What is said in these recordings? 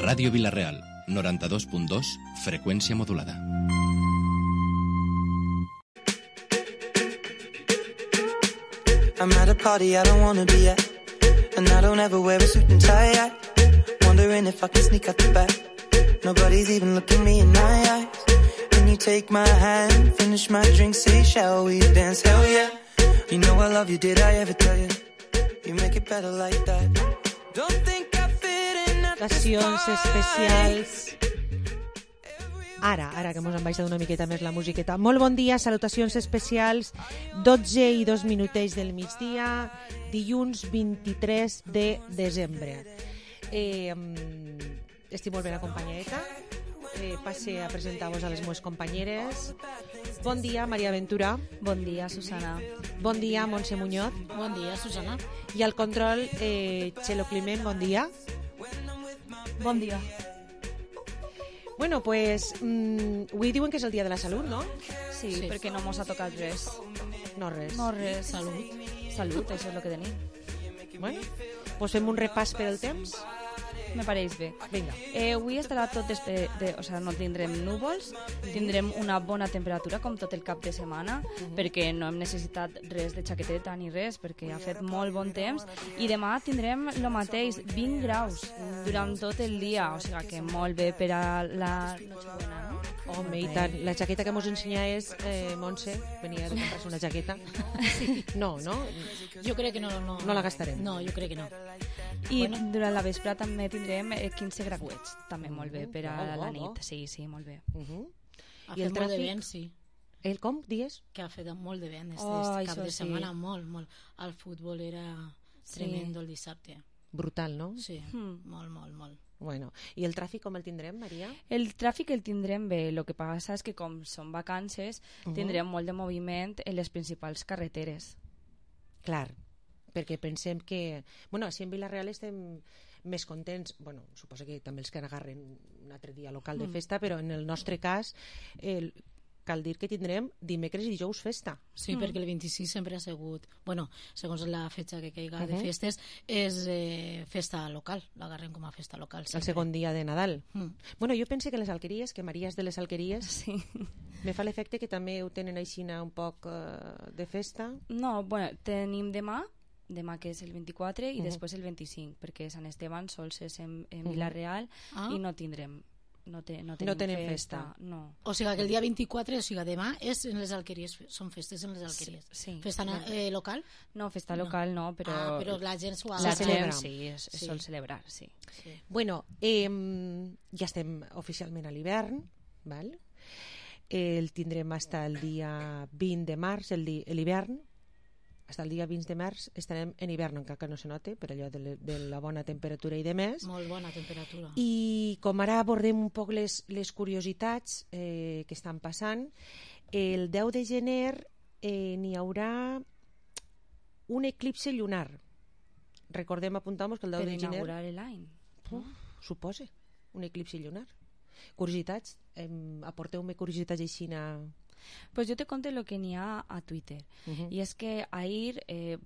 Ràdio Vila-real, 92.2, freqüència modulada. I'm at a party I don't wanna be at, and I don't ever wear a suit and tie yet. Wondering if I can sneak out the back. Nobody's even looking me in my eyes. Can you take my hand, finish my drink, say shall we dance? Hell yeah. You know I love you, did I ever tell you? You make it better like that. Don't think I fit in at this Salutacions especials. Ara que mos han baixat una miqueta més la musiqueta. Molt bon dia, salutacions especials. 12 i 2 minutets del migdia, dilluns 23 de desembre. Estic molt ben acompanyadeta. Passe a presentar-vos a les meves companyeres. Bon dia, Maria Ventura. Bon dia, Susana. Bon dia, Montse Muñoz. Bon dia, Susana. I al control, Txelo Climent, bon dia. Bon dia. Bueno, pues avui diuen que és el dia de la salut, no? Sí, perquè no mos ha tocat res. No res. No res. Salut. Salut, això és el que tenim. Bueno, pues fem un repàs per el temps. Me pareix bé. Vinga. Avui estarà tot o sigui, no tindrem núvols, tindrem una bona temperatura com tot el cap de setmana, perquè no hem necessitat res de jaqueteta ni res, perquè ha fet molt bon temps, i demà tindrem el mateix, 20 graus durant tot el dia, o sigui que molt bé per a la Nochebuena, no? Home, i tant. La jaqueta que mos ensenyaves, Montse, venia de comprar-se una jaqueta. No, no? Jo crec que no la gastarem. No, jo crec que no. I durant la vespre també tindrem 15 grauets, també molt bé per a la nit. Sí, molt bé. Ha I el fet molt de tràfic? vent, sí. El com, dies? Que ha fet molt de vent Oh, este cap això de sí. setmana, molt. El futbol era tremendo el dissabte. Brutal, no? Sí, molt. Bueno, i el tràfic com el tindrem, Maria? El tràfic el tindrem bé, el que passa és que com són vacances tindrem molt de moviment en les principals carreteres. Clar, perquè pensem que... Bueno, si en Vila-real estem més contents, bueno, suposo que també els que agarren un altre dia local de festa, però en el nostre cas cal dir que tindrem dimecres i dijous festa. Sí, perquè el 26 sempre ha sigut... Bueno, segons la fetge que caiga de festes, és festa local, l'agarrem com a festa local. El segon dia de Nadal. Bueno, jo pense que les alqueries, que Maria és de les alqueries, Sí. me fa l'efecte que també ho tenen aixina un poc de festa. No, bueno, tenim demà que és el 24 i després el 25, perquè Sant Esteban sols és en Vila-real i no tindrem no tenim festa. No. O sigui que el dia 24, o sigui demà, és en les alqueries, són festes en les alqueries. Sí. Festa local? No, festa local no, però... Ah, però la gent s'ho ha la Se gent, celebra. sí, es sol celebrar, sí. Bueno, ja estem oficialment a l'hivern, val? El tindrem fins el dia 20 de març, l'hivern. Fins el dia 20 de març estarem en hivern, encara que no se note, per allò de la bona temperatura i de més. Molt bona temperatura. I com ara abordem un poc les curiositats que estan passant, el 10 de gener n'hi haurà un eclipse lunar. Recordem, apuntamos que el 10 Per de gener... inaugurar l'any. Suposa, un eclipse lunar. Curiositats, aporteu-me curiositats així Pues yo te conté lo que n'hi ha a Twitter. Y es que ahir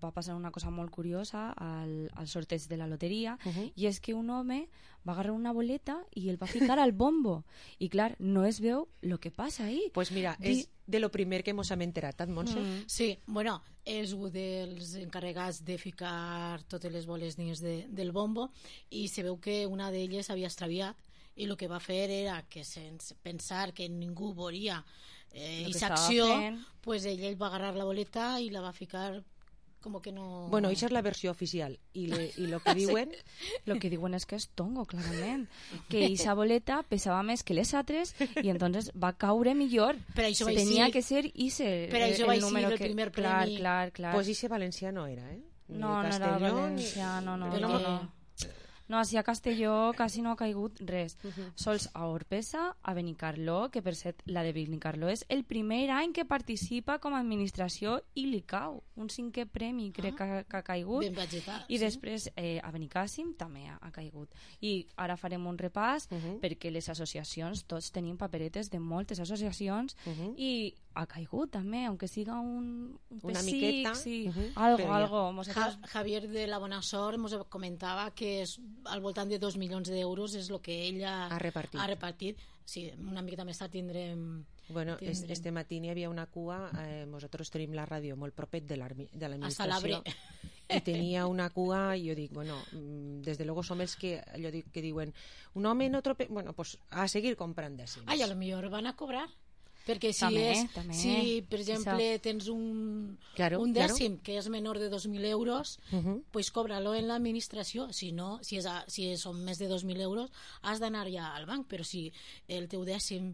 va passar una cosa molt curiosa al sorteig de la loteria, i és que un home va agarrar una boleta i el va ficar al bombo. I clar, no es veu lo que passa ahí. Pues mira, és de lo primer que mos hem enterat, Montse? Sí, bueno, és un dels encarregats de ficar totes les boles dins del bombo, i se veu que una d'elles havia extraviat, i el que va fer era que sense pensar que ningú veuria aquesta acció, pues ell va agarrar la boleta i la va ficar com que no... Bueno, això és la versió oficial. I lo que diuen... Lo que diuen és que és tongo, clarament. Que esa boleta pesava més que les altres i entonces va caure millor. Per això va Tenia ser... que ser ese Per això va el ser número el que... primer premi. Clar. Pues ese valencià no era, Ni No, no era Castelló, valencià, no. Però No, així a Castelló quasi no ha caigut res. Sols a Orpesa, a Benicarló, que per cert, la de Benicarló és el primer any que participa com a administració i li cau un 5è premi, crec que ha caigut. Ben vegetal, I sí. després a Benicàssim també ha caigut. I ara farem un repàs perquè les associacions, tots tenim paperetes de moltes associacions i ha caigut també, aunque siga un una pessic, miqueta, sí, però ja. algo. Javier de la Bona Sort ens comentava que al voltant de 2 milions d'euros és el que ella ha repartit. Sí, una miqueta més tard tindrem... Bueno, este matí hi havia una cua, nosaltres tenim la ràdio molt propet de l'administració, i tenia una cua, i jo dic, bueno, desde luego som els que, allò que diuen, un home en otro... Bueno, pues a seguir comprant dècims. Ai, a lo millor van a cobrar. Perquè també. si per exemple tens un dècim que és menor de 2.000 euros, pues cobra-lo en l'administració. Si no, si són més de 2.000 euros, has d'anar ja al banc, però si el teu dècim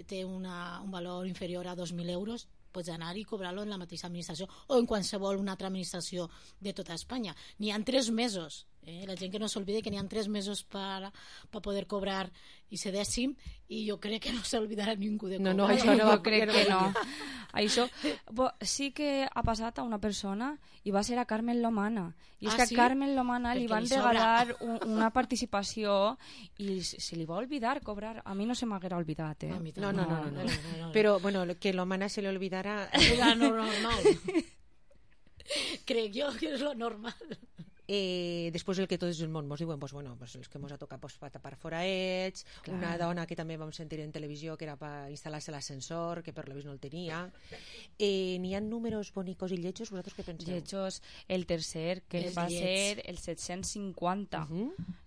té un valor inferior a 2.000 euros, pots anar i cobrar-lo en la mateixa administració o en qualsevol una altra administració de tota Espanya. N'hi ha 3 mesos. La gent que no s'olvide que n'hi ha 3 mesos per poder cobrar ese dècim, i jo crec que no s'olvidarà ningú de cobrar. No, això no jo crec que no. Això sí que ha passat a una persona, i va ser a Carmen Lomana. I és que a Carmen Lomana li van regalar una participació i se li va oblidar cobrar. A mi no se m'haguera oblidat, No. Però, bueno, que Lomana se li olvidara... Era normal. Crec jo que és lo normal. Després el que tot el món ens diuen, pues, bueno, pues, els que ens ha tocat pues, per tapar foraets, una dona que també vam sentir en televisió que era per instal·lar-se l'ascensor, que per lo vist no el tenia. N'hi ha números bonicos i lletjos, vosaltres què penseu? Lletjos, el tercer, que va ser el 750.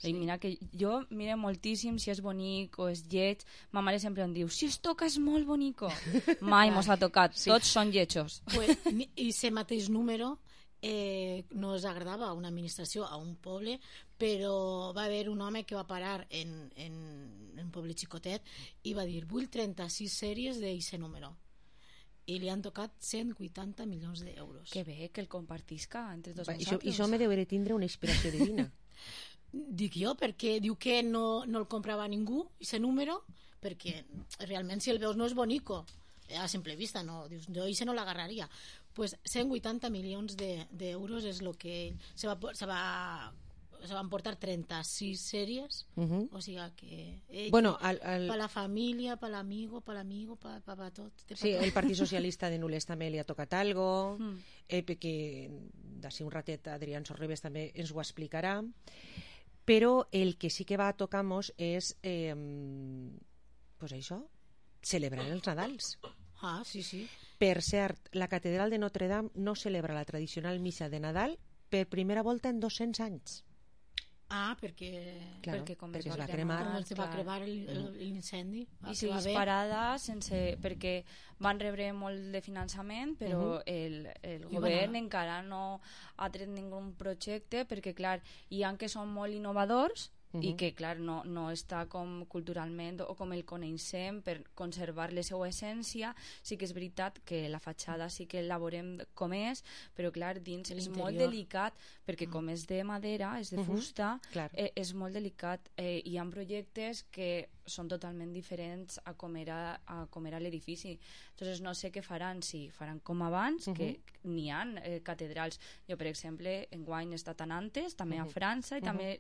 I mira que jo mire moltíssim si és bonic o és lleig. Ma mare sempre em diu, si es toca és molt bonico. Mai mos ha tocat, tots són lletjos. Pues, i ese mateix número no es agradava a una administració, a un poble, però va haver un home que va parar en un poble xicotet i va dir, vull 36 sèries d'aquest número, i li han tocat 180 milions d'euros. Que bé, que el compartisca entre tots I nosaltres. això me deu tindre una inspiració divina. Dic jo, perquè diu que no el comprava ningú, aquest número, perquè realment si el veus no és bonico, a simple vista, no, dius, jo no l'agarraria. Pues 180 milions d'euros és el que se van portar 36 sèries, o sigui que bueno, per la família, per l'amigo, per tot. Sí, el Partit Socialista de Nules també li ha tocat algo, que d'ací un ratet Adrián Sorribes també ens ho explicarà, però el que sí que va a tocar-nos és pues això, celebrar els Nadals. Ah, sí. Per cert, la Catedral de Notre Dame no celebra la tradicional missa de Nadal per primera volta en 200 anys. Ah, perquè com es va cremar. Com es va cremar l'incendi. I si disparada perquè van rebre molt de finançament, però el govern encara no ha tret ningú projecte, perquè clar, hi ha que són molt innovadors i que clar, no està com culturalment o com el coneixem per conservar la seva essència. Sí que és veritat que la fatxada sí que la veurem com és, però clar, dins és molt delicat, perquè com és de madera, és de fusta, és molt delicat. Hi ha projectes que són totalment diferents a com era l'edifici. Entonces no sé què faran, si faran com abans, que n'hi ha catedrals. Jo, per exemple, enguany he estat a Nantes, també a França, i també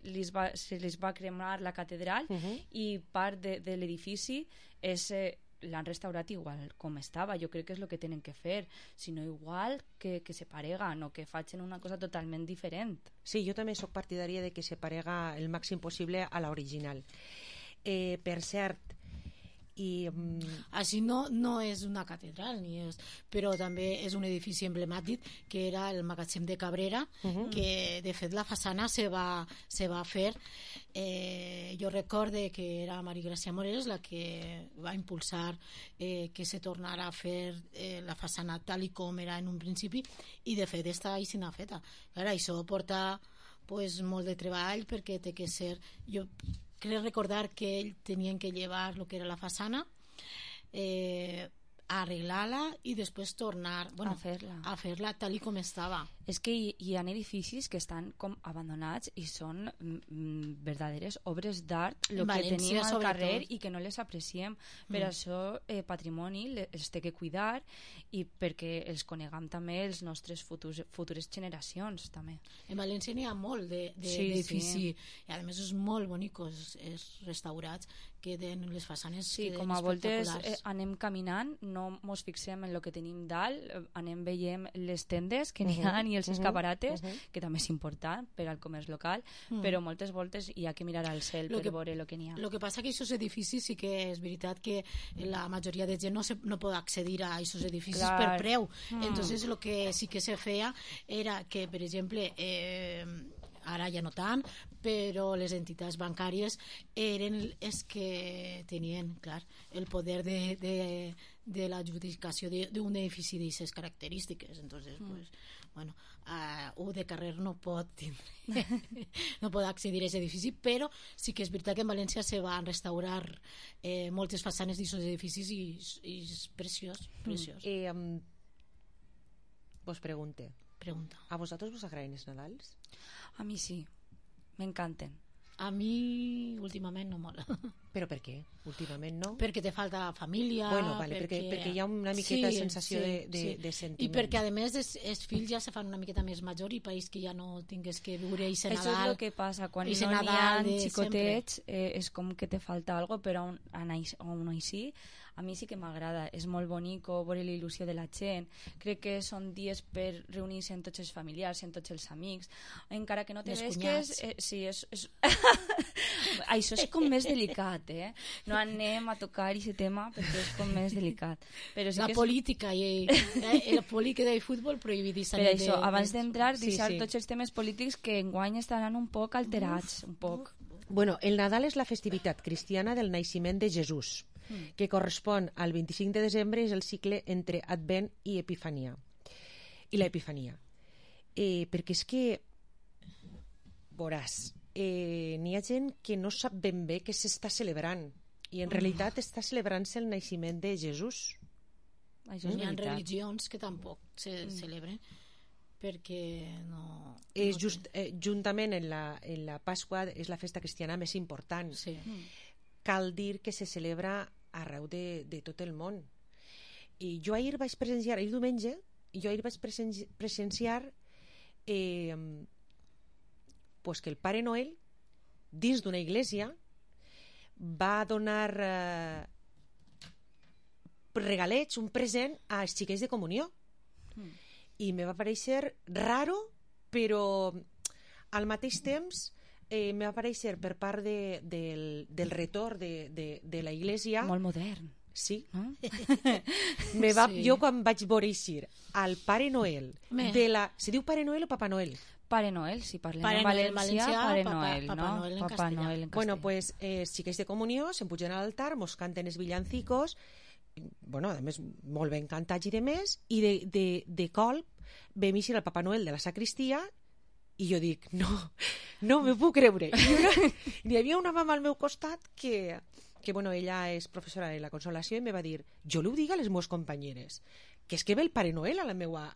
se les va cremar la catedral, i part de l'edifici l'han restaurat igual com estava. Jo crec que és el que tenen que fer, sinó igual que se pareguen o que facin una cosa totalment diferent. Sí, jo també sóc partidària de que se parega el màxim possible a l'original. Per cert, així no és una catedral, però també és un edifici emblemàtic que era el magatzem de Cabrera, que de fet la façana se va fer. Jo recorde que era Maria Gràcia Moreres la que va impulsar que se tornara a fer la façana tal i com era en un principi, i de fet està així feta. Clar, això porta molt de treball, perquè té que ser... Jo crec recordar que ells tenien que llevar el que era la façana, arreglar-la i després tornar a fer-la tal i com estava. És que hi ha edificis que estan com abandonats i són verdaderes obres d'art el que València, tenim al sobretot. carrer i que no les apreciem. Per això patrimoni els té que cuidar i perquè els coneguem també els nostres futures generacions també. En València n'hi ha molt Sí, d'edifici i a més és molt bonicos, és restaurats que tenen les façanes Sí, que com a voltes espectaculars. anem caminant, no mos fixem en el que tenim dalt, anem veient les tendes que n'hi ha i els escaparates, que també és important per al comerç local, però moltes voltes hi ha que mirar al cel per veure el que n'hi ha. El que passa que aquests edificis sí que és veritat que la majoria de gent no pot accedir a aquests edificis Clar. per preu. Entonces el que sí que se feia era que, per exemple, ara ja no tant, però les entitats bancàries eren els que tenien, clar, el poder de l'adjudicació d'un edifici d'aquestes característiques. Entonces, pues, bueno, un de carrer no pot tindre, no pot accedir a aquest edifici, però sí que és veritat que en València se van restaurar moltes façanes d'aquests edificis i és preciós, preciós. Vos pregunte, Pregunta. ¿a vosotros vos agraden els Nadals? A mi sí, m'encanten. A mi últimament no mola. Però per què? Últimament no? Perquè te falta família. Bueno, vale, perquè hi ha una miqueta de sensació de sentiment. I perquè a més els fills ja se fan una miqueta més major i país que ja no tingues que viure i Això és el que passa, quan Eixe no n'hi ha Nadal de xicotets és com que te falta algo, però aún així a mi sí que m'agrada, és molt bonic veure la il·lusió de la gent, crec que són dies per reunir-se amb tots els familiars, amb tots els amics, encara que no te vesques, sí, això és com més delicat, no anem a tocar aquest tema perquè és com més delicat. Però sí la que política i la política i el futbol prohibidíssim. Per això, abans d'entrar, deixar tots els temes polítics que enguany estaran un poc alterats, un poc. Bueno, el Nadal és la festivitat cristiana del naixement de Jesús, que correspon al 25 de desembre, és el cicle entre Advent i Epifania. I l'Epifania. Perquè és que, veuràs, n'hi ha gent que no sap ben bé què s'està celebrant i en realitat està celebrant-se el naixement de Jesús. Això és Hi ha veritat. religions que tampoc se celebren perquè no... És juntament en la Pasqua és la festa cristiana més important. Sí. Cal dir que se celebra arreu de tot el món. I jo ahir vaig presenciar, ahir diumenge, pues que el Pare Noel, dins d'una església, va donar regalets, un present als xiquets de comunió. I me va parèixer raro, però al mateix temps me va aparèixer per part del retorn de la Iglesia. Molt modern. Sí. No? Sí. Jo quan vaig veure eixir al Pare Noel se diu Pare Noel o Papa Noel? Pare Noel, si parlem Pare en Noel, valencià, Pare Papa Noel, Papa no? Noel en Papa castellà. Noel en Bueno, castellà. pues xiquets de comunió se'n pugen a l'altar, mos canten els villancicos, bueno, a més molt ben cantats i de més, i de colp vam eixir el Papa Noel de la sacristia i jo dic, no me puc creure. Hi havia una mama al meu costat que bueno, ella és professora de la Consolació i me va dir, jo li ho dic a les meves companyeres, que és que ve el Pare Noel a la meva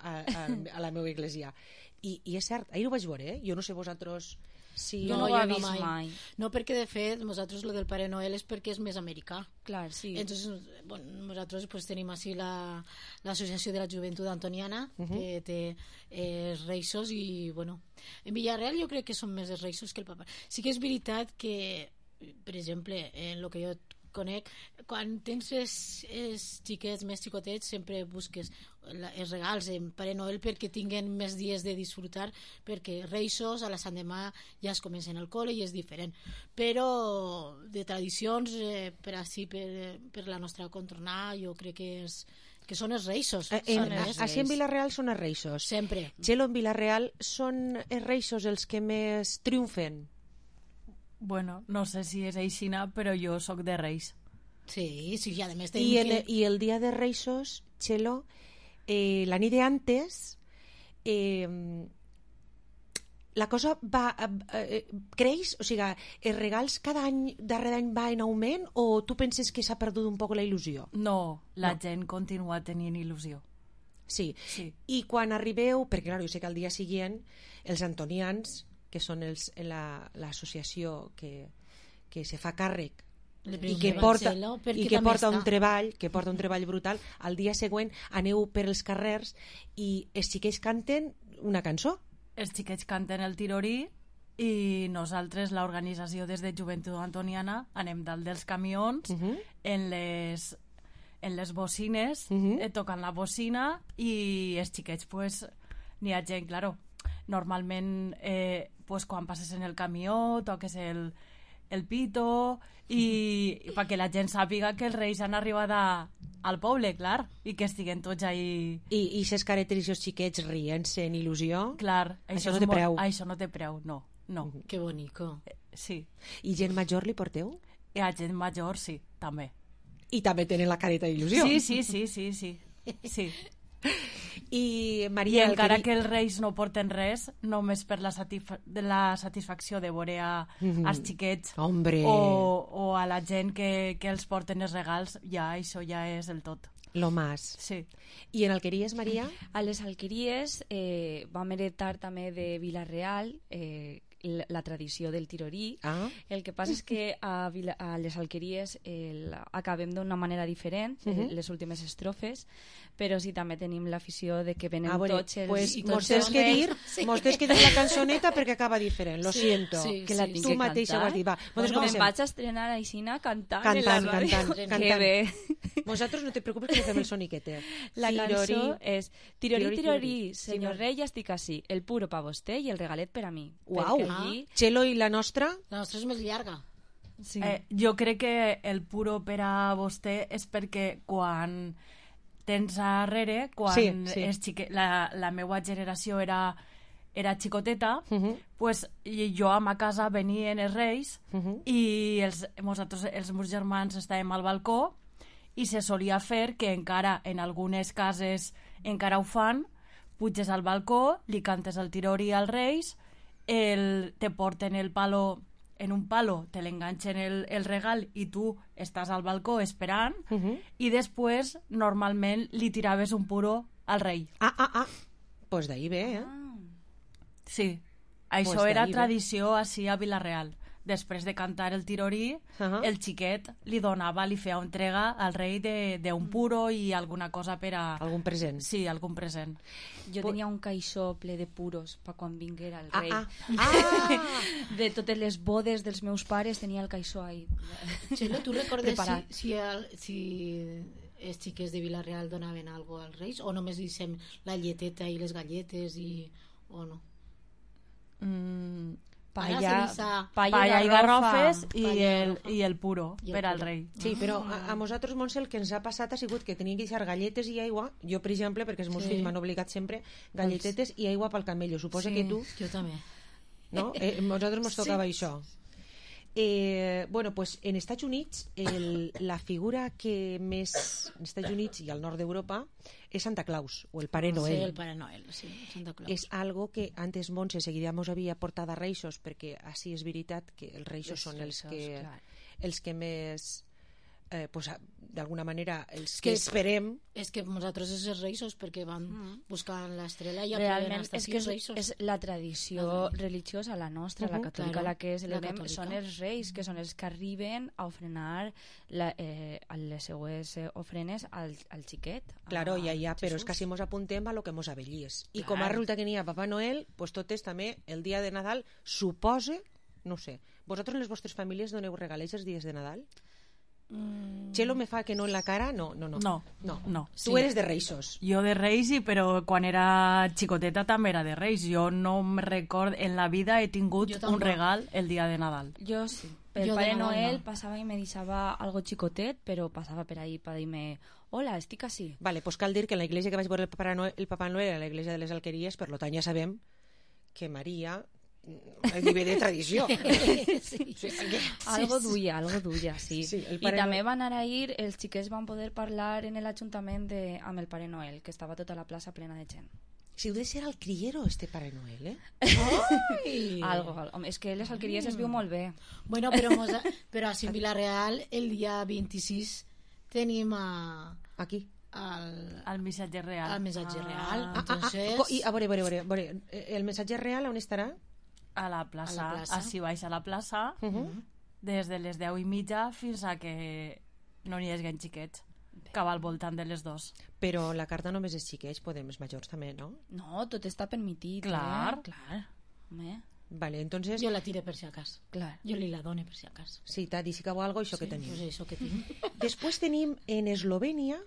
església. I és cert, ahir ho vaig veure, jo no sé vosaltres si... Jo no ho he vist mai. No, perquè de fet nosaltres lo del Pare Noel és perquè és més americà. Clar, sí. Entonces, bueno, nosaltres pues, tenim així l'Associació de la Joventut Antoniana, que té reixos i, bueno, en Villarreal jo crec que són més els reixos que el Papa. Sí que és veritat que, per exemple, en el que jo conec, quan tens els xiquets més xicotets sempre busques els regals en Pare Noel perquè tinguen més dies de disfrutar, perquè Reixos a la Sant Demà ja es comencen al col·le i és diferent, però de tradicions per la nostra contornada jo crec que són els Reixos. Així en Vilareal són els Reixos. Sempre. Txelo, en Vilareal són els Reixos els que més triomfen? Bueno, no sé si és aixina, però jo sóc de Reis. Sí, sí, i a més I el dia de Reixos, Txelo, la nit d'antes la cosa creix? O sigui, els regals cada any, darrere any va en augment o tu penses que s'ha perdut un poc la il·lusió? No, la gent continua tenint il·lusió. Sí. Sí. I quan arribeu, perquè clar, jo sé que al dia següent els antonians, que són l'associació que se fa càrrec i que porta un treball brutal, al dia següent aneu per els carrers i els xiquets canten una cançó. Els xiquets canten el tirorí i nosaltres, l'organització des de Joventut Antoniana, anem dalt dels camions en les bocines, tocant la bocina, i els xiquets, pues, n'hi ha gent, claro, normalment pues, quan passes en el camió toques el pito i perquè la gent sàpiga que els reis han arribat al poble, clar, i que estiguen tots ahí. I ses caretes i els xiquets rient-se en il·lusió. Clar, això no té preu. Això no té preu, no. Que bonico. Sí. I gent major li porteu? I a gent major, sí, també. I també tenen la careta d'il·lusió. Sí. I I Maria... encara que els reis no porten res, només per la satisfacció de veure als xiquets o a la gent que els porten els regals, ja això ja és el tot. Lo más. Sí. I en Alqueries, Maria? A les Alqueries vam heretar també de Vila-real la tradició del tirorí. El que passa és que a les Alqueries acabem d'una manera diferent, les últimes estrofes, però sí també tenim l'afició de que venen tots els... Pues mos tens que dir la cançoneta perquè acaba diferent, lo siento. Que la tinc tu mateixa ho has dit. Va, me'n vaig a estrenar aixina cantant. Que bé. Vosaltres no te preocupes que fem el soniquete. La cançó és tirorí, tirorí, senyor rei, ja estic així, el puro pa vostè i el regalet per a mi. Uau! Txelo, i la nostra? La nostra és més llarga. Sí. Jo crec que el puro per a vostè és perquè quan tens darrere, quan la meva generació era xicoteta, pues, jo a ma casa venien els reis i els meus germans estàvem al balcó i se solia fer que encara en algunes cases encara ho fan, puges al balcó, li cantes el tirorí als reis, te porten el palo en un palo, te l'enganxen el regal i tu estàs al balcó esperant i després normalment li tiraves un puro al rei. Pues d'ahí ve, Sí, això era tradició així a Vila-real. Després de cantar el tirorí, el xiquet li feia entrega al rei d'un puro i alguna cosa per a... Algun present. Sí, algun present. Jo tenia un caixó ple de puros per quan vinguera el rei. De totes les bodes dels meus pares tenia el caixó ahí. Txelo, tu recordes si els xiquets de Vila-real donaven alguna cosa als reis o només deixem la lleteta i les galletes o no? Palla i garrofes i el puro per al rei. Sí, però a nosaltres, Montse, el que ens ha passat ha sigut que teníem que deixar galletes i aigua, jo per exemple, perquè els meus fills m'han obligat sempre, galletetes i aigua pel camello. Suposa que tu... Jo també. No? Nosaltres ens tocava això. Bueno, pues en Estats Units la figura que més en Estats Units i al nord d'Europa és Santa Claus o el Pare Noel. Sí, el Pare Noel, sí, Santa Claus. És algo que antes Montse seguida mos havia portat a Reixos, perquè així és veritat que els Reixos són els que més pues, d'alguna manera els que esperem. És que nosaltres és els Reixos perquè van buscant l'estrela i realment és que és la tradició religiosa, la nostra, la catòlica, la que celebrem, són els reis, que són els que arriben a ofrenar les seues ofrenes al xiquet. Claro, ja, però és que si mos apuntem a lo que mos avellies. I com resulta que n'hi ha Papa Noel, pues totes també el dia de Nadal suposa, no sé, vosaltres les vostres famílies doneu regalets els dies de Nadal? Txelo me fa que no en la cara. No. Tu eres de Reixos. Jo de Reis, però quan era xicoteta també era de Reis. Jo no me record, en la vida he tingut un regal el dia de Nadal. Jo sí. El Pare Noel passava i me deixava algo xicotet, però passava per ahí per dir-me hola, estic així. Vale, pues cal dir que en la iglesia que vaig veure el Papa Noel era la iglesia de les Alqueries, per tant ja sabem que Maria el nivell de tradició. Algo duia, sí. I també van anar a ir, els xiquets van poder parlar en l'Ajuntament amb el Pare Noel, que estava tota la plaça plena de gent. Si ho de ser al criero, este Pare Noel, Algo. És que les Alqueries es viu molt bé. Bueno, però a Vila-real el dia 26 tenim aquí al missatge real. Al missatge real. A veure, el missatge real on estarà? A la plaça. Així baix a la plaça, des de les 10:30 fins a que no n'hi hagi xiquets, que va al voltant de les 2. Però la carta només és xiquets, podem els majors també, no? No, tot està permitit. Clar. Clar. Home. Vale, entonces... Jo la tire per si acas. Clar. Jo li la done per si acas. Sí, t'ha dit si cau algo, això que tenim. Pues això que tinc. Després tenim en Eslovènia,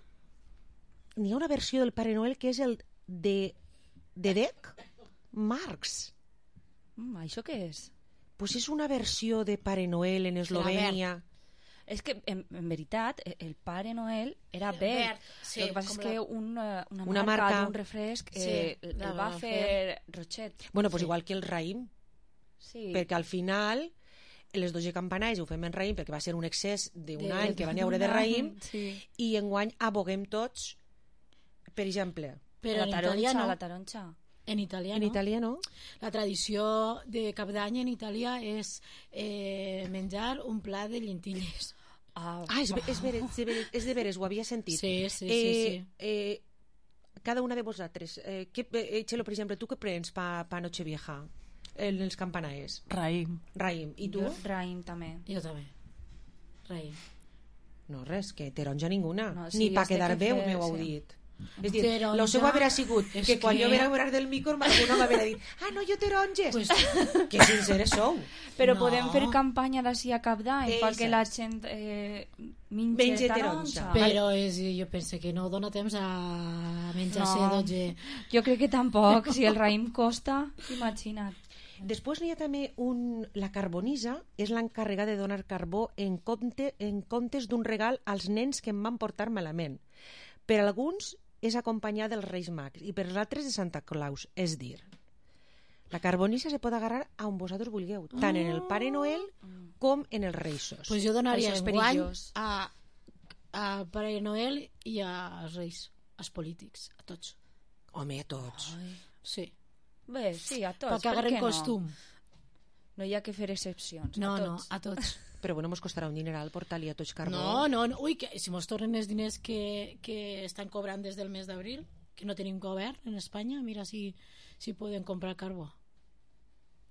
n'hi ha una versió del Pare Noel que és el de Dedek Marx. Això què és? Pues és una versió de Pare Noel en Eslovènia. És que, en veritat, el Pare Noel era verd. Sí, el que passa és que una marca marca d'un refresc Sí, el la va va fer Rochet. Bueno, pues igual que el raïm, Sí. perquè al final les 12 campanades ho fem en raïm perquè va ser un excés d'un any que van haure de raïm Sí. i enguany aboguem tots, per exemple, Però en italià no. La taronja. En italià en no. italià no? La tradició de cap d'any en Itàlia és menjar un plat de llentilles. És de veres, ho havia sentit. Sí. Cada una de vosaltres, Txelo, per exemple, tu què prens pa Nochevieja en els campanaes? Raïm. Raïm. I tu? Raïm també. Jo també. Raïm. No, res, que taronja ninguna. No, sí, Ni pa has de quedar bé, fer, m'ho heu sí. dit. És dir, Taronja, lo seu haver sigut que quan jo vera obrar del micro alguna m'haver dit no, jo taronges. Pues, Que sinceres sou. Però No. podem fer campanya d'ací a cap d'any perquè la gent mengi taronja. però jo penso que no dona temps a menjar-se No. 12. Jo crec que tampoc. Si el raïm costa, imagina't. Després n'hi ha també la carbonisa, és l'encarregada de donar carbó en comptes d'un regal als nens que em van portar malament. Per alguns és acompanyar dels Reis Mags i per els altres de Santa Claus, és dir, la carbonisa se pot agarrar a on vosaltres vulgueu, tant en el Pare Noel com en els Reisos. Pues jo donaria Això és enguany perillós. a Pare Noel i als Reis, als polítics, a tots. Home, a tots. Sí. Bé, sí, a tots. Perquè agarren costum. No hi ha que fer excepcions. No, a no, tots. a tots. Però bueno, mos costarà un dineral portar-li a tots carbó. No. Ui, que si mos tornen els diners que estan cobrant des del mes d'abril, que no tenim govern en Espanya, mira si poden comprar carbó.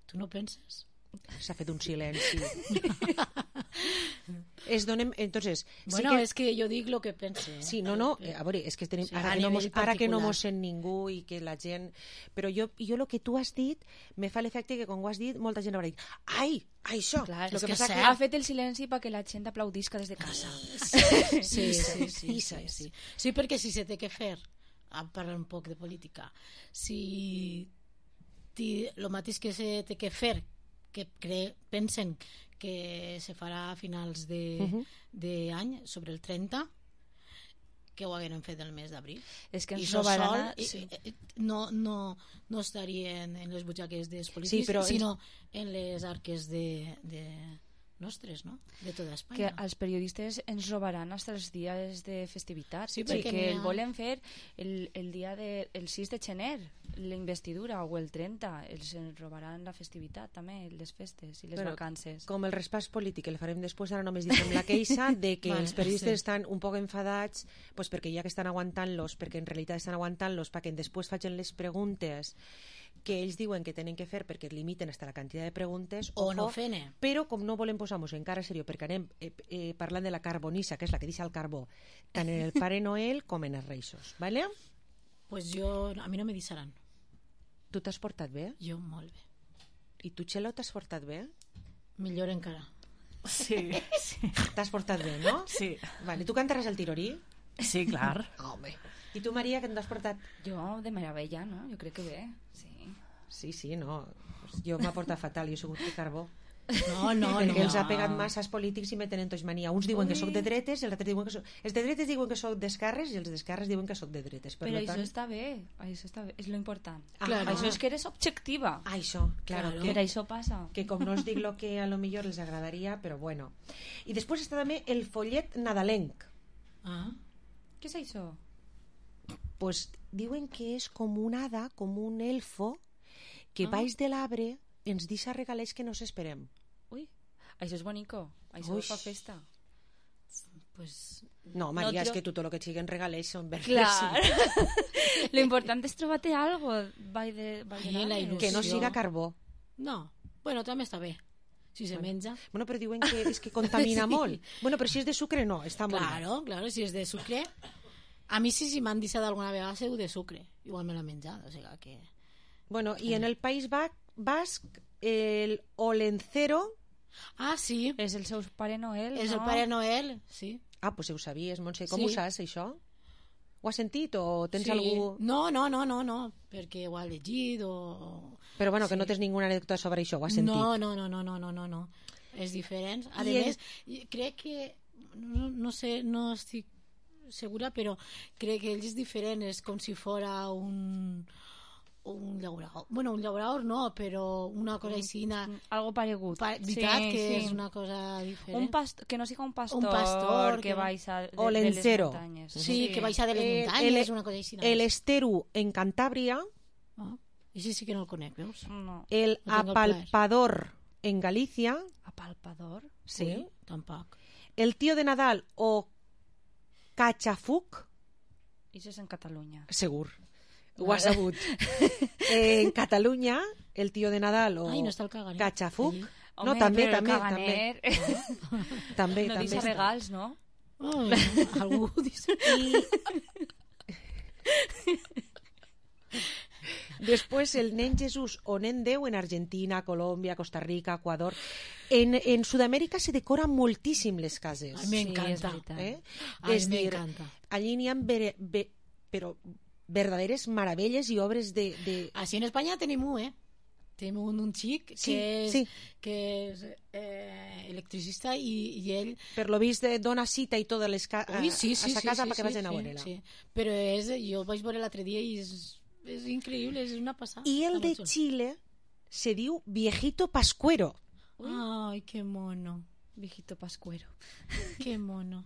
Tu no penses? S'ha fet un silenci. Entonces, Bueno, sí que... és que jo dic el que pense. Sí, no, a veure, és que tenim, Sí, ara a que no nivell particular. mos sent ningú i que la gent... Però jo el que tu has dit me fa l'efecte que quan ho has dit molta gent haurà dit ai, això! Clar, Lo és que passa ha fet el silenci perquè la gent aplaudisca des de casa. Sí. Sí, perquè si se té que fer, a parlar un poc de política, si el mateix que se té que fer, que pensen que se farà a finals d'any, sobre el 30, que ho hagueren fet el mes d'abril. És que I ens això robaran... sol no estarien en les butxaques dels polítics, Sí, però sinó en les arques de nostres, no? De tota Espanya. que els periodistes ens robaran fins els dies de festivitat, Sí, perquè perquè n'hi ha- el volen fer el dia el 6 de gener, la investidura, o el 30, els ens robaran la festivitat també, les festes i les vacances. Com el respàs polític el farem després, ara només diguem la queixa de que Vale, els periodistes sí. estan un poc enfadats pues perquè ja que estan aguantant-los, perquè en realitat estan aguantant-los perquè després facin les preguntes que ells diuen que tenen que fer perquè limiten hasta la quantitat de preguntes O no fene. però com no volem posar-nos encara seriós perquè anem parlant de la carbonissa, que és la que deixa el carbó tant en el Pare Noel com en els Reisos, ¿vale? Pues a mi no me deixaran. Tu t'has portat bé? Jo molt bé. I tu, Txelo, t'has portat bé? Millor encara. Sí. T'has portat bé, no? Sí. Vale, tu cantaràs el tirorí? Sí, clar. Home. I tu, Maria, que t'has portat? Jo, de meravella, no? Jo crec que bé, sí. Sí, no. Jo m'ha portat fatal, jo he sigut de carbó. No. Perquè els ha pegat massa als polítics i me tenen tots mania. Uns diuen que sóc de dretes i els altres diuen que soc... Els de dretes diuen que sóc d'esquerres i els d'esquerres diuen que sóc de dretes. Però això està bé, és lo important. Claro. Això és que eres objectiva. Això, claro. Per això passa. Que com no us dic lo que a lo millor els agradaria, però bueno. I després està també el follet nadalenc. Què és això? Pues diuen que és com un hada, com un elfo, que baix de l'arbre ens deixa regalets que no s'esperem. Ui, això és bonico. Això Ui. fa festa. pues... No, Maria, és que tot el que et siguen regalers són verdes. Clar. Lo important és trobar-te algo. Que no siga carbó. No, bueno, també està bé. Si se menja. Bueno, però diuen que és que contamina molt. Bueno, però si és de sucre, no, està molt bé. Claro, si és de sucre... A mi si m'han deixat alguna vegada seu de sucre. Igual me l'ha menjat, o sigui que... Bueno, i en el País Basc, el Olencero... Ah, sí. És el seu Pare Noel, És no? el Pare Noel, sí. Ah, pues ho sabies, Montse. Com Sí. ho saps, això? Ho has sentit o tens Sí. algú... No, perquè ho ha llegit o... Però bueno, que no tens ninguna anècdota sobre això, ho has sentit. No. És diferent. A més, crec que... No sé, no estic segura, però crec que ell és diferent. És com si fora un llaurador. Bueno, un llaurador no, però una cosa així... Algo paregut. Veritat que és una cosa diferent. Que no siga un pastor que baixa de les muntanyes. Sí, que baixa de les muntanyes, una cosa així. El Esteru en Cantàbria. Això sí que no el conec, veus? No. El Apalpador en Galícia. Apalpador? Sí. Ui, tampoc. El Tío de Nadal o Cachafuc. Això és en Catalunya. Segur. Ho has sabut. En Catalunya, el Tío de Nadal o no està el caganer. Cachafuc. Home, No, també. També. No deixa regals, no? Algú dice... Después el nen Jesús o nen Déu en Argentina, Colòmbia, Costa Rica, Ecuador. En Sud-amèrica se decoren moltíssim les cases. A mi m'encanta. És dir, allí n'hi ha però verdaderes meravelles i obres de... Així en Espanya tenim tenim un xic que és electricista i ell... Per lo vist dona cita i totes les a sa casa perquè vagin a veure-la. Però jo vaig veure l'altre dia i és increïble, és una passada. I el de Xile se diu Viejito Pascuero. Ai, que mono. Viejito Pascuero. Que mono.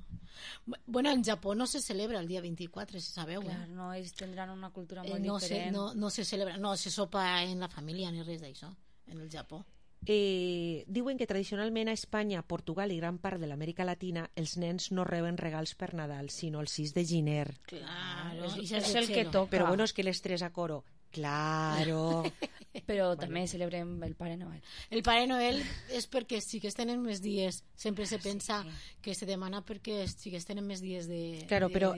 Bueno, en Japó no se celebra el dia 24, si sabeu. Clar, no, ells tindran una cultura molt diferent. No se celebra, no se sopa en la família ni res d'això, en el Japó. Diuen que tradicionalment a Espanya, Portugal i gran part de l'Amèrica Latina els nens no reben regals per Nadal, sinó el 6 de gener. Claro, és el que toca. Però bueno, és que les tres a coro. Claro. Però també celebrem el Pare Noel. El Pare Noel és perquè els xiquets tenen més dies. Sempre se pensa que se demana perquè els xiquets tenen més dies de disfrutar-ho. Però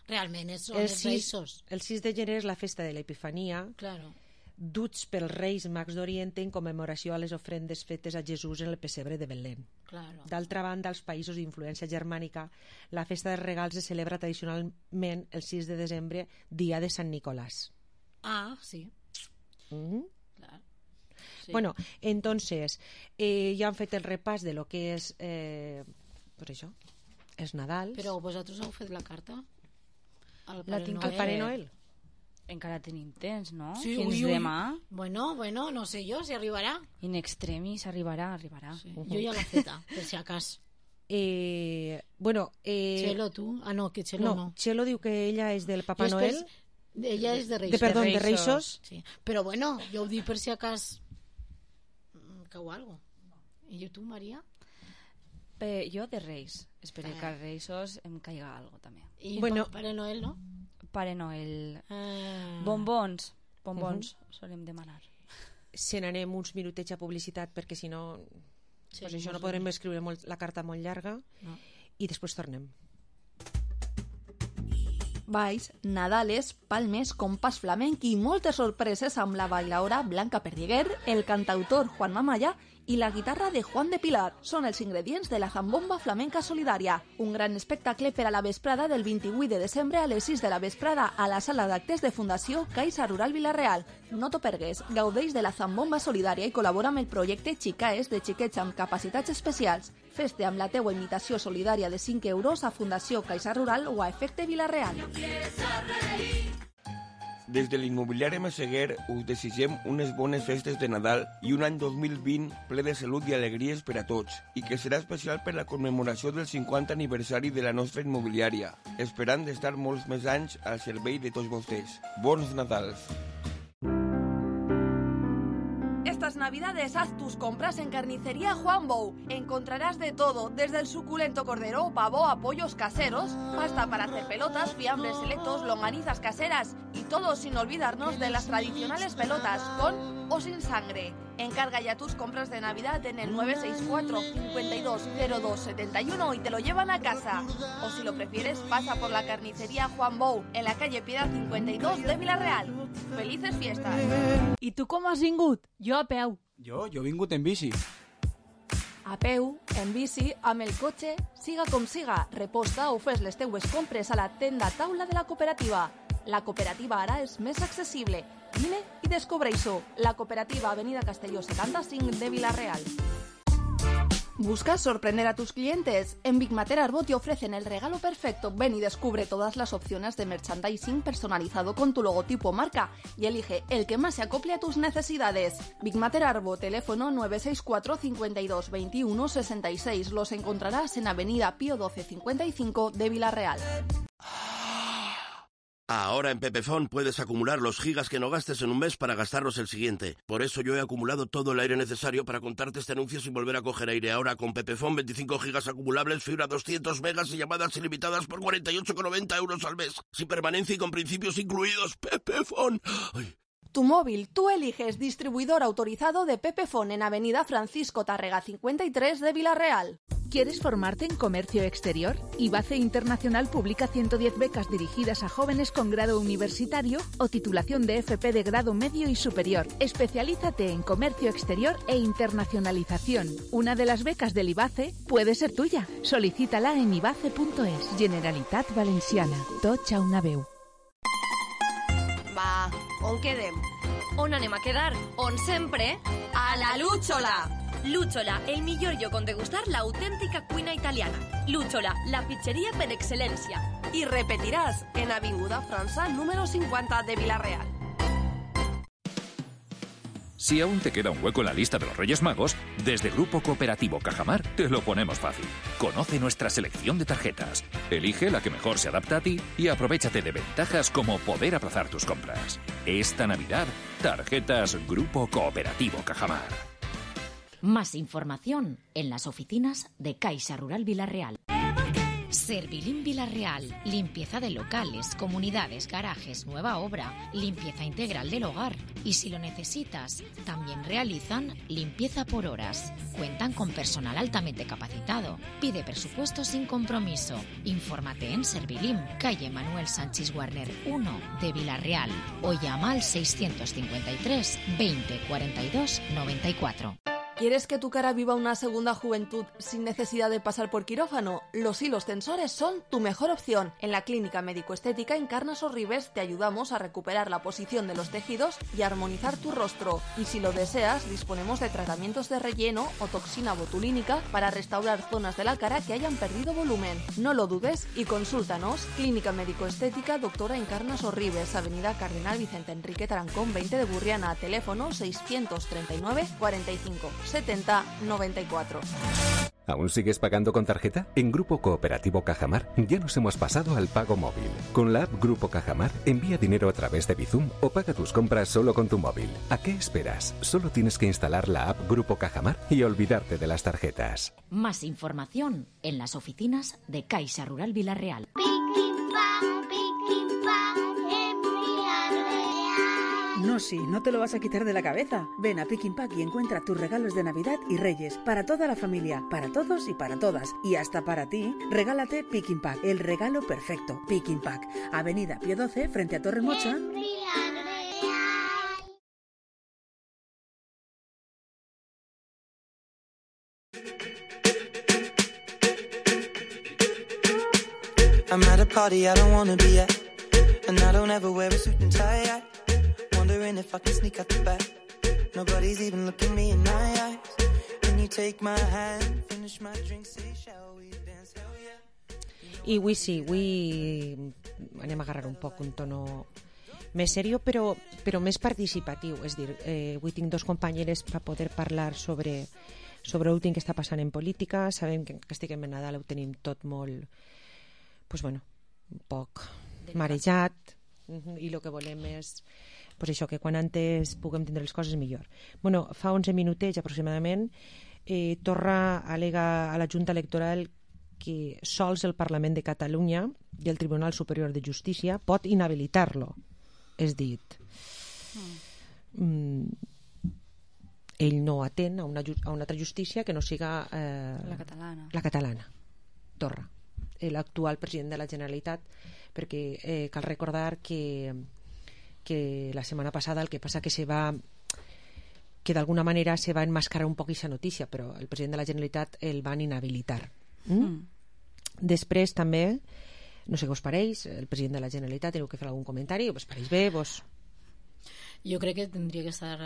realment són els Reis. El 6 de gener és la festa de l'Epifania. Claro. Duts pels Reis Mags d'Orient en commemoració a les ofrendes fetes a Jesús en el pessebre de Belén. Claro. D'altra banda, als països d'influència germànica, la festa dels regals es celebra tradicionalment el 6 de desembre, dia de Sant Nicolás. Ah, sí. Claro. Sí. Bueno, entonces, ja han fet el repàs de lo que és, pues això, és Nadal. Però vosaltres heu fet la carta? Al Pare Noel? Encara tenim temps, no? Sí, fins demà. Bueno, no sé jo si arribarà. In extremis arribarà. Sí. Jo ja l'he feta, per si acas. Chelo, tu? Ah, no, que Chelo no. Chelo diu que ella és del Papa Noel. Ella és de Reis. De Reisos. Sí. Però bueno, jo ho dic per si acas cau algo. I tu, Maria? Jo de Reis. Espero que a Reisos em caiga algo també. I Pare Noel, no? Pare Noel. Bombons solem demanar. Se n'anem uns minutets a publicitat perquè si no pues això no podrem escriure la carta molt llarga i després tornem. Balls, Nadales, palmes, compàs flamenc i moltes sorpreses amb la bailaora Blanca Perdiguer, el cantautor Juan Mamaya i la guitarra de Juan de Pilar. Són els ingredients de la Zambomba Flamenca Solidària, un gran espectacle per a la vesprada del 28 de desembre a les 6 de la vesprada a la sala d'actes de Fundació Caixa Rural Vila-real. No t'ho pergues, gaudeix de la Zambomba Solidària i col·labora amb el projecte Xicaes de xiquets amb capacitats especials. Fes-te amb la teua imitació solidària de 5 euros a Fundació Caixa Rural o a Efecte Vila-real. Des de l'immobiliari Messeguer us desitgem unes bones festes de Nadal i un any 2020 ple de salut i alegries per a tots i que serà especial per la commemoració del 50 aniversari de la nostra immobiliària, esperant d'estar molts més anys al servei de tots vostès. Bons Nadals! Estas navidades haz tus compras en Carnicería Juan Bou. Encontrarás de todo, desde el suculento cordero, pavo a pollos caseros, pasta para hacer pelotas, fiambres selectos, longanizas caseras y todo sin olvidarnos de las tradicionales pelotas, con o sin sangre. Encarga ya tus compras de Navidad en el 964 520271 y te lo llevan a casa. O si lo prefieres, pasa por la Carnicería Juan Bou, en la calle Piedad 52 de Vila-real. ¡Felices fiestas! I tu com has vingut? Jo a peu. Jo he vingut en bici. A peu, en bici, amb el cotxe, siga com siga, reposta o fes les teues compres a la tenda taula de la cooperativa. La cooperativa ara és més accessible. Vine i descobreix-ho. La cooperativa Avenida Castelló 75 de Vila-real. ¿Buscas sorprender a tus clientes? En Big Mater Arbot te ofrecen el regalo perfecto. Ven y descubre todas las opciones de merchandising personalizado con tu logotipo o marca y elige el que más se acople a tus necesidades. Big Mater Arbot, teléfono 964 52 21 66. Los encontrarás en Avenida Pío 12 55 de Vila-real. Ahora en Pepefon puedes acumular los gigas que no gastes en un mes para gastarlos el siguiente. Por eso yo he acumulado todo el aire necesario para contarte este anuncio sin volver a coger aire. Ahora con Pepefon 25 gigas acumulables, fibra 200 megas y llamadas ilimitadas por 48,90 euros al mes. Sin permanencia y con principios incluidos. Pepefon. Ay. Tu móvil, tú eliges distribuidor autorizado de Pepefon en Avenida Francisco Tárrega 53 de Vila-real. ¿Quieres formarte en comercio exterior? IBACE Internacional publica 110 becas dirigidas a jóvenes con grado universitario o titulación de FP de grado medio y superior. Especialízate en comercio exterior e internacionalización. Una de las becas del IBACE puede ser tuya. Solicítala en ibace.es. Generalitat Valenciana. Tots a una veu. Va, on quedem? On anem a quedar? On sempre? A la Lúchola! Lúchola, el millor lloc on degustar l'autèntica cuina italiana. Lúchola, la pizzeria per excel·lència. I repetiràs en Avinguda França número 50 de Vila-real. Si aún te queda un hueco en la lista de los Reyes Magos, desde Grupo Cooperativo Cajamar te lo ponemos fácil. Conoce nuestra selección de tarjetas, elige la que mejor se adapta a ti y aprovéchate de ventajas como poder aplazar tus compras. Esta Navidad, tarjetas Grupo Cooperativo Cajamar. Más información en las oficinas de Caixa Rural Vila-real. Servilín Vila-real, limpieza de locales, comunidades, garajes, nueva obra, limpieza integral del hogar. Y si lo necesitas, también realizan limpieza por horas. Cuentan con personal altamente capacitado. Pide presupuesto sin compromiso. Infórmate en Servilín, calle Manuel Sánchez Warner 1 de Vila-real o llama al 653 20 42 94. ¿Quieres que tu cara viva una segunda juventud sin necesidad de pasar por quirófano? Los hilos tensores son tu mejor opción. En la Clínica Médico-Estética Encarnas Orribes te ayudamos a recuperar la posición de los tejidos y a armonizar tu rostro. Y si lo deseas, disponemos de tratamientos de relleno o toxina botulínica para restaurar zonas de la cara que hayan perdido volumen. No lo dudes y consúltanos. Clínica Médico-Estética Doctora Encarnas Orribes, Avenida Cardenal Vicente Enrique Tarancón 20 de Burriana, teléfono 639 45 70 94. ¿Aún sigues pagando con tarjeta? En Grupo Cooperativo Cajamar ya nos hemos pasado al pago móvil. Con la app Grupo Cajamar envía dinero a través de Bizum o paga tus compras solo con tu móvil. ¿A qué esperas? Solo tienes que instalar la app Grupo Cajamar y olvidarte de las tarjetas. Más información en las oficinas de Caixa Rural Vila-real. No, sí, no te lo vas a quitar de la cabeza. Ven a Pick Pack y encuentra tus regalos de Navidad y Reyes para toda la familia, para todos y para todas. Y hasta para ti, regálate Pick Pack, el regalo perfecto. Pick Pack, Avenida Pío 12, frente a Torre Mocha. I'm at a party I don't wanna be at, and I don't ever wear a suit and tie. Wondering if I can sneak out the back. Nobody's even looking me in my eyes. Can you take my hand, finish my drink, say shall we dance, hell yeah. I avui sí, avui anem a agarrar un poc un tono més serio però més participatiu. És dir, avui tinc dos companyeres per poder parlar sobre l'últim que està passant en política. Sabem que estiguem en Nadal ho tenim tot molt, pues bueno, un poc marejat, i el que volem és pues això, que quan antes puguem tindre les coses millor. Bueno, fa 11 minutets aproximadament, Torra al·lega a la Junta Electoral que sols el Parlament de Catalunya i el Tribunal Superior de Justícia pot inhabilitar-lo. És dit, ell no atén a una altra justícia que no siga la catalana. Torra, l'actual president de la Generalitat, perquè cal recordar que la setmana passada el que passa que d'alguna manera se va enmascarar un poc aquesta notícia, però el president de la Generalitat el van inhabilitar. Després també, no sé què us pareix, el president de la Generalitat teniu que fer algun comentari, us pareix bé? Jo crec que tindria que estar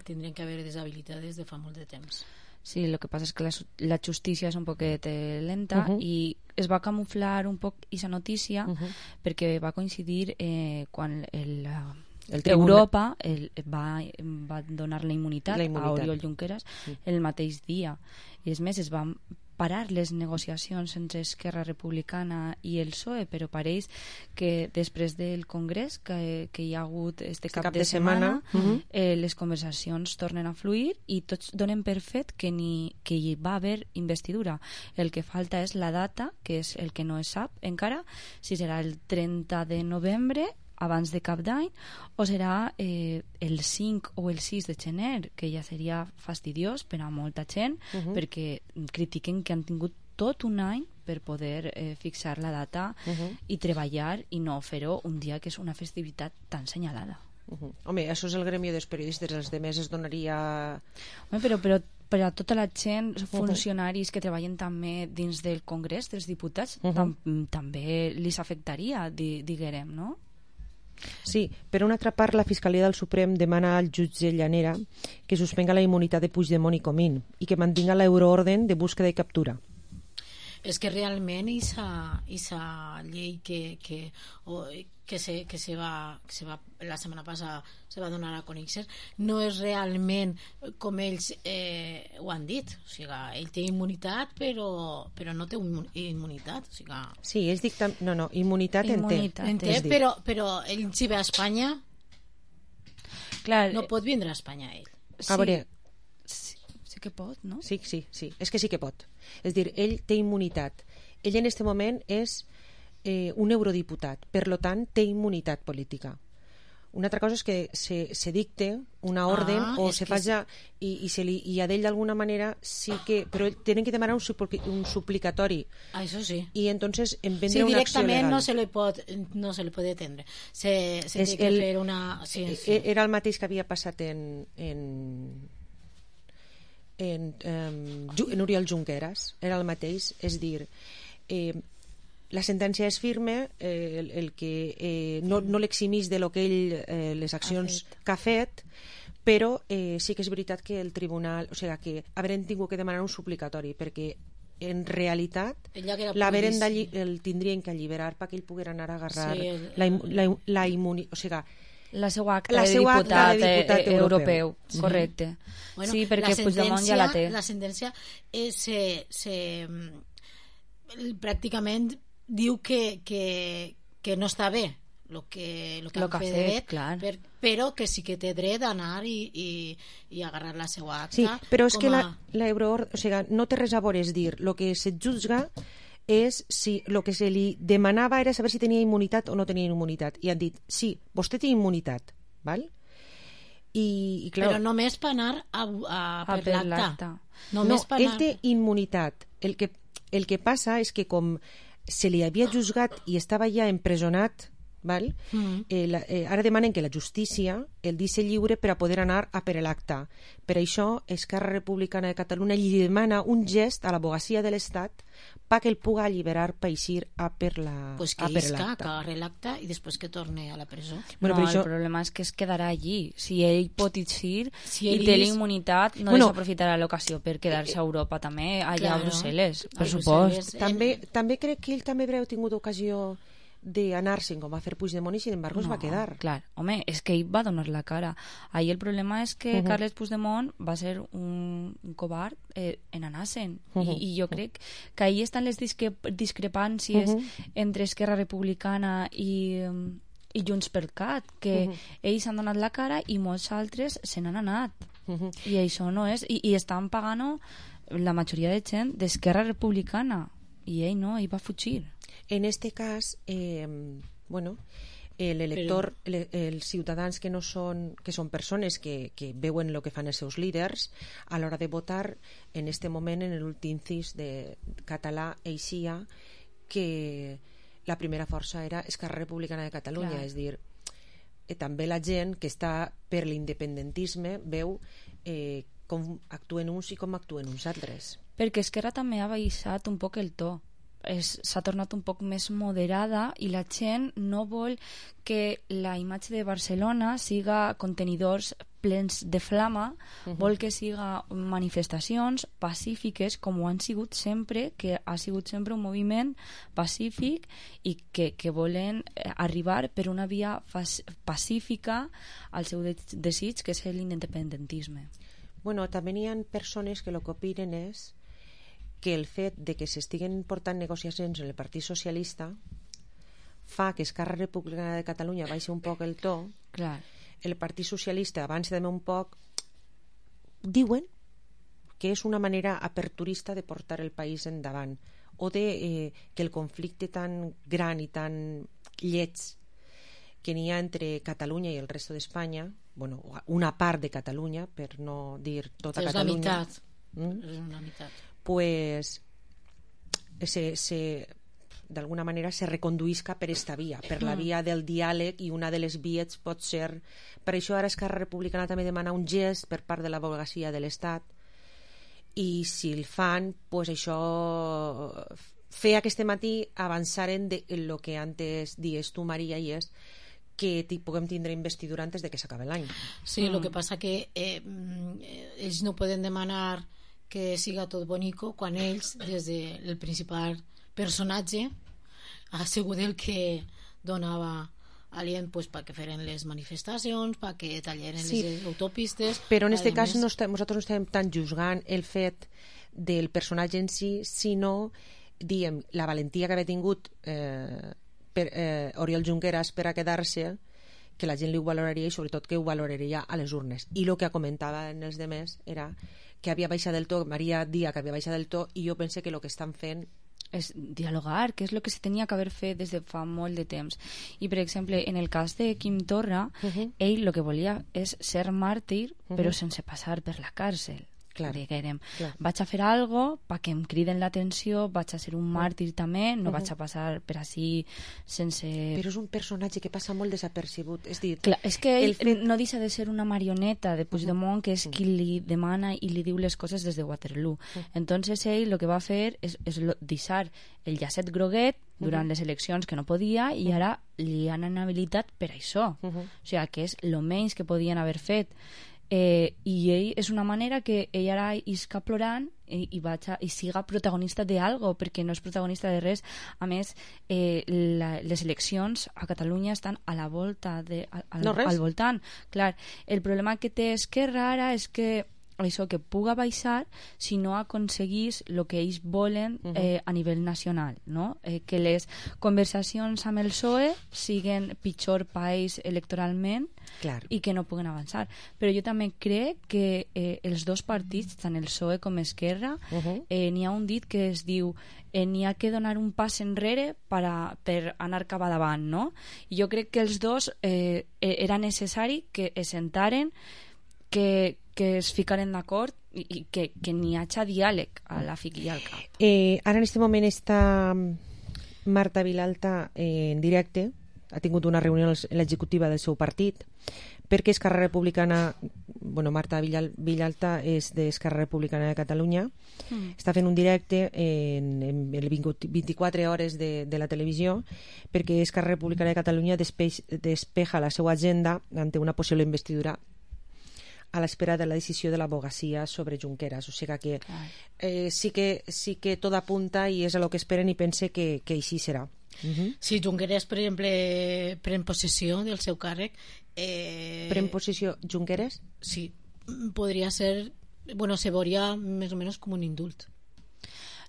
tindrien que haver deshabilitat des de fa molt de temps. Sí, el que passa és que la justícia és un poquet lenta i es va camuflar un poc aquesta notícia perquè va coincidir quan Europa va donar la immunitat a Oriol Junqueras el mateix dia. I és més, es van parar les negociacions entre Esquerra Republicana i el PSOE, però pareix que després del Congrés que hi ha hagut este cap de setmana les conversacions tornen a fluir i tots donen per fet que hi va haver investidura. El que falta és la data, que és el que no es sap encara, si serà el 30 de novembre abans de Cap d'Any o serà el 5 o el 6 de gener, que ja seria fastidiós per a molta gent perquè critiquen que han tingut tot un any per poder fixar la data i treballar i no fer-ho un dia que és una festivitat tan senyalada. Home, això és el gremi dels periodistes, els demés es donaria... Home, però per a tota la gent, funcionaris que treballen també dins del Congrés dels Diputats, també li afectaria, diguem, no? Sí, per una altra part, la Fiscalia del Suprem demana al jutge Llanera que suspenga la immunitat de Puigdemont i Comín i que mantinga l'euroorden de búsqueda i captura. És que realment aquesta llei que se va la setmana passada se va donar a conèixer no és realment com ells ho han dit, o sigui, ell té immunitat però no té immunitat, o sigui... Sí, ells dicten... No, immunitat en té, però ell si ve a Espanya no pot vindre a Espanya ell. A veure, sí que pot, no? Sí, és que sí que pot. És dir, ell té immunitat. Ell en aquest moment és un eurodiputat, per lo tant té immunitat política. Una altra cosa és que se dicte una orden o se faci i a d'ell d'alguna manera sí que... Però tenen que demanar un suplicatori. Això sí. I entonces en vendre una acció legal. Directament no se li pot atendre. Se té que fer una... Era el mateix que havia passat en Oriol Junqueras, era el mateix, és dir, la sentència és firme, el que no l'eximís de lo que ell les accions que ha fet, però sí que és veritat que el tribunal, o sigui, que haurem tingut que demanar un suplicatori, perquè en realitat el tindrien que alliberar perquè ell poguera anar a agarrar la immunitat, o sigui, la seva acta de diputat europeu. Correcte. Bueno, sí, perquè Puigdemont ja la té. La sentència pràcticament diu que no està bé el que ha fet, però que sí que té dret d'anar i agarrar la seva acta. Sí, però és que l'euroordre, o sigui, no té res a veure, és dir, el que se jutja és si el que se li demanava era saber si tenia immunitat o no tenia immunitat, i han dit, sí, vostè té immunitat, val? I clar, però només per anar per l'acta. No, ell té immunitat. El que passa és que com se li havia juzgat i estava ja empresonat, val? Ara demanen que la justícia el deixi lliure per a poder anar a per l'acta. Per això Esquerra Republicana de Catalunya li demana un gest a l'advocacia de l'Estat perquè el puga alliberar per eixir a per l'acta. Pues que isca, que agarre l'acta i després que torne a la presó. Bueno, no, el problema és que es quedarà allí. Si ell pot eixir i té la immunitat, no desaprofitarà l'ocasió per quedar-se a Europa també, allà a Brussel·les, per supost. També crec que ell també haurà tingut ocasió d'anar-se'n com va fer Puigdemont i sin embargo es va quedar. Clar, home, és que ell va donar la cara. Ahí el problema és que Carles Puigdemont va ser un covard en anar-se'n i jo crec que ahí estan les discrepàncies entre Esquerra Republicana i i JxCat, que ells han donat la cara i molts altres se n'han anat. I això no és... I estan pagant la majoria de gent d'Esquerra Republicana, i ell no, ell va fugir. En este cas, bueno, l'elector, els ciutadans que no són, que són persones que veuen el que fan els seus líders, a l'hora de votar, en este moment, en l'últim cis de català, eixia que la primera força era Esquerra Republicana de Catalunya. És dir, també la gent que està per l'independentisme veu com actuen uns i com actuen uns altres. Perquè Esquerra també ha baixat un poc el to, s'ha tornat un poc més moderada i la gent no vol que la imatge de Barcelona siga contenidors plens de flama, vol que siga manifestacions pacífiques com ho han sigut sempre, que ha sigut sempre un moviment pacífic i que volen arribar per una via pacífica al seu desig, que és l'independentisme. Bueno, també hi ha persones que el que opinen és que el fet de que s'estiguen portant negociacions en el Partit Socialista fa que Esquerra Republicana de Catalunya baixi un poc el to. Clar. El Partit Socialista avança també un poc. Diuen que és una manera aperturista de portar el país endavant, o de que el conflicte tan gran i tan lleig que n'hi ha entre Catalunya i el resto d'Espanya, bueno, una part de Catalunya, per no dir tota Catalunya, és una meitat, pues d'alguna manera se reconduïsca per esta via, per la via del diàleg, i una de les vies pot ser... Per això ara Esquerra Republicana també demana un gest per part de l'advocacia de l'Estat, i si el fan, pues això feia que este matí avançaren de lo que antes dies tu, Maria, i és que puguem tindre investidura antes de que s'acabi l'any. Sí, el que passa que ells no poden demanar que siga tot bonico quan ells, des del principal personatge, ha sigut el que donava alient perquè feren les manifestacions, perquè talleren les autopistes. Però en aquest cas nosaltres no estem tan juzgant el fet del personatge en si, sinó, diem, la valentia que havia tingut Oriol Junqueras per a quedar-se, que la gent li ho valoraria, i sobretot que ho valoraria a les urnes. I el que comentaven els demés era que havia baixat del to, Maria dia que havia baixat del to, i jo pense que el que estan fent és dialogar, que és el que se tenia que haver fet des de fa molt de temps. I, per exemple, en el cas de Quim Torra, ell el que volia és ser màrtir, però sense passar per la càrcel. Diguem, vaig a fer algo perquè em criden l'atenció, vaig a ser un màrtir també, no vaig a passar per així sense... Però és un personatge que passa molt desapercebut, és dir... Clar, és que ell no deixa de ser una marioneta de Puigdemont, que és qui li demana i li diu les coses des de Waterloo. Entonces ell el que va fer és deixar el llacet groguet durant les eleccions, que no podia, i ara li han inhabilitat per això. O sigui, que és el menys que podien haver fet. I ell és una manera que ell ara isca plorant i siga protagonista d'algo, perquè no és protagonista de res. A més, les eleccions a Catalunya estan a la volta al voltant. Clar, el problema que té Esquerra ara és que això, que puga baixar si no aconseguís el que ells volen a nivell nacional, no? Que les conversacions amb el PSOE siguen pitjor per ells electoralment i que no puguen avançar. Però jo també crec que els dos partits, tant el PSOE com Esquerra, n'hi ha un dit que es diu n'hi ha que donar un pas enrere per anar cap davant, no? I jo crec que els dos era necessari que es sentaren, que es ficaren d'acord i que n'hi hagi diàleg a la fic i al cap. Ara en aquest moment està Marta Vilalta en directe, ha tingut una reunió en l'executiva del seu partit, perquè Esquerra Republicana, bueno, Marta Vilalta és d'Esquerra Republicana de Catalunya, està fent un directe en 24 hores de la televisió, perquè Esquerra Republicana de Catalunya despeja la seva agenda ante una possible investidura a l'espera de la decisió de l'advocacia sobre Junqueras. O sigui que sí que tot apunta i és a lo que esperen, i pense que així serà. Si Junqueras, per exemple, pren possessió del seu càrrec... Pren possessió Junqueras? Sí, podria ser... Bueno, se veuria més o menys com un indult.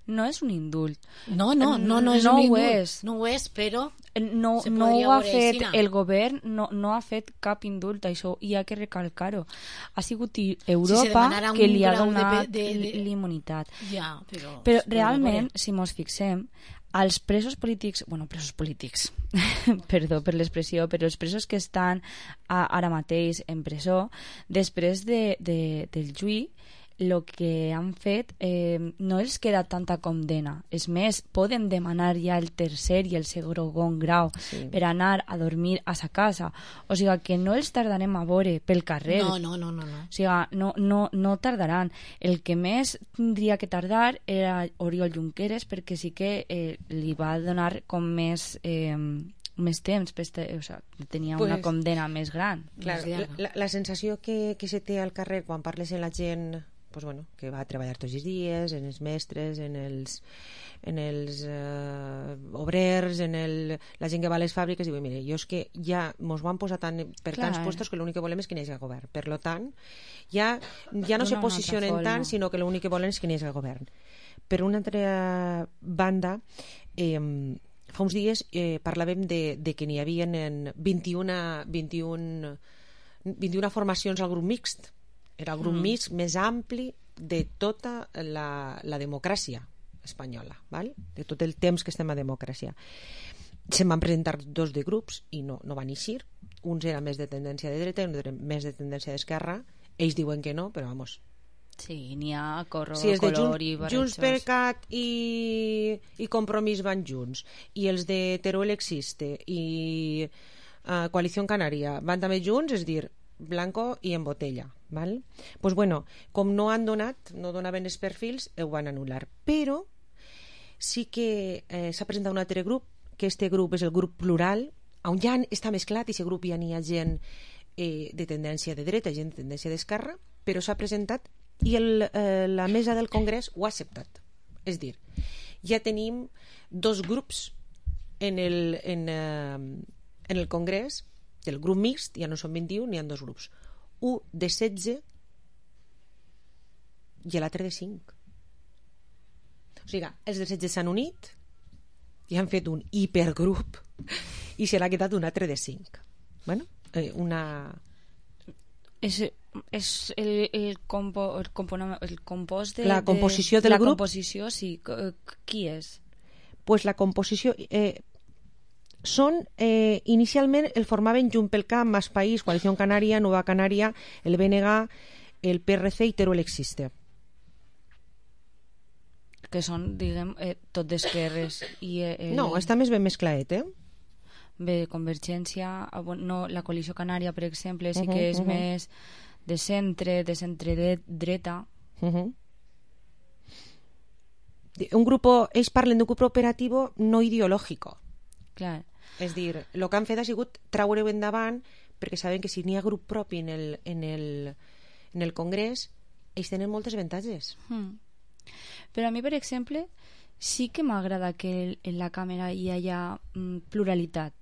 no és un indult. No és un indult. No ho és, però... No ho ha fet el govern, no ha fet cap indult, això hi ha que recalcar-ho. Ha sigut Europa que li ha donat l'immunitat. Ja, però realment, si mos fixem, els presos polítics, perdó per l'expressió, però els presos que estan ara mateix en presó, després del juí, el que han fet no els queda tanta condena. És més, poden demanar ja el tercer i el segon grau per anar a dormir a sa casa. O sigui que no els tardarem a veure pel carrer. No. O sigui, no tardaran. El que més tindria que tardar era Oriol Junqueras, perquè sí que li va donar com més temps, o sigui, tenia una condena més gran. Clar, la sensació que se té al carrer quan parles amb la gent que va a treballar tots els dies, en els mestres, en els obrers, la gent que va a les fàbriques, i diu, mire, jo és que ja mos van posar per tants puestos que l'únic que volem és que n'hi hagi el govern. Per lo tant, ja no se posicionen tant, sinó que l'únic que volen és que n'hi hagi el govern. Per una altra banda, fa uns dies parlàvem de que n'hi havia 21 formacions al grup mixt. Era el grup mixt més ampli de tota la democràcia espanyola, val? De tot el temps que estem a democràcia. Se'n van presentar 2 de grups i no van eixir. Uns eren més de tendència de dreta i uns eren més de tendència d'esquerra. Ells diuen que no, però vamos. Sí, n'hi ha color i barrejos. Junts per Cat i Compromís van junts, i els de Teruel Existe i Coalició Canària van també junts, és dir, blanco i en botella, val? Pues bueno, com no donaven els perfils, ho van anul·lar. Però sí que s'ha presentat un altre grup, que este grup és el grup plural, on ja està mesclat, i aquest grup ja n'hi ha gent de tendència de dreta, gent de tendència d'esquerra, però s'ha presentat i la mesa del Congrés ho ha acceptat. És dir, ja tenim 2 grups en el Congrés del grup mixt, ja no són 21, n'hi ha 2 grups. Un de 16 i l'altre de 5. O sigui, els de 16 s'han unit i han fet un hipergrup i se l'ha quedat un altre de 5. Bueno, és el compost de... La composició del grup? La composició, sí. Qui és? Pues la composició... inicialment el formaven Junts pel Camp, Más País, Coalició Canària, Nova Canària, el BNG, el PRC i Teruel Existe. Que són, diguem, tot d'esquerres. No, està més ben mesclaet, Bé, Convergència, la Coalició Canària, per exemple, sí que és més de centre dreta. Ells parlen d'un grup operatiu no ideològic. Clar. És dir, el que han fet ha sigut treure-ho endavant, perquè saben que si n'hi ha grup propi en el Congrés, ells tenen moltes avantatges. Però a mi, per exemple, sí que m'agrada que en la càmera hi hagi pluralitat.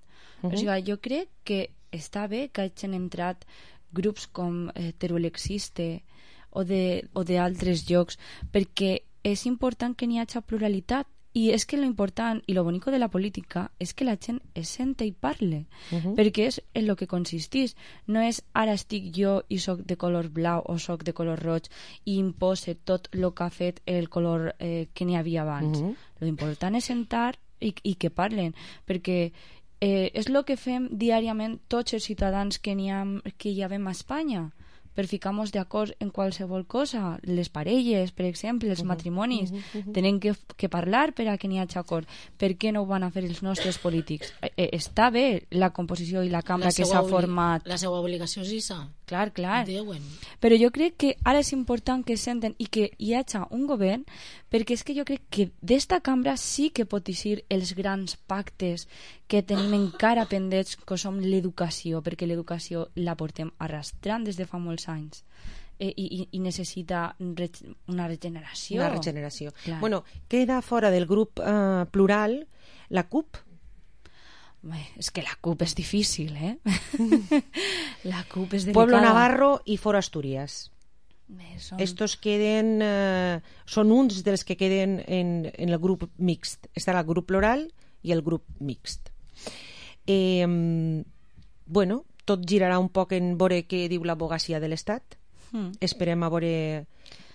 O sigui, jo crec que està bé que hagin entrat grups com Teruel Existe o d'altres llocs, perquè és important que n'hi hagi pluralitat. I és que lo important i lo bonico de la política és que la gent es sente i parle, perquè és en lo que consistís. No és ara estic jo i soc de color blau o soc de color roig i impose tot el que ha fet el color que n'hi havia abans. Lo important és sentar i que parlen, perquè és el que fem diàriament tots els ciutadans que hi havem a Espanya, per ficar-nos d'acord en qualsevol cosa. Les parelles, per exemple, els matrimonis, tenen que parlar per a que n'hi hagi acord. Per què no ho van a fer els nostres polítics? Està bé la composició i la cambra que s'ha format. La seva obligació és això. Clar. Però jo crec que ara és important que senten i que hi hagi un govern, perquè és que jo crec que d'esta cambra sí que pot eixir els grans pactes que tenim encara pendents, que som l'educació, perquè l'educació la portem arrastrant des de fa molts anys i necessita una regeneració. Una regeneració. Bueno, queda fora del grup plural la CUP. És que la CUP és difícil, La CUP és delicat. Pueblo Navarro i Foro Asturias. Estos queden... són uns dels que queden en el grup mixt. Estarà el grup plural i el grup mixt. Bueno, tot girarà un poc en veure què diu l'advocacia de l'Estat. Esperem a veure...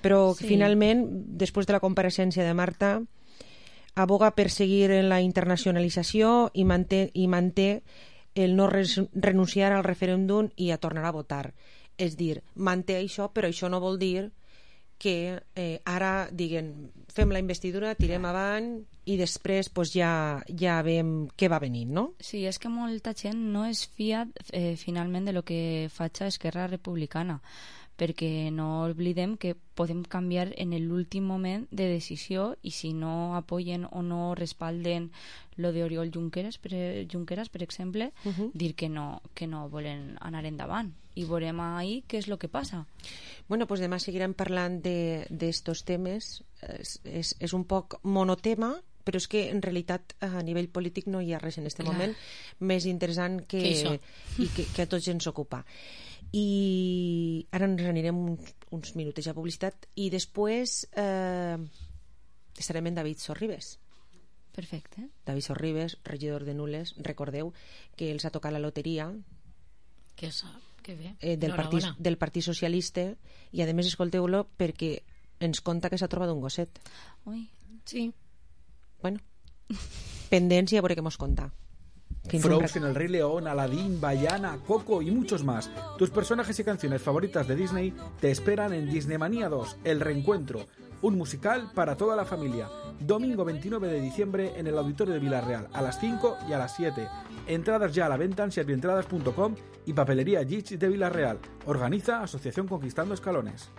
Però finalment, després de la compareixença de Marta, aboga per seguir en la internacionalització i manté el no renunciar al referèndum i a tornar a votar. És dir, manté això, però això no vol dir que ara diguen fem la investidura, tirem avant i després pues, ja veiem què va venir, no? Sí, és que molta gent no es fia finalment de lo que faig a Esquerra Republicana, perquè no oblidem que podem canviar en l'últim moment de decisió i si no apoyen o no respalden lo de Oriol Junqueras, per exemple, dir que no volen anar endavant. I veurem ahí què és el que passa. Bueno, pues demà seguirem parlant d'estos temes. És un poc monotema, però és que en realitat a nivell polític no hi ha res en aquest moment més interessant que a tots ens ocupa. I ara ens anirem uns minuts a publicitat i després estarem en David Sorribes. Perfecte. David Sorribes, regidor de Nules. Recordeu que els ha tocat la loteria del Partit Socialista i a més escolteu-lo perquè ens conta que s'ha trobat un gosset. Ui, sí. Bueno, pendents i a veure què mos conta. Frozen, El Rey León, Aladdin, Vaiana, Coco y muchos más. Tus personajes y canciones favoritas de Disney te esperan en Disneymanía 2, El Reencuentro, un musical para toda la familia. Domingo 29 de diciembre en el Auditorio de Villarreal, a las 5 y a las 7. Entradas ya a la venta en servientradas.com y Papelería Gitch de Villarreal. Organiza Asociación Conquistando Escalones.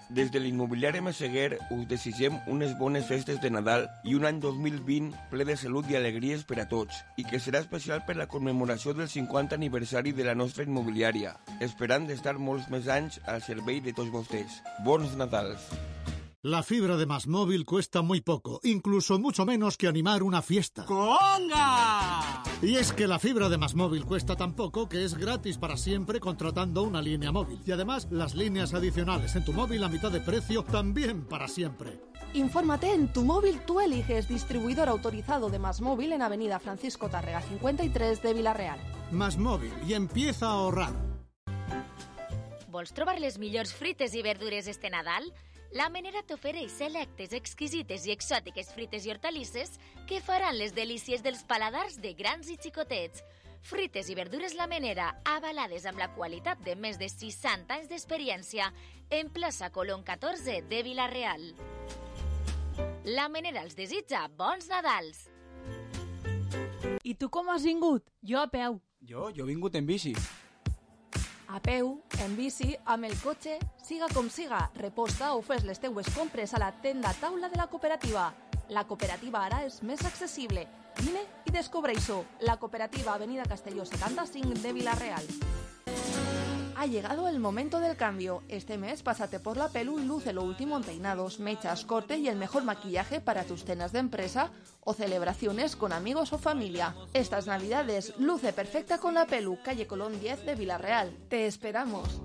Des de l'immobiliari Meseguer us desitgem unes bones festes de Nadal i un any 2020 ple de salut i alegries per a tots i que serà especial per la commemoració del 50 aniversari de la nostra immobiliària, esperant d'estar molts més anys al servei de tots vostès. Bons Nadals! La fibra de MásMóvil cuesta muy poco, incluso mucho menos que animar una fiesta. ¡Conga! Y es que la fibra de MásMóvil cuesta tan poco que es gratis para siempre contratando una línea móvil. Y además, las líneas adicionales en tu móvil a mitad de precio también para siempre. Infórmate en Tu Móvil Tú Eliges, distribuidor autorizado de MásMóvil en Avenida Francisco Tárrega 53 de Villarreal. MásMóvil y empieza a ahorrar. Vols trobar les millors frites i verdures este Nadal? La Menera t'ofereix selectes, exquisites i exòtiques frites i hortalisses que faran les delícies dels paladars de grans i xicotets. Frites i verdures La Menera, avalades amb la qualitat de més de 60 anys d'experiència, en plaça Colón 14 de Vila-real. La Menera els desitja bons Nadals. I tu com has vingut? Jo a peu. Jo he vingut en bici. A peu, en bici, amb el cotxe, siga com siga, reposta o fes les teues compres a la tenda taula de la cooperativa. La cooperativa ara és més accessible. Vine i descobreix-ho. La cooperativa Avenida Castelló 75 de Vila-real. Ha llegado el momento del cambio. Este mes pásate por la Pelu y luce lo último en peinados, mechas, corte y el mejor maquillaje para tus cenas de empresa o celebraciones con amigos o familia. Estas navidades luce perfecta con la Pelu, calle Colón 10 de Vila-real. Te esperamos.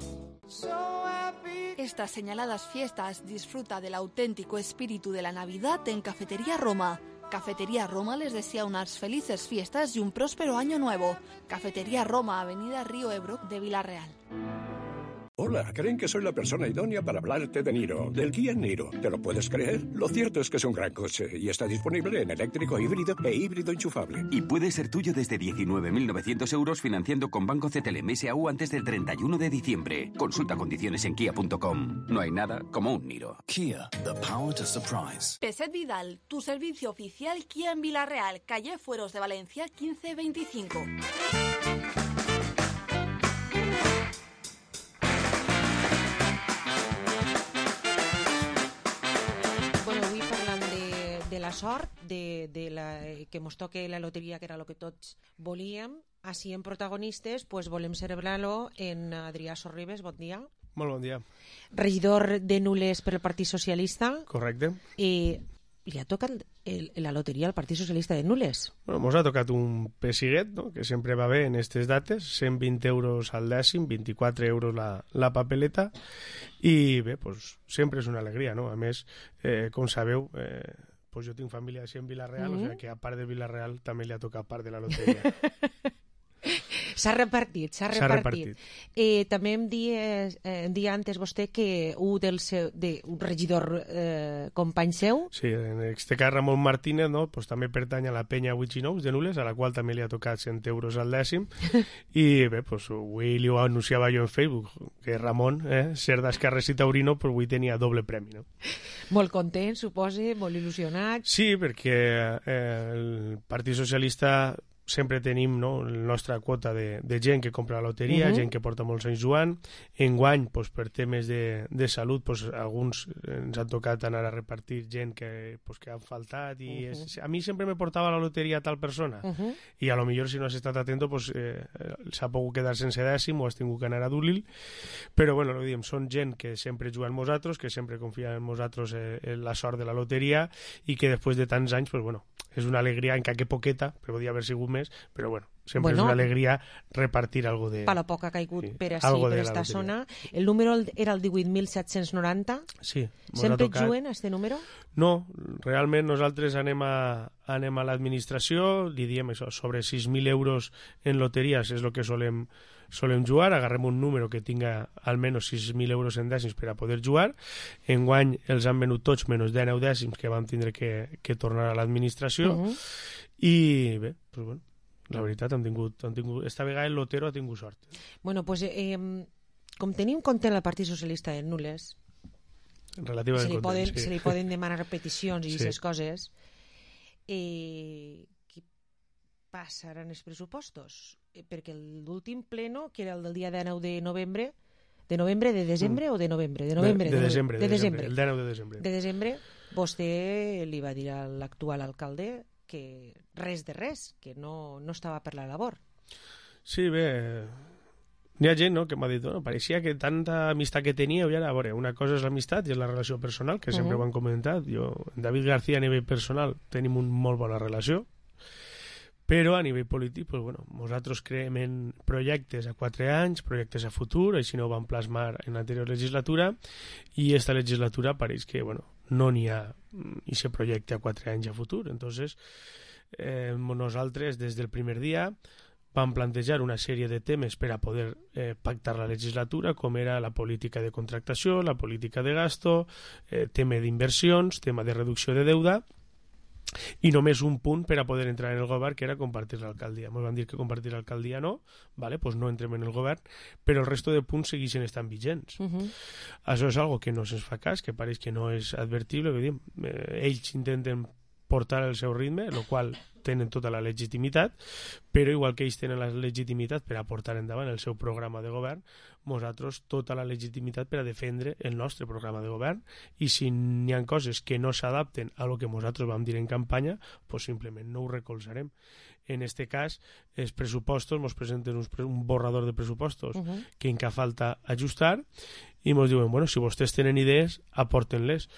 Estas señaladas fiestas disfruta del auténtico espíritu de la Navidad en Cafetería Roma. Cafetería Roma les desea unas felices fiestas y un próspero año nuevo. Cafetería Roma, Avenida Río Ebro de Vila-real. Hola, creen que soy la persona idónea para hablarte de Niro, del Kia Niro. ¿Te lo puedes creer? Lo cierto es que es un gran coche y está disponible en eléctrico híbrido e híbrido enchufable. Y puede ser tuyo desde 19.900 euros financiando con Banco CTLM SAU antes del 31 de diciembre. Consulta condiciones en kia.com. No hay nada como un Niro. Kia, the power to surprise. Peset Vidal, tu servicio oficial Kia en Vila-real, calle Fueros de Valencia 1525. La sort que mos toque la loteria, que era el que tots volíem. Així en protagonistes pues volem celebrar-lo en Adrià Sorribes. Bon dia. Molt bon dia. Regidor de Nules per el Partit Socialista. Correcte. I li ha tocat la loteria al Partit Socialista de Nules. Bueno, mos ha tocat un pessiguet, no?, que sempre va bé en aquestes dates, 120 euros al dècim, 24 euros la papeleta, i bé, pues, sempre és una alegria, no? A més, com sabeu, pues jo tinc família així en Vila-real, o sigui que a part de Vila-real també li ha tocat part de la loteria. S'ha repartit. També em dia antes vostè que un regidor company seu... Sí, en este cas Ramon Martínez, no? Pues també pertany a la penya Huichinous de Nules, a la qual també li ha tocat 100 euros al dècim, i bé, pues avui li ho anunciava jo en Facebook, que Ramon, ser d'Esquerres i Taurino, pues avui tenia doble premi, no? Molt content, suposa, molt il·lusionat. Sí, perquè el Partit Socialista sempre tenim, no, la nostra quota de gent que compra la loteria, gent que porta molts anys jugant. Enguany, pues, per temes de salut, pues, alguns ens han tocat anar a repartir gent que han faltat, i a mi sempre me portava la loteria a tal persona, i a lo millor si no has estat atento pues, s'ha pogut quedar sense dècim o has tingut que anar a dur-li, però bueno, lo diem, són gent que sempre juga en nosaltres, que sempre confia en nosaltres en la sort de la loteria, i que després de tants anys, pues bueno, és una alegria, encara que poqueta, però podia haver sigut més, però bueno, sempre és una alegria repartir algo de... Per la poc que ha caigut per esta zona. El número era el 18.790. Sí. Sempre juguen a este número? No, realment nosaltres anem a l'administració, li diem això, sobre 6.000 euros en loteries és el que solem jugar, agarrem un número que tinga almenys 6.000 euros en dècims per a poder jugar. Enguany els han venut tots menys 19 dècims que vam tindre que tornar a l'administració, i bé, pues bueno, la veritat han tingut, esta vegada el lotero ha tingut sort. Bueno, pues com tenim content el Partit Socialista de Nules, relativament content, se li poden demanar peticions i aquestes coses, què passaran els pressupostos? Perquè l'últim pleno, que era el del dia 19 de novembre, de desembre o de novembre? De desembre, el 19 de desembre. De desembre, vostè li va dir a l'actual alcalde que res de res, que no estava per la labor. Sí, bé, n'hi ha gent, no, que m'ha dit, no, pareixia que tanta amistat que teníeu, i ara, a veure, una cosa és l'amistat i és la relació personal, que sempre ho han comentat. Jo, David García, a nivell personal, tenim una molt bona relació, però a nivell polític, pues, bueno, nosaltres creem en projectes a 4 anys, projectes a futur, així no ho vam plasmar en l'anterior legislatura, i esta legislatura pareix que, bueno, no n'hi ha aquest projecte a 4 anys a futur. Entonces, nosaltres, des del primer dia, vam plantejar una sèrie de temes per a poder pactar la legislatura, com era la política de contractació, la política de gasto, tema d'inversions, tema de reducció de deuda, i només un punt per a poder entrar en el govern, que era compartir l'alcaldia. Ens van dir que compartir l'alcaldia no, vale, pues no entrem en el govern, però el resto de punts segueixen estant vigents. Això és algo que no se'ns fa cas, que pareix que no és advertible, ells intenten portar el seu ritme, el qual tenen tota la legitimitat, però igual que ells tenen la legitimitat per a portar endavant el seu programa de govern, nosaltres tota la legitimitat per a defendre el nostre programa de govern, i si n'hi ha coses que no s'adapten a lo que nosaltres vam dir en campanya, pues simplement no ho recolzarem. En este cas, els pressupostos ens presenten un borrador de pressupostos que encara falta ajustar, i ens diuen, bueno, si vostès tenen idees, aporten-les.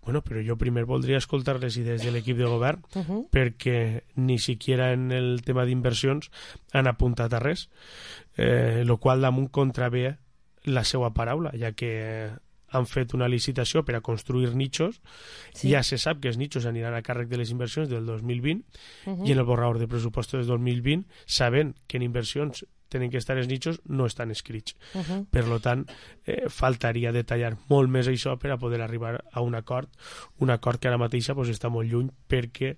Bueno, però jo primer voldria escoltar les idees de l'equip de govern, perquè ni siquiera en el tema d'inversions han apuntat a res, el qual damunt contravé la seva paraula, ja que han fet una licitació per a construir nichos, ja se sap que els nichos aniran a càrrec de les inversions del 2020, i en el borrador de pressupostos del 2020, sabent que en inversions tenen que estar els nichos, no estan escrits. Per tant, faltaria detallar molt més això per a poder arribar a un acord que ara mateixa està molt lluny, perquè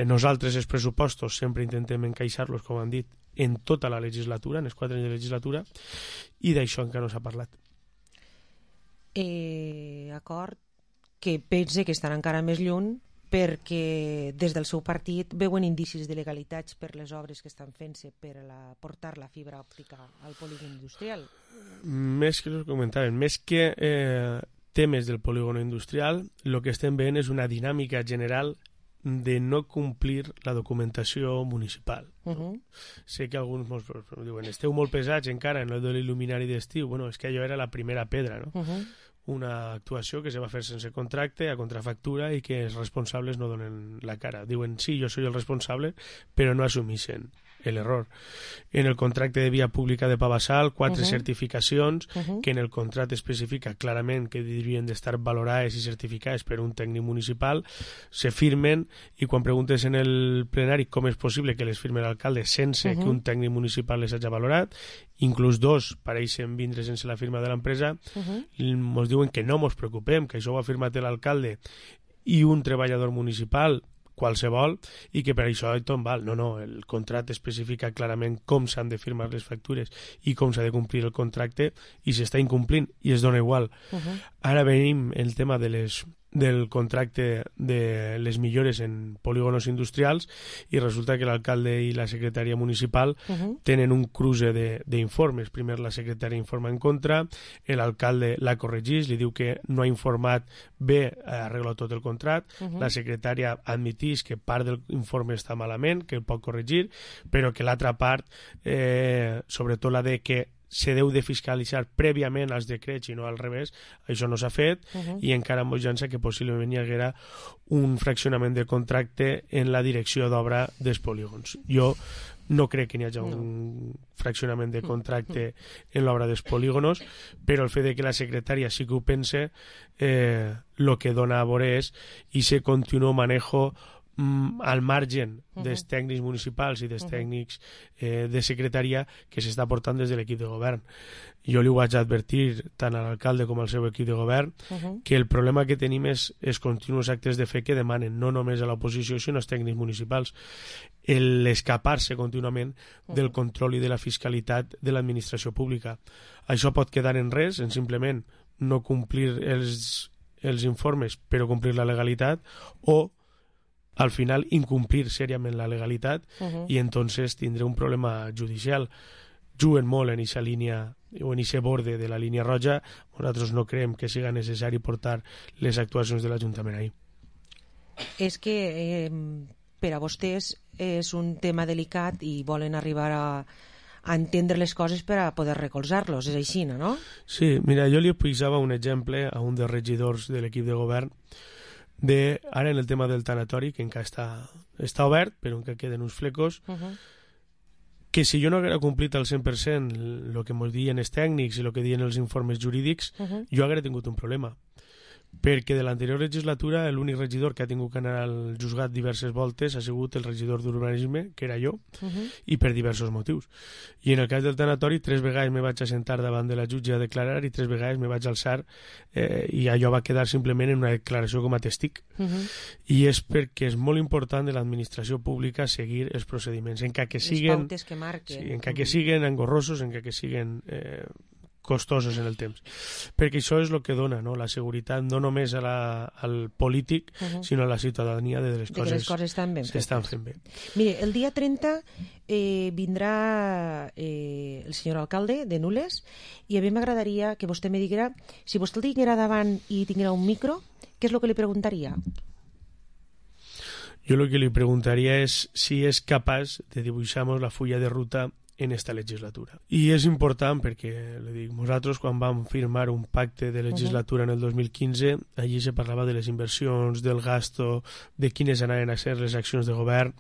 nosaltres els pressupostos sempre intentem encaixar-los, com han dit, en tota la legislatura, en els 4 anys de legislatura, i d'això encara no s'ha parlat. Acord que pense que estan encara més lluny, perquè des del seu partit veuen indicis de legalitats per les obres que estan fent-se per a portar la fibra òptica al polígon industrial. Més que us comentaven, més que temes del polígon industrial, el que estem veient és una dinàmica general de no complir la documentació municipal. Sé que alguns diuen, esteu molt pesats encara en el de l'il·luminari d'estiu. Bueno, és que allò era la primera pedra, no? una actuació que se va fer sense contracte, a contrafactura, i que els responsables no donen la cara. Diuen, sí, jo soy el responsable, però no assumixen l'error. En el contracte de via pública de Pavassal, 4 certificacions que en el contracte especifica clarament que haurien d'estar valorades i certificades per un tècnic municipal, se firmen, i quan preguntes en el plenari com és possible que les firme l'alcalde sense que un tècnic municipal les hagi valorat, inclús 2 pareixen vindre sense la firma de l'empresa, ens diuen que no ens preocupem, que això ho ha firmat l'alcalde i un treballador municipal qualsevol, i que per això tot val. No, el contracte especifica clarament com s'han de firmar les factures i com s'ha de complir el contracte, i s'està incomplint i es dona igual. Ara venim el tema del contracte de les millores en polígonos industrials, i resulta que l'alcalde i la secretària municipal tenen un cruce d'informes. Primer la secretària informa en contra, l'alcalde la corregeix, li diu que no ha informat bé, arregla tot el contracte, la secretària admiteix que part del informe està malament, que el pot corregir, però que l'altra part, sobretot la de que se deu de fiscalitzar prèviament als decrets i no al revés, això no s'ha fet, i encara amb urgència que possiblement hi haguera un fraccionament de contracte en la direcció d'obra dels polígons. Jo no crec que n'hi hagi un fraccionament de contracte en l'obra dels polígonos, però el fet de que la secretària sí que ho pense, el que dona a veure és i se continua manejo al margen dels tècnics municipals i dels tècnics de secretaria que s'està portant des de l'equip de govern. Jo li ho vaig advertir tant a l'alcalde com al seu equip de govern que el problema que tenim és els continus actes de fe que demanen no només a l'oposició sinó als tècnics municipals, l'escapar-se contínuament del control i de la fiscalitat de l'administració pública. Això pot quedar en res, en simplement no complir els informes però complir la legalitat, o al final incumplir seriament la legalitat, i entonces tindré un problema judicial. Juguen molt en aquesta línia o en aquest borde de la línia roja. Nosaltres no creiem que siga necessari portar les actuacions de l'Ajuntament ahí. És que per a vostès és un tema delicat i volen arribar a entendre les coses per a poder recolzar-los, és així, no? Sí, mira, jo li posava un exemple a un dels regidors de l'equip de govern ara en el tema del tanatori, que encara està obert, però encara queden uns flecos, que si jo no haguera complit al 100% el que ens diuen els tècnics i el que diuen els informes jurídics, jo haguera tingut un problema. Perquè de l'anterior legislatura l'únic regidor que ha tingut que anar al juzgat diverses voltes ha sigut el regidor d'urbanisme, que era jo, i per diversos motius. I en el cas del tanatori 3 vegades me vaig assentar davant de la jutge a declarar i 3 vegades me vaig alçar i allò va quedar simplement en una declaració com a testic. I és perquè és molt important de l'administració pública seguir els procediments, encara que siguen, les pautes que marquen, encara que siguen engorrosos, encara que siguen costosos en el temps, perquè això és el que dona, no? La seguretat no només al polític sinó a la ciutadania de les coses s'estan fent bé. Mire, el dia 30 vindrà el senyor alcalde de Nules, i a mi m'agradaria que vostè me diguera, si vostè el tinguera davant i tinguera un micro, què és el que li preguntaria? Jo el que li preguntaria és si és capaç de dibuixar-nos la fulla de ruta en esta legislatura. I és important perquè, li dic, nosaltres quan vam firmar un pacte de legislatura en el 2015, allí se parlava de les inversions, del gasto, de quines anaven a ser les accions de govern,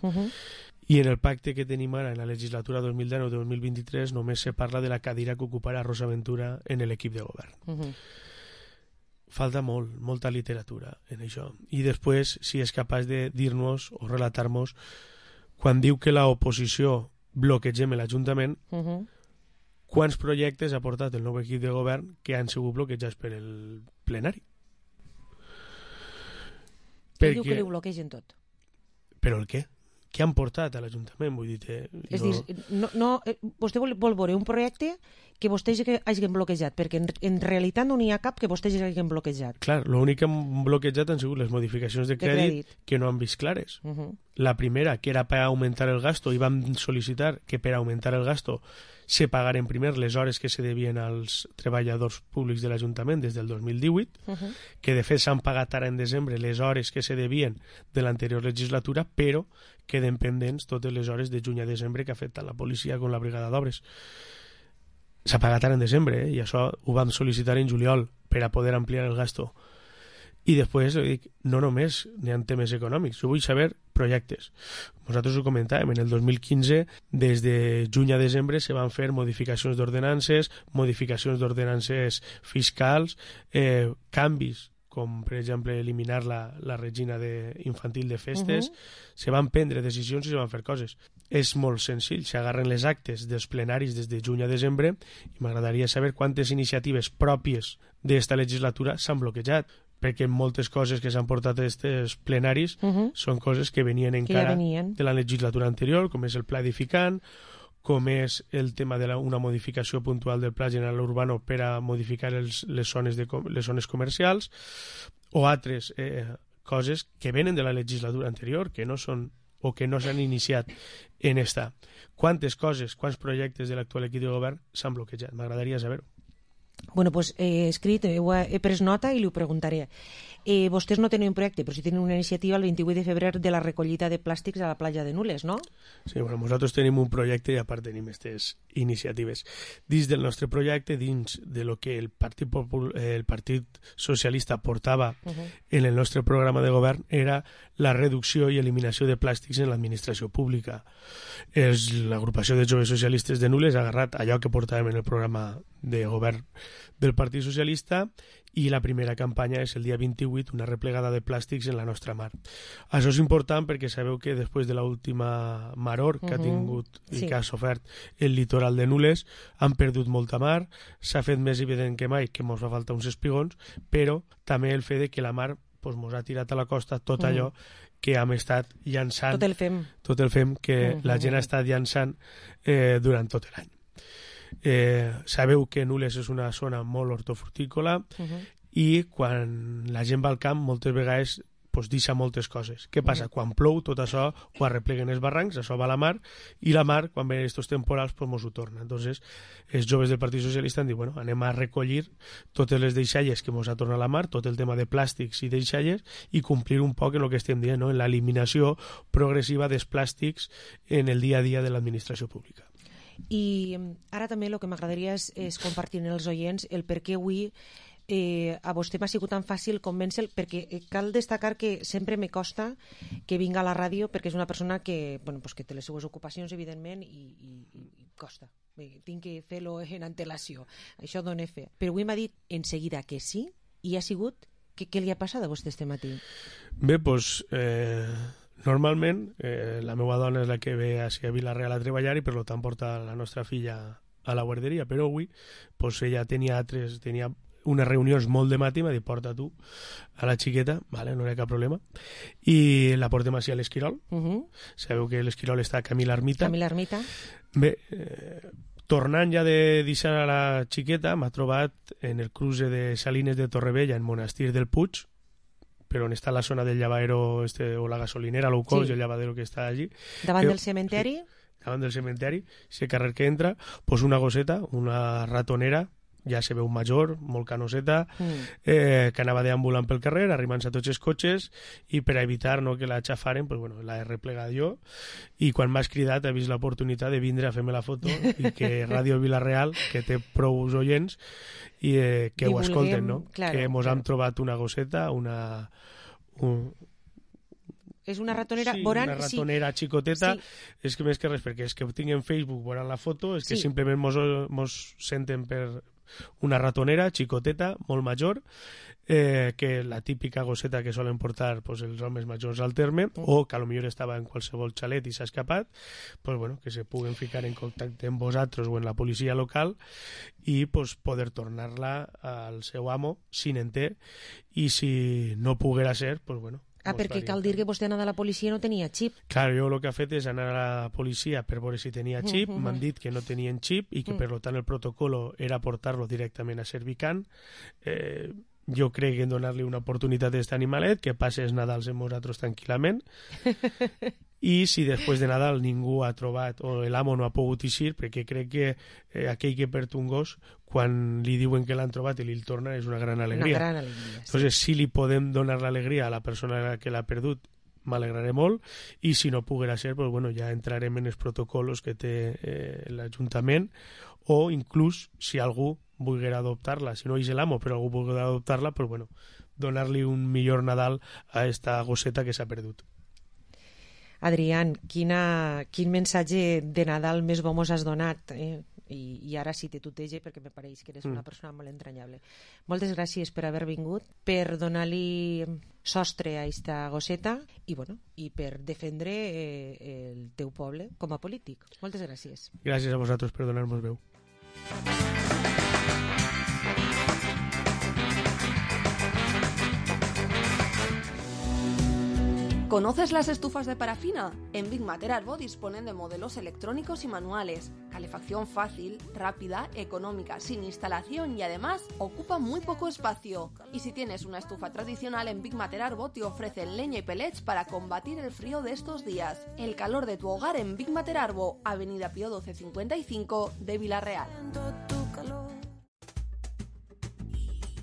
i en el pacte que tenim ara en la legislatura 2019-2023 només se parla de la cadira que ocuparà Rosa Ventura en l'equip de govern. Falta molta literatura en això. I després, si és capaç de dir-nos o relatar-nos, quan diu que l'oposició bloquegem l'Ajuntament, quants projectes ha portat el nou equip de govern que han sigut bloquejats per el plenari? Diu que li bloquegen tot. Però el què? Què han portat a l'Ajuntament? Vull dir, és dir, vostè vol veure un projecte que vostès hagin bloquejat, perquè en realitat no n'hi ha cap que vostès hagin bloquejat. Clar, l'únic que han bloquejat han sigut les modificacions de crèdit que no han vist clares. La primera, que era per augmentar el gasto, i vam sol·licitar que per augmentar el gasto se pagaren primer les hores que se devien als treballadors públics de l'Ajuntament des del 2018, que de fet s'han pagat ara en desembre les hores que se devien de l'anterior legislatura, però queden pendents totes les hores de juny a desembre que ha fet tant la policia com la brigada d'obres. S'ha pagat ara en desembre, i això ho vam sol·licitar en juliol, per a poder ampliar el gasto. I després, dic, no només n'hi ha temes econòmics, jo vull saber projectes. Nosaltres ho comentàvem, en el 2015, des de juny a desembre, se van fer modificacions d'ordenances fiscals, canvis, com per exemple eliminar la regina infantil de festes, se van prendre decisions i se van fer coses. És molt senzill, s'agarren les actes dels plenaris des de juny a desembre i m'agradaria saber quantes iniciatives pròpies d'esta legislatura s'han bloquejat, perquè moltes coses que s'han portat a aquests plenaris són coses que venien encara de la legislatura anterior, com és el pla edificant, com és el tema d'una modificació puntual del Pla General Urbano per a modificar les zones comercials, o altres coses que venen de la legislatura anterior, que no són o que no s'han iniciat en esta. Quantes coses, quants projectes de l'actual equip de govern s'han bloquejat? M'agradaria saber-ho. Bueno, pues he escrit, he pres nota i li ho preguntaré. Vostès no tenen un projecte, però sí tenen una iniciativa el 28 de febrer de la recollida de plàstics a la platja de Nules, no? Sí, bueno, nosaltres tenim un projecte i a part tenim aquestes iniciatives. Dins del nostre projecte, dins de lo que el Partit Socialista portava en el nostre programa de govern, era la reducció i eliminació de plàstics en l'administració pública. L'agrupació de joves socialistes de Nules ha agarrat allò que portàvem en el programa de govern del Partit Socialista i la primera campanya és el dia 28, una replegada de plàstics en la nostra mar. Això és important perquè sabeu que després de l'última maror que ha tingut i que ha sofert el litoral de Nules, han perdut molta mar, s'ha fet més evident que mai que ens fa falta uns espigons, però també el fet que la mar ens ha tirat a la costa tot allò que hem estat llançant, tot el fem que la gent ha estat llançant durant tot l'any. Sabeu que Nules és una zona molt hortofrutícola i quan la gent va al camp moltes vegades deixa moltes coses. Què passa? Quan plou tot això ho arrepleguen els barrancs, això va a la mar i la mar, quan ven aquests temporals, ens ho torna. Entonces, els joves del Partit Socialista han dit, bueno, anem a recollir totes les deixalles que ens ha tornat a la mar, tot el tema de plàstics i deixalles, i complir un poc en el que estem dient, no? En l'eliminació progressiva dels plàstics en el dia a dia de l'administració pública. I ara també el que m'agradaria és compartir amb els oients el per què avui a vostè m'ha sigut tan fàcil convèncer-lo, perquè cal destacar que sempre me costa que vinga a la ràdio, perquè és una persona que, bueno, pues que té les seues ocupacions, evidentment, i costa. Tinc que fer-lo en antelació. Això dona fe. Però avui m'ha dit en seguida que sí, i ha sigut... Què li ha passat a vostè este matí? Bé, doncs... Normalment, la meva dona és la que ve a Vilareal a treballar i per tant porta la nostra filla a la guarderia, però avui ella tenia unes reunions molt de matí, m'ha dit, porta tu a la xiqueta, vale, no hi ha cap problema, i la portem així a l'Esquirol. Sabeu que l'Esquirol està a Camí l'Ermita. Bé, tornant ja de deixar a la xiqueta, m'ha trobat en el cruce de Salines de Torrevella, en Monestir del Puig, però on està la zona del llavadero o la gasolinera, low cost, el llavadero que està allí. Davant del cementeri? Davant del cementeri, ese carrer que entra, una gosseta, una ratonera, ja se veu major, molt canoseta, que anava deambulant pel carrer, arribant-se a tots els cotxes, i per a evitar que la xafaren, l'he replegat jo, i quan m'has cridat he vist l'oportunitat de vindre a fer-me la foto i que Ràdio Vilareal, que té prou oients, i que ho escolten, no? Que mos hem trobat una gosseta, és una ratonera... Sí, una ratonera xicoteta, és que més que res, perquè és que ho tinc en Facebook veurà la foto, és que simplement mos senten per una ratonera xicoteta, molt major, que la típica gosseta que solen portar els homes majors al terme, o que potser estava en qualsevol xalet i s'ha escapat, que se puguen ficar en contacte amb vosaltres o en la policia local i poder tornar-la al seu amo, si n'en té, i si no poguera ser, perquè cal dir que vostè anava a la policia i no tenia xip. Clar, jo el que he fet és anar a la policia per veure si tenia xip, m'han dit que no tenien xip i que per tant el protocolo era portar-lo directament a Servicant. Jo crec en donar-li una oportunitat a aquest animalet, que passi els Nadals amb nosaltres tranquil·lament, i si després de Nadal ningú ha trobat o l'amo no ha pogut eixir, perquè crec que aquell que perd un gos, quan li diuen que l'han trobat i li el torna, és una gran alegria. Una gran alegria, sí. Entonces, si li podem donar l'alegria a la persona que l'ha perdut, m'alegraré molt, i si no poguera ser, ja entrarem en els protocols que té l'Ajuntament o inclús si algú volguera adoptar-la, si no és l'amo però algú volguera adoptar-la, pues bueno, donar-li un millor Nadal a esta gosseta que s'ha perdut. Adrián, quin mensatge de Nadal més bo mos has donat, i ara sí te tutege perquè me pareix que eres una persona molt entranyable. Moltes gràcies per haver vingut, per donar-li sostre a esta gosseta i per defendre el teu poble com a polític. Moltes gràcies. Gràcies a vosaltres per donar-nos veu. ¿Conoces las estufas de parafina? En Big Matter Arbo disponen de modelos electrónicos y manuales, calefacción fácil, rápida, económica, sin instalación y además ocupa muy poco espacio. Y si tienes una estufa tradicional, en Big Matter Arbo te ofrecen leña y pellets para combatir el frío de estos días. El calor de tu hogar en Big Matter Arbo, Avenida Pío 1255 de Vila-real.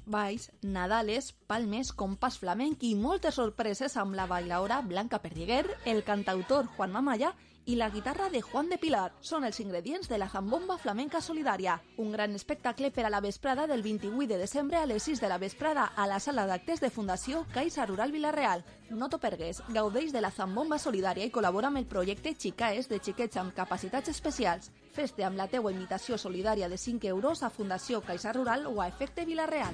Balls, Nadales, Palmes, compàs flamenc i moltes sorpreses amb la bailaora Blanca Perdiguer, el cantautor Juan Mamaya i la guitarra de Juan de Pilar. Són els ingredients de la Zambomba Flamenca Solidària, un gran espectacle per a la vesprada del 28 de desembre a les 6 de la vesprada a la sala d'actes de Fundació Caixa Rural Vila-real. No t'ho pergues, gaudeix de la Zambomba Solidària i col·labora amb el projecte Xicaes de xiquets amb capacitats especials. Fes-te amb la teua invitació solidària de 5 euros a Fundació Caixa Rural o a Efecte Vila-real.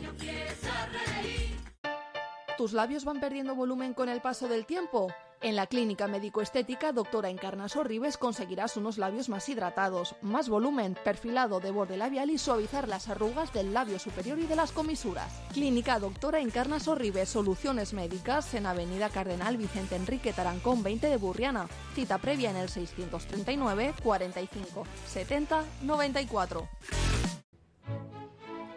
¿Tus labios van perdiendo volumen con el paso del tiempo? En la clínica médico-estética Doctora Encarna Sorribes conseguirás unos labios más hidratados, más volumen, perfilado de borde labial y suavizar las arrugas del labio superior y de las comisuras. Clínica Doctora Encarna Sorribes, soluciones médicas en Avenida Cardenal Vicente Enrique Tarancón 20 de Burriana. Cita previa en el 639 45 70 94.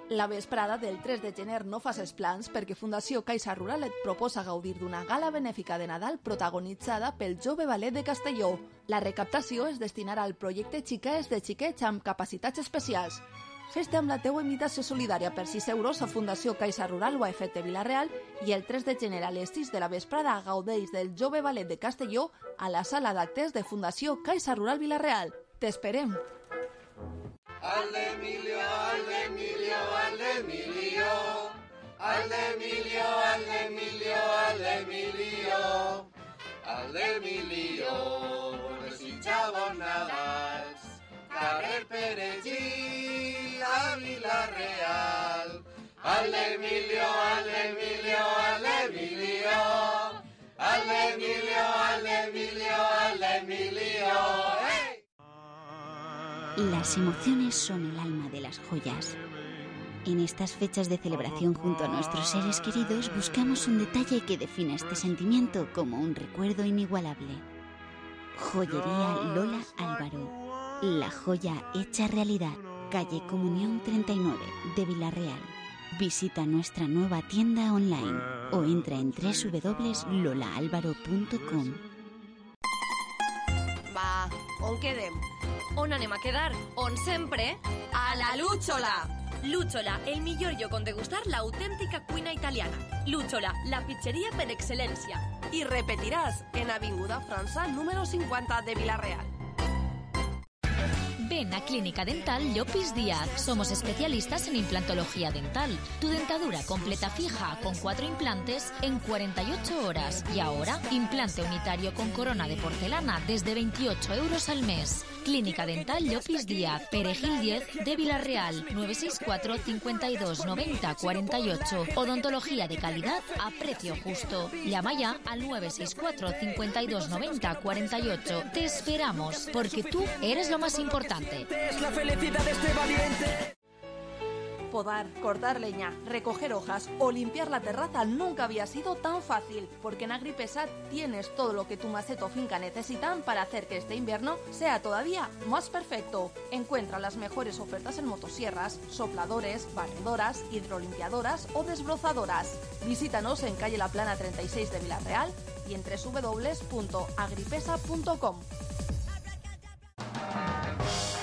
La vesprada del 3 de gener no facis plans perquè Fundació Caixa Rural et proposa gaudir d'una gala benèfica de Nadal protagonitzada pel Jove Ballet de Castelló. La recaptació es destinarà al projecte Xicaes de xiquets amb capacitats especials. Fes-te amb la teua invitació solidària per 6 euros a Fundació Caixa Rural o a Efecte Vila-real i el 3 de gener a les 6 de la vesprada gaudeix del Jove Ballet de Castelló a la sala d'actes de Fundació Caixa Rural Vila-real. T'esperem! Al Emilio, al Emilio, al Emilio, al Emilio, al Emilio, al Emilio, al Emilio, desitjava Nadals, carrer Peregí, a Vila-real. Al Emilio, al Emilio, al Emilio, al Emilio, al Emilio, al Emilio, ¡hey! Las emociones son el alma de las joyas. En estas fechas de celebración junto a nuestros seres queridos buscamos un detalle que defina este sentimiento como un recuerdo inigualable. Joyería Lola Álvaro. La joya hecha realidad. Calle Comunión 39 de Vila-real. Visita nuestra nueva tienda online o entra en www.lolaalvaro.com. Va, on quedem? On anem a quedar? On sempre? A la Lúchola! Lúchola, el millor lloc on degustar l'autèntica cuina italiana. Lúchola, la pizzeria per excel·lència. Y repetirás en Avinguda França número 50 de Vila-real. Ven a Clínica Dental Llopis Díaz. Somos especialistas en implantología dental. Tu dentadura completa fija con 4 implantes en 48 horas. Y ahora, implante unitario con corona de porcelana desde 28 euros al mes. Clínica Dental Llopis Díaz, Perejil 10 de Vila-real, 964 52 90 48. Odontología de calidad a precio justo. Llama ya al 964 52 90 48. Te esperamos, porque tú eres lo más importante. Es la felicidad de este valiente. Podar, cortar leña, recoger hojas o limpiar la terraza nunca había sido tan fácil, porque en Agripesa tienes todo lo que tu maceta o finca necesitan para hacer que este invierno sea todavía más perfecto. Encuentra las mejores ofertas en motosierras, sopladores, barredoras, hidrolimpiadoras o desbrozadoras. Visítanos en calle La Plana 36 de Vila-real y en www.agripesa.com.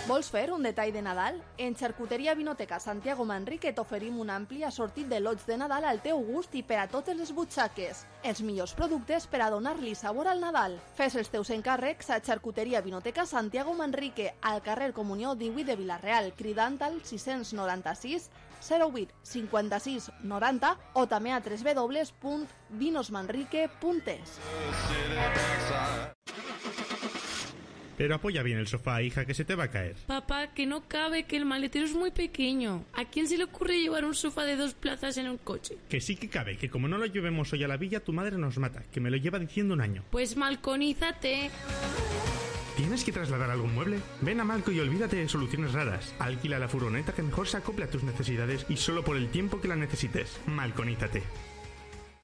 Vols fer un detall de Nadal? En Xarcuteria Vinoteca Santiago Manrique t'oferim un ampli assortit de lots de Nadal al teu gust i per a totes les butxaques. Els millors productes per a donar-li sabor al Nadal. Fes els teus encàrrecs a Xarcuteria Vinoteca Santiago Manrique, al carrer Comunió 18 de Vila-real, cridant al 696 08 56 90 o també a www.vinosmanrique.es. Pero apoya bien el sofá, hija, que se te va a caer. Papá, que no cabe, que el maletero es muy pequeño. ¿A quién se le ocurre llevar un sofá de 2 plazas en un coche? Que sí que cabe, que como no lo llevemos hoy a la villa, tu madre nos mata, que me lo lleva diciendo un año. Pues malconízate. ¿Tienes que trasladar algún mueble? Ven a Malco y olvídate de soluciones raras. Alquila la furgoneta que mejor se acople a tus necesidades y solo por el tiempo que la necesites. Malconízate.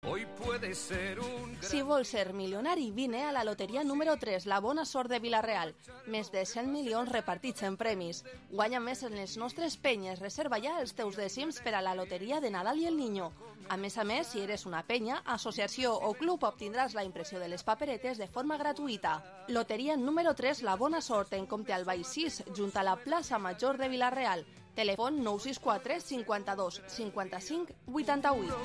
Hoy puede ser un... Si vols ser milionari, vine a la loteria número 3, la bona sort de Vila-real. Més de 100 milions repartits en premis. Guanya més en les nostres penyes. Reserva ja els teus dècims per a la loteria de Nadal i el Niño. A més, si eres una penya, associació o club, obtindràs la impressió de les paperetes de forma gratuïta. Loteria número 3, la bona sort, en Comte Albay 6, junt a la plaça Major de Vila-real. Telèfon 964 52 55 88.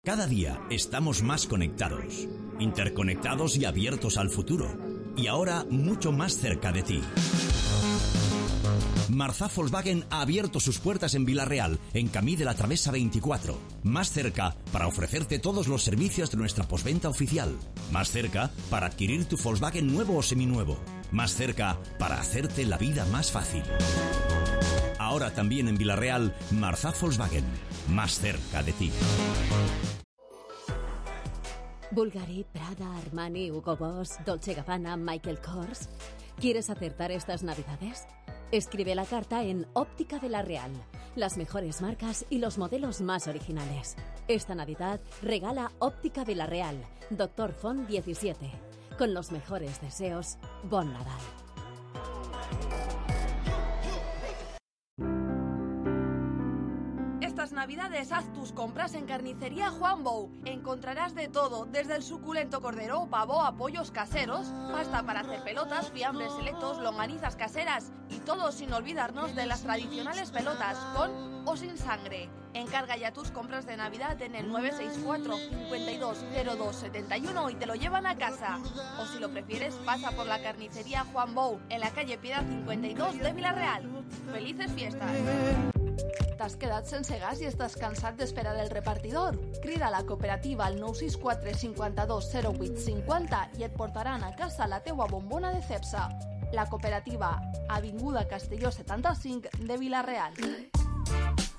Cada día estamos más conectados, interconectados y abiertos al futuro. Y ahora mucho más cerca de ti. Marzá Volkswagen ha abierto sus puertas en Vila-real, en Camí de la Travesa 24. Más cerca para ofrecerte todos los servicios de nuestra postventa oficial. Más cerca para adquirir tu Volkswagen nuevo o seminuevo. Más cerca para hacerte la vida más fácil. Ahora también en Vila-real, Marzá Volkswagen. Más cerca de ti. Bulgari, Prada, Armani, Hugo Boss, Dolce Gabbana, Michael Kors. ¿Quieres acertar estas navidades? Escribe la carta en Óptica Vila-real. Las mejores marcas y los modelos más originales. Esta Navidad regala Óptica Vila-real, Doctor Font 17. Con los mejores deseos, Bon Nadal. Estas Navidades haz tus compras en Carnicería Juan Bou. Encontrarás de todo, desde el suculento cordero, pavo a pollos caseros, pasta para hacer pelotas, fiambres selectos, longanizas caseras y todo sin olvidarnos de las tradicionales pelotas, con o sin sangre. Encarga ya tus compras de Navidad en el 964 5202 71 y te lo llevan a casa. O si lo prefieres, pasa por la Carnicería Juan Bou, en la calle Piedad 52 de Vila-real. ¡Felices fiestas! T'has quedat sense gas i estàs cansat d'esperar el repartidor? Crida a la cooperativa al 964 52 08 50 i et portaran a casa la teua bombona de Cepsa. La cooperativa, Avinguda Castelló 75 de Vila-real.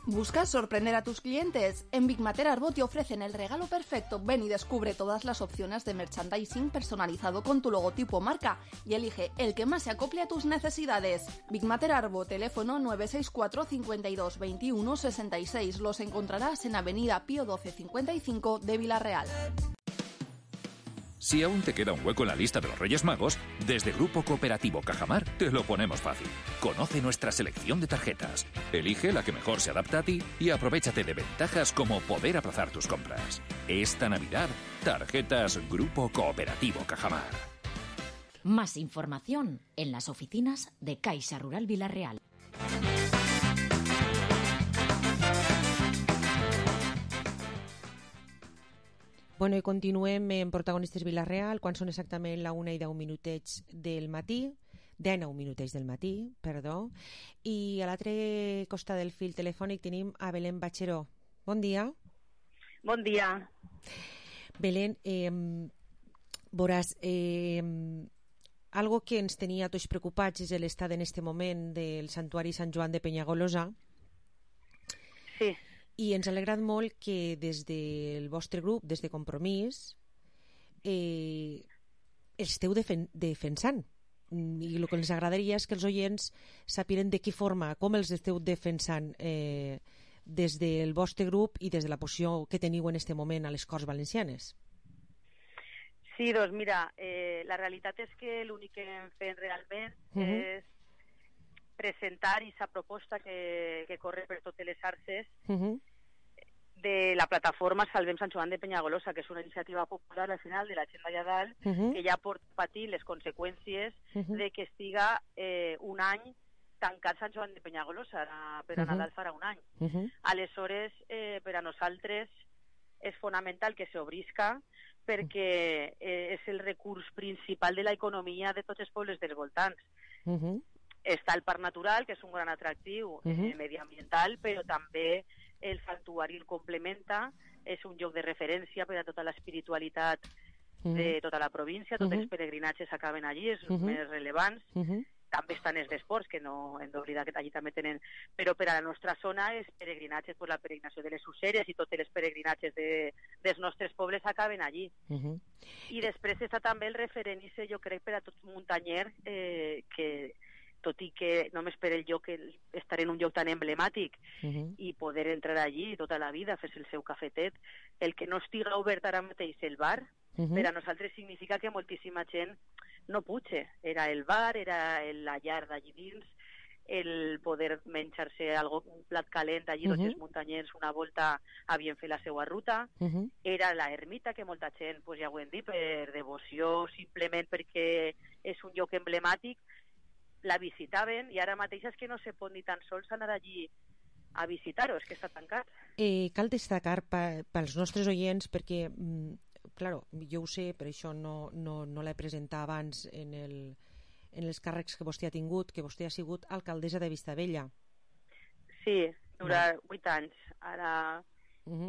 ¿Buscas sorprender a tus clientes? En Big Mater Arbo te ofrecen el regalo perfecto. Ven y descubre todas las opciones de merchandising personalizado con tu logotipo o marca y elige el que más se acople a tus necesidades. Big Mater Arbo, teléfono 964 52 21 66. Los encontrarás en Avenida Pío 12 55 de Vila-real. Si aún te queda un hueco en la lista de los Reyes Magos, desde Grupo Cooperativo Cajamar te lo ponemos fácil. Conoce nuestra selección de tarjetas, elige la que mejor se adapta a ti y aprovéchate de ventajas como poder aplazar tus compras. Esta Navidad, tarjetas Grupo Cooperativo Cajamar. Más información en las oficinas de Caixa Rural Vila-real. Bueno, i continuem en Protagonistes Vila-real, quan són exactament la 1:10 del matí, 19 minutets del matí, perdó, i a l'altre costat del fil telefònic tenim a Belén Batxeró. Bon dia. Bon dia. Belén, veuràs, algo que ens tenia tots preocupats és l'estat en este moment del Santuari Sant Joan de Penyagolosa. Sí. I ens ha alegrat molt que des del vostre grup, des de Compromís, esteu defensant. I el que ens agradaria és que els oients sapien de quina forma, com els esteu defensant des del vostre grup i des de la posició que teniu en aquest moment a les Corts Valencianes. Sí, doncs mira, la realitat és que l'únic que hem fet realment és presentar aquesta proposta que corre per totes les xarxes de la plataforma Salvem Sant Joan de Penyagolosa, que és una iniciativa popular al final de la gent d'allà dalt, que ja pot patir les conseqüències de que estiga un any tancat Sant Joan de Penyagolosa, per a Nadal farà un any. Aleshores, per a nosaltres és fonamental que s'obrisca perquè és el recurs principal de l'economia de tots els pobles dels voltants. Està el parc natural, que és un gran atractiu mediambiental, però també el santuari el complementa, és un lloc de referència per a tota l'espiritualitat de tota la província, tots els peregrinatges acaben allí, és més rellevants. També estan els d'esports, que no hem d'oblidar que allí també tenen, però per a la nostra zona els peregrinatges, la peregrinació de les Useres i tots els peregrinatges dels nostres pobles acaben allí. I després està també el referent, jo crec, per a tot muntanyer, que tot i que només per el lloc estar en un lloc tan emblemàtic i poder entrar allí tota la vida, fer-se el seu cafetet, el que no estiga obert ara mateix el bar, per a nosaltres significa que moltíssima gent no puja. Era el bar, era la llar d'allí dins, el poder menjar-se un plat calent allí, tots els muntanyers una volta havien fet la seva ruta, era la ermita, que molta gent, ja ho hem dit, per devoció, simplement perquè és un lloc emblemàtic, la visitaven, i ara mateix és que no se pot ni tan sols anar allí a visitar-ho, és que està tancat. Cal destacar pels nostres oients, perquè, claro, jo ho sé, per això no l'he presentat abans en els càrrecs que vostè ha tingut, que vostè ha sigut alcaldessa de Vistabella. Sí, durant 8 anys. Ara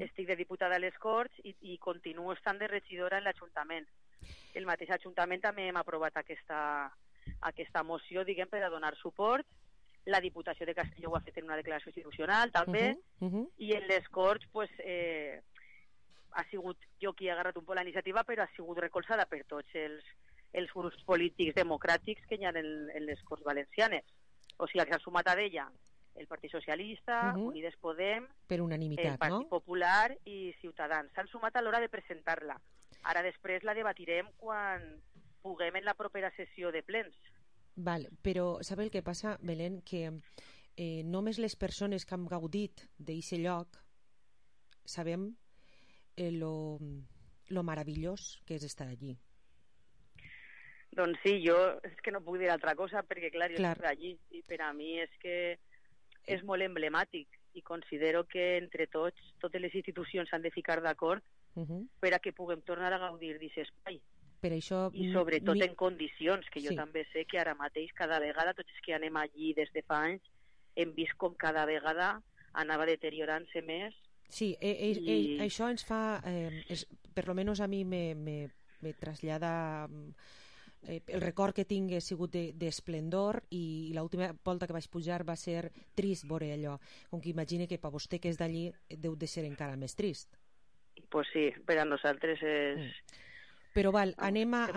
estic de diputada a les Corts i continuo estant de regidora en l'Ajuntament. El mateix Ajuntament també hem aprovat aquesta moció, diguem, per a donar suport. La Diputació de Castelló ho ha fet en una declaració institucional, també, i en les Corts, ha sigut jo qui ha agarrat un poc la iniciativa, però ha sigut recolzada per tots els grups polítics democràtics que hi ha en les Corts Valencianes. O sigui, que s'ha sumat a d'ella el Partit Socialista, Unides Podem, per unanimitat, el Partit Popular i Ciutadans. S'han sumat a l'hora de presentar-la. Ara després la debatirem quan puguem en la propera sessió de plens. Val, però sabe el que passa, Belén? Que només les persones que han gaudit d'aquest lloc sabem lo meravellós que és estar allí. Doncs sí, jo és que no puc dir altra cosa, perquè clar, jo estic allí i per a mi és que és molt emblemàtic i considero que entre totes les institucions s'han de ficar d'acord per a que puguem tornar a gaudir d'aquest espai. Per això, i sobretot en condicions, que jo també sé que ara mateix cada vegada, tots els que anem allí des de fa anys, hem vist com cada vegada anava deteriorant-se més. Sí, això ens fa, per lo menos a mi me trasllada el record que tinc ha sigut d'esplendor, i l'última volta que vaig pujar va ser trist veure allò, com que imagine que per vostè que és d'allí deu de ser encara més trist. Pues sí, per a nosaltres és... Però val, anem a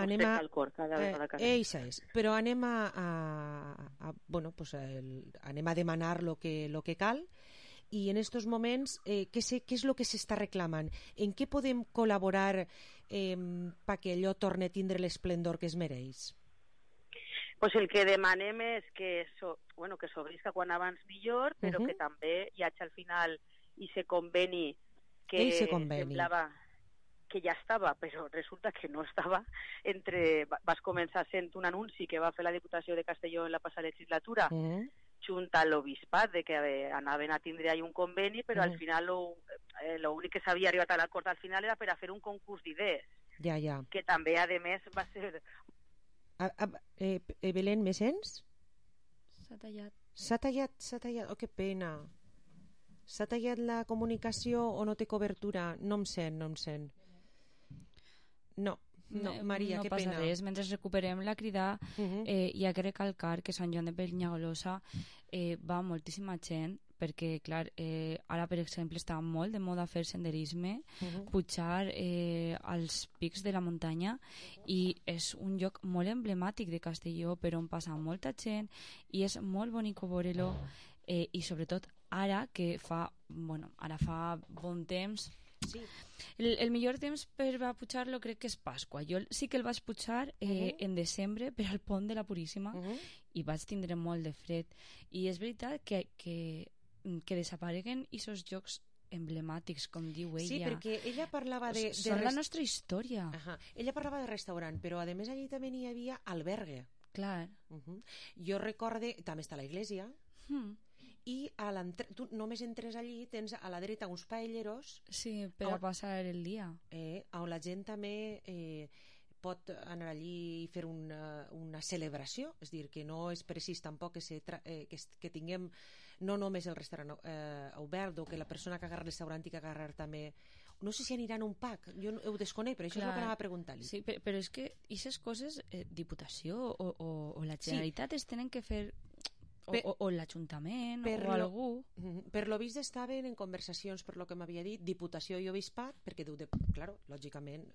demanar lo que cal, i en estos moments què és el que s'està reclamant? En què podem col·laborar perquè allò torni a tindre l'esplendor que es mereix? Pues el que demanem és que s'obrisca quan abans millor, però que també hi hagi al final ese conveni que semblava que ja estava, però resulta que no estava. Vas començar sent un anunci que va fer la Diputació de Castelló en la passada legislatura, junt a l'Obispat, de que anaven a tindre ahí un conveni, però al final l'únic que s'havia arribat a l'acord al final era per a fer un concurs d'idees, que també, a més, va ser... Belén, me sents? S'ha tallat. S'ha tallat. Oh, que pena. S'ha tallat la comunicació o no té cobertura? No em sent. No, Maria, que pena. No passa res, mentre recuperem la crida, hi ha que recalcar que Sant Joan de Penyagolosa va moltíssima gent, perquè, clar, ara, per exemple, està molt de moda fer senderisme, pujar als pics de la muntanya, i és un lloc molt emblemàtic de Castelló, per on passa molta gent, i és molt bonic veure-lo, i sobretot ara que fa bon temps. Sí. El millor temps per a pujar-lo crec que és Pasqua. Jo sí que el vaig pujar en desembre per al pont de la Puríssima, i vaig tindre molt de fred, i és veritat que desapareguen aquests llocs emblemàtics, com diu ella. Sí, perquè ella parlava de... Són la nostra història. Ella parlava de restaurant, però a més allí també n'hi havia albergue. Clar. Jo recorde, també està la iglesia, i tu només entres allí, tens a la dreta uns paelleros... Sí, per a passar el dia. On la gent també pot anar allí i fer una celebració, és dir, que no és precís tampoc que tinguem no només el restaurant obert, o que la persona que agarra el restaurant i que agarrar també... No sé si aniran a un pack, jo ho desconec, però això és el que anava a preguntar-li. Sí, però és que aquestes coses, Diputació o la Generalitat es tenen que fer... O l'Ajuntament o algú. Per lo vist estaven en conversacions, per lo que m'havia dit, Diputació i Obispat, perquè claro, lògicament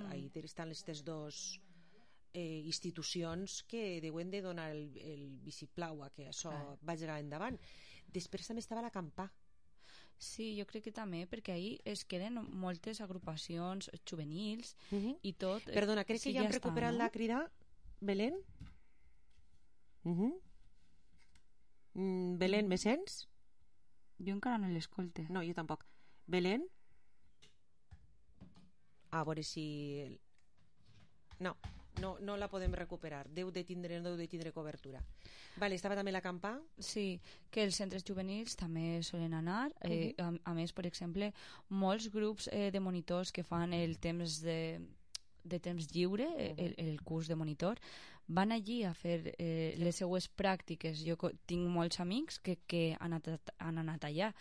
ahí estan aquestes dos institucions que deuen de donar el vistiplau a que això vagi endavant. Després també estava la Campà. Sí, jo crec que també, perquè ahí es queden moltes agrupacions juvenils i tot. Perdona, crec que ja hem recuperat la crida. Belén? Belén, me sents? Jo encara no l'escolte. No, jo tampoc. Belén? A veure si... No la podem recuperar. Deu de tindre cobertura. Vale, estava també la Campà? Sí, que els centres juvenils també solen anar. A més, per exemple, molts grups de monitors que fan el temps de temps lliure, el curs de monitor, van allí a fer les seues pràctiques. Jo tinc molts amics que han anat allà,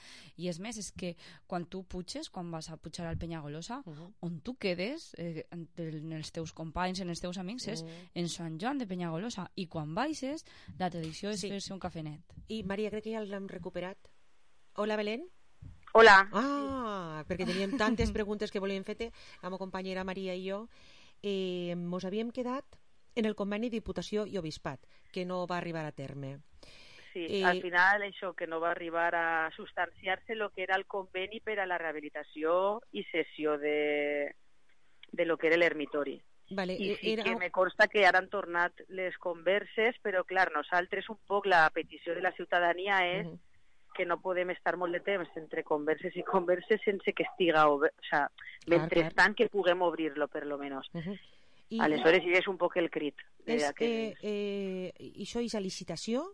i és més, és que quan tu puges, quan vas a pujar al Penyagolosa, on tu quedes en els teus companys, en els teus amics, és en Sant Joan de Penyagolosa, i quan baixes la tradició és fer-se un cafenet. I Maria, crec que ja l'hem recuperat. Hola, Belén. Hola. Perquè teníem tantes preguntes que volíem fer-te, la meva companyera Maria i jo. Mos havíem quedat en el conveni Diputació i Obispat, que no va arribar a terme. Sí, al final això, que no va arribar a substanciar-se el que era el conveni per a la rehabilitació i cessió de lo que era l'ermitori. Vale, I sí que me consta que ara han tornat les converses, però clar, nosaltres un poc la petició de la ciutadania és que no podem estar molt de temps entre converses i converses sense que estiga obert, o sea, mentrestant que puguem obrir-lo, per lo menos. Aleshores, és un poc el crit. Això és a licitació?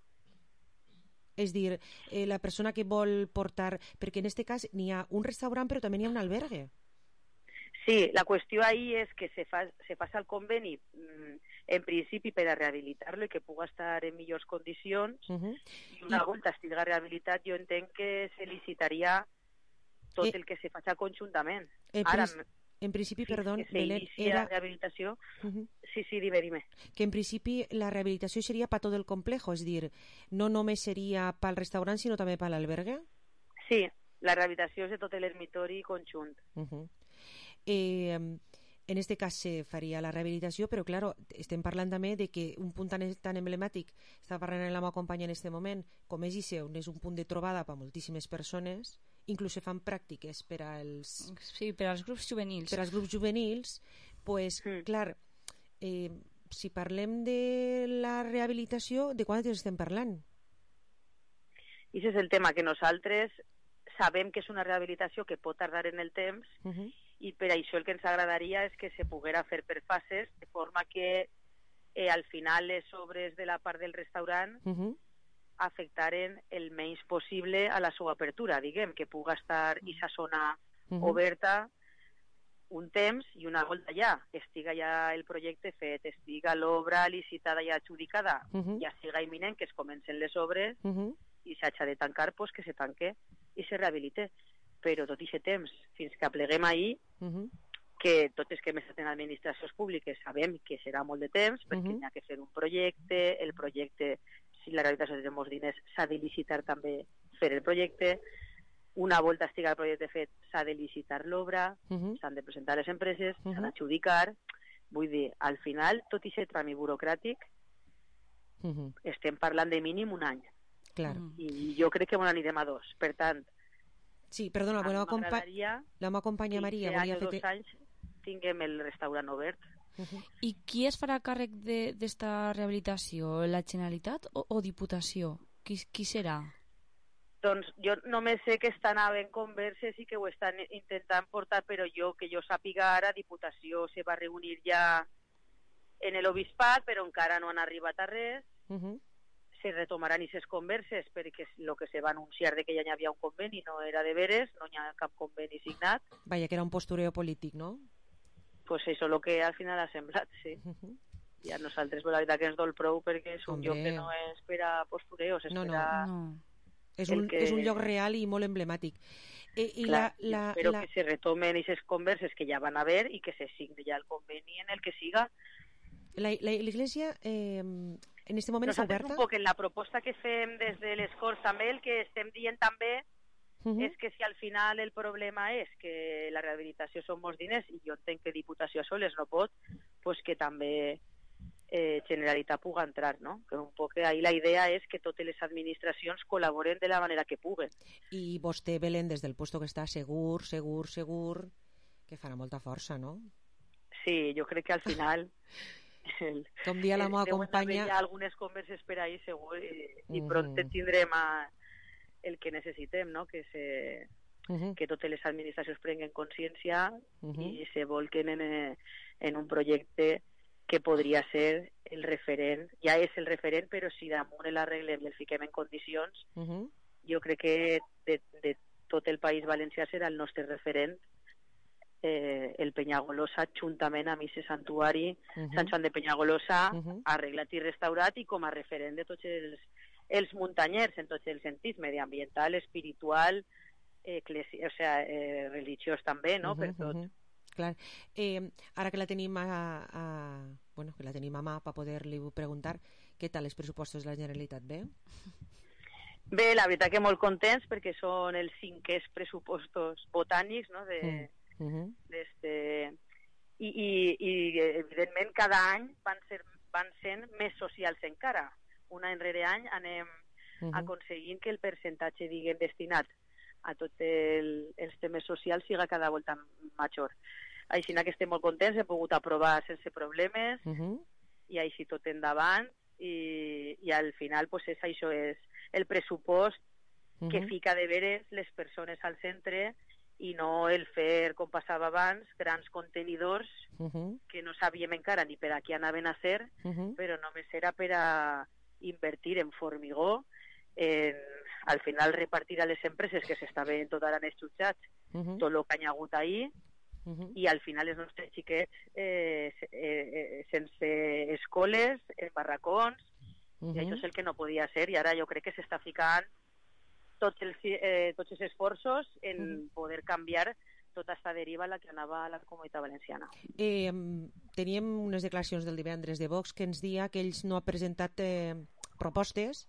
És dir, la persona que vol portar... Perquè en aquest cas n'hi ha un restaurant, però també n'hi ha un albergue. Sí, la qüestió ahí és que se fa el conveni en principi per a rehabilitar-lo i que pugui estar en millors condicions, i una volta estigui rehabilitat jo entenc que se licitaria tot el que se faci conjuntament. Ara, en principi, perdó, Belén, era... rehabilitació... Sí, dime. Que en principi la rehabilitació seria per tot el complejo, és dir, no només seria pel restaurant, sinó també per l'albergue? Sí, la rehabilitació és de tot l'ermitori conjunt. En este cas se faria la rehabilitació, però claro, estem parlant també de que un punt tan emblemàtic, estava parlant amb la meva companya en aquest moment, com és Ise, on és un punt de trobada per moltíssimes persones, inclús se fan pràctiques per als... Sí, per als grups juvenils. Per als grups juvenils, pues, clar, si parlem de la rehabilitació, de quant estem parlant? I aquest és el tema, que nosaltres sabem que és una rehabilitació que pot tardar en el temps, i per això el que ens agradaria és que se poguera fer per fases, de forma que al final les obres de la part del restaurant afectaren el menys possible a la seva apertura, diguem, que puga estar aquesta zona oberta un temps i una volta ja estiga ja el projecte fet, estiga l'obra licitada i adjudicada, ja siga imminent que es comencen les obres i s'haja de tancar, pues que se tanque i se rehabilite. Però tot aquest temps, fins que apleguem ahir, que tots els que hem estat en administracions públiques sabem que serà molt de temps, perquè n'hi ha que fer un projecte, el projecte, si la rehabilitació té molts diners, s'ha de licitar també fer el projecte, una volta estiga el projecte fet, s'ha de licitar l'obra, s'han de presentar les empreses, s'han d'adjudicar, vull dir, al final, tot aquest tràmit burocràtic, estem parlant de mínim un any. I jo crec que n'anirem a 2, per tant, sí, perdona, la meva companya Maria volia fer... 2 anys tinguem el restaurant obert. I qui es farà càrrec d'esta rehabilitació? La Generalitat o Diputació? Qui serà? Doncs jo només sé que estan havent converses i que ho estan intentant portar, però que jo sàpiga ara, Diputació se va reunir ja en l'Obispat, però encara no han arribat a res. Se retomaran aquestes converses perquè el que se va anunciar de que ja hi havia un conveni no era de veres, no hi ha cap conveni signat. Vaja, que era un postureo polític, no? Pues això és el que al final ha semblat, sí. I a nosaltres, la veritat que ens dol prou perquè és un lloc que no és per a postureos, és per a... És un lloc real i molt emblemàtic. Espero que se retomen aquestes converses que ja van haver i que se signi ja el conveni en el que siga. L'Iglésia en aquest moment està oberta? Un poc en la proposta que fem des de les Corts també, el que estem dient també és que si al final el problema és que la rehabilitació són molts diners i jo entenc que Diputació a soles no pot, pues que també Generalitat puga entrar, no? Que un poc ahí la idea és que totes les administracions col·laboren de la manera que puguen. I vostè, Belén, des del puesto que està segur, que farà molta força, no? Sí, jo crec que al final... Com dia la meva companya... Hi ha algunes converses per ahí segur i pront tindrem el que necessitem, no? Que totes les administracions prenguen consciència i se volquen en un projecte que podria ser el referent, ja és el referent, però si damunt l'arreglem i el fiquem en condicions, jo crec que de tot el País Valencià serà el nostre referent el Penyagolosa, juntament amb aquest santuari Sant Joan de Penyagolosa, arreglat i restaurat i com a referent de tots els muntanyers, en tots els sentits, mediambiental, espiritual, religiós també, no?, per tot. Clar. Ara que la tenim que la tenim a mà per poder-li preguntar, què tal els pressupostos de la Generalitat? Bé? Bé, la veritat que molt contents perquè són els 5è pressupostos botànics, no?, i evidentment cada any van sent més socials encara. Un any rere any anem aconseguint que el percentatge, diguem, destinat a tots els temes socials siga cada volta major. Així que estem molt contents, hem pogut aprovar sense problemes i així tot endavant i al final pues, això és el pressupost que fica de veres les persones al centre i no el fer, com passava abans, grans contenidors que no sabíem encara ni per a què anaven a ser, però només era per a invertir en formigó, al final repartir a les empreses que s'estaven tot ara en els jutjats tot el que hi ha hagut ahir i al final els nostres xiquets sense escoles, en barracons, i això és el que no podia ser i ara jo crec que s'està ficant tots els esforços en poder canviar tota aquesta deriva a la que anava la Comunitat Valenciana. Teníem unes declaracions del divendres de Vox que ens deia que ells no han presentat propostes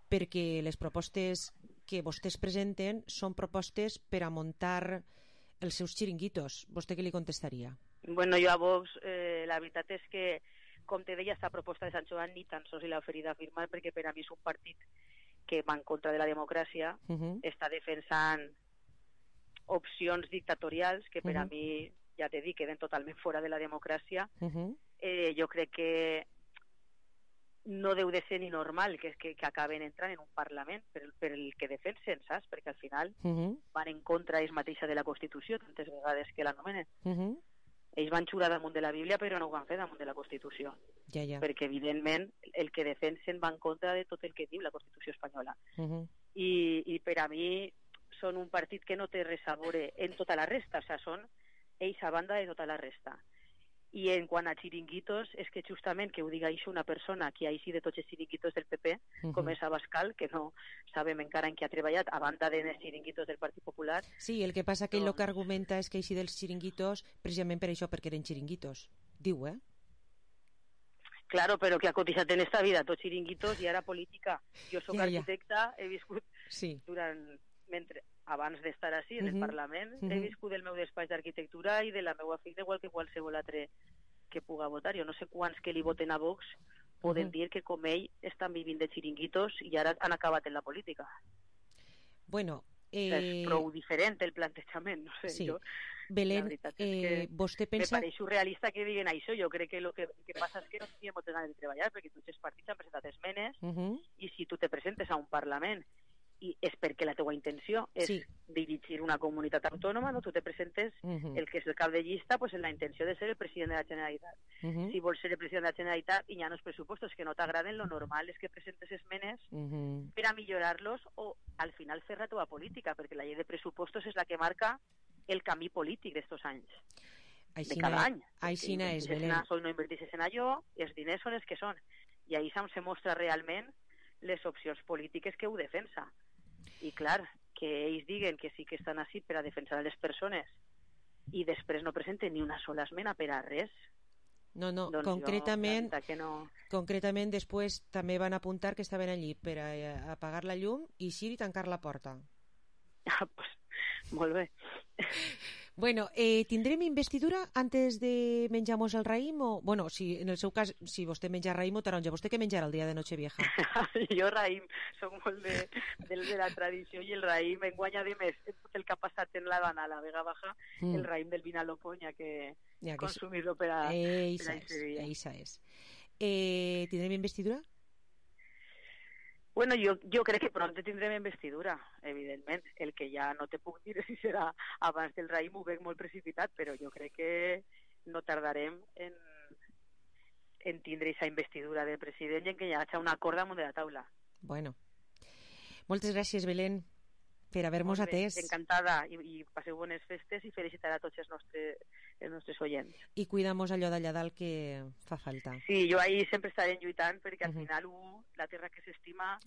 perquè les propostes que vostès presenten són propostes per a muntar els seus xiringuitos. Vostè què li contestaria? Bueno, jo a Vox la veritat és que, com te deia, esta proposta de Sant Joan ni tan sols l'ha oferit a firmar perquè per a mi és un partit que va en contra de la democràcia, està defensant opcions dictatorials que per a mi, ja t'he dit, queden totalment fora de la democràcia. Jo crec que no deu de ser ni normal que acaben entrant en un Parlament per el que defensen, saps? Perquè al final van en contra ells mateixa de la Constitució tantes vegades que l'anomenen. Ells van xurar damunt de la Bíblia però no ho van fer damunt de la Constitució. Perquè evidentment el que defensen va en contra de tot el que diu la Constitució espanyola. I per a mi són un partit que no té res a veure en tota la resta, o sigui, són ells a banda de tota la resta. I en quant a xiringuitos, és que justament que ho diga això una persona que ha eixit de tots els xiringuitos del PP, com és Abascal, que no sabem encara en què ha treballat, a banda dels xiringuitos del Partit Popular. Sí, el que passa que ell el que argumenta és que eixit dels xiringuitos precisament per això, perquè eren xiringuitos. Diu, Claro, però que ha cotitzat en esta vida tots xiringuitos i ara política. Jo soc arquitecta, he viscut durant... abans d'estar així en el Parlament, he viscut del meu despatx d'arquitectura i de la meva feina igual que qualsevol altre que puga votar. Jo no sé quants que li voten a Vox poden dir que com ell estan vivint de xiringuitos i ara han acabat en la política. Bueno, és prou diferent el plantejament, no sé. Sí. Belén, vostè pensa... Me pareix surrealista que diguen això. Jo crec que el que passa és que no teníem moltes ganes de treballar perquè tots els partits han presentat esmenes i si tu te presentes a un Parlament i és perquè la teua intenció és dirigir una comunitat autònoma, no? Tu te presentes, el que és el cap de llista, pues en la intenció de ser el president de la Generalitat. Si vols ser el president de la Generalitat i hi ha uns pressupostos que no t'agraden, lo normal és que presentes esmenes per a millorar-los o al final fer la teva política, perquè la llei de pressupostos és la que marca el camí polític d'estos anys. De cada any. Aixina és, Belén. No inverteixes en allò, els diners són els que són. I ahí se mostra realment les opcions polítiques que ho defensa. I clar, que ells diguen que sí que estan així per a defensar les persones i després no presenten ni una sola esmena per a res. No, doncs concretament després també van apuntar que estaven allí per a apagar la llum i eixir i tancar la porta. Pues, molt bé. Bueno, tindrem investidura antes de menjar-nos el raïm? O, bueno, si en el seu cas, si vostè menja raïm o taronja, vostè què menjarà el dia de Nochevieja? Jo raïm, soc molt de la tradició i el raïm enguany a més el que ha passat en la Dana, la Vega Baja, el raïm del Vinalopó, ja que consumir-lo per a Eixa és. Tindrem investidura? Bueno, jo crec que pront tindrem investidura, evidentment. El que ja no te puc dir si serà abans del raïm, ho veig molt precipitat, però jo crec que no tardarem en tindre aquesta investidura del president i en que hi hagi un acord damunt de la taula. Bueno. Moltes gràcies, Belén, per haver-nos atès. Encantada, i passeu bones festes i felicitar a tots els nostres oients. I cuidamos allò d'allà dalt que fa falta. Sí, jo ahí sempre estaré lluitant perquè al final la terra que s'estima,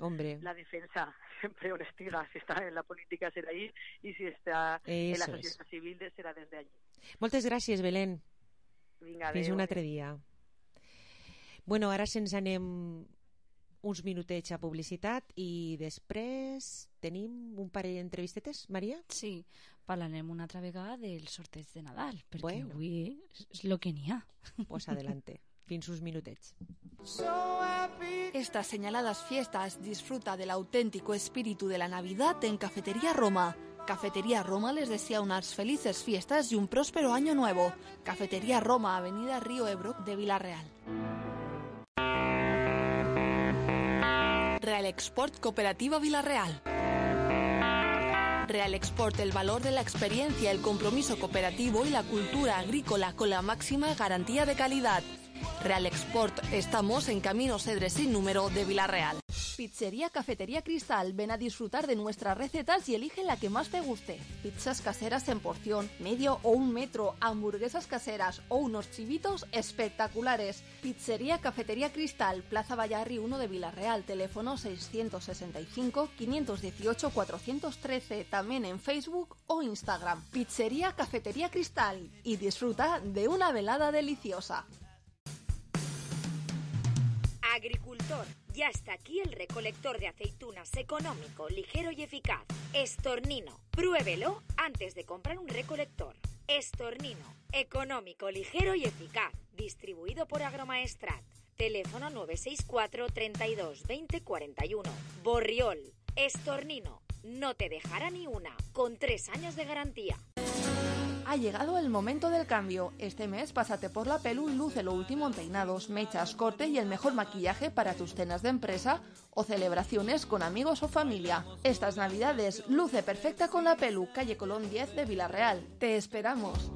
la defensa sempre on estiga, si està en la política serà ahí i si està en la societat civil serà des d'allí. Moltes gràcies, Belén. Vinga, fins un altre dia. Bueno, ara se'ns anem uns minutets a publicitat i després tenim un parell d'entrevistetes, Maria? Sí, parlarem una altra vegada del sorteig de Nadal, perquè avui és el que n'hi ha. Pues adelante, fins uns minutets. Estas señaladas fiestas disfruta del auténtico espíritu de la Navidad en Cafetería Roma. Cafetería Roma les desea unas felices fiestas y un próspero año nuevo. Cafetería Roma, Avenida Río Ebro de Vila-real. Real Export Cooperativa Vila-real. Real Export, el valor de la experiencia, el compromiso cooperativo y la cultura agrícola con la máxima garantía de calidad. Real Export, estamos en Camino Cedre sin número de Vila-real. Pizzería Cafetería Cristal, ven a disfrutar de nuestras recetas y elige la que más te guste. Pizzas caseras en porción, medio o 1 metro, hamburguesas caseras o unos chivitos espectaculares. Pizzería Cafetería Cristal, Plaza Vallarri 1 de Vila-real, teléfono 665-518-413, también en Facebook o Instagram. Pizzería Cafetería Cristal y disfruta de una velada deliciosa. Agricultor, ya está aquí el recolector de aceitunas económico, ligero y eficaz. Estornino, pruébelo antes de comprar un recolector. Estornino, económico, ligero y eficaz. Distribuido por Agromaestrat. Teléfono 964 32 20 41. Borriol, Estornino, no te dejará ni una, con 3 años de garantía. Ha llegado el momento del cambio. Este mes pásate por la Pelu y luce lo último en peinados, mechas, corte y el mejor maquillaje para tus cenas de empresa o celebraciones con amigos o familia. Estas navidades luce perfecta con la Pelu, calle Colón 10 de Vila-real. ¡Te esperamos!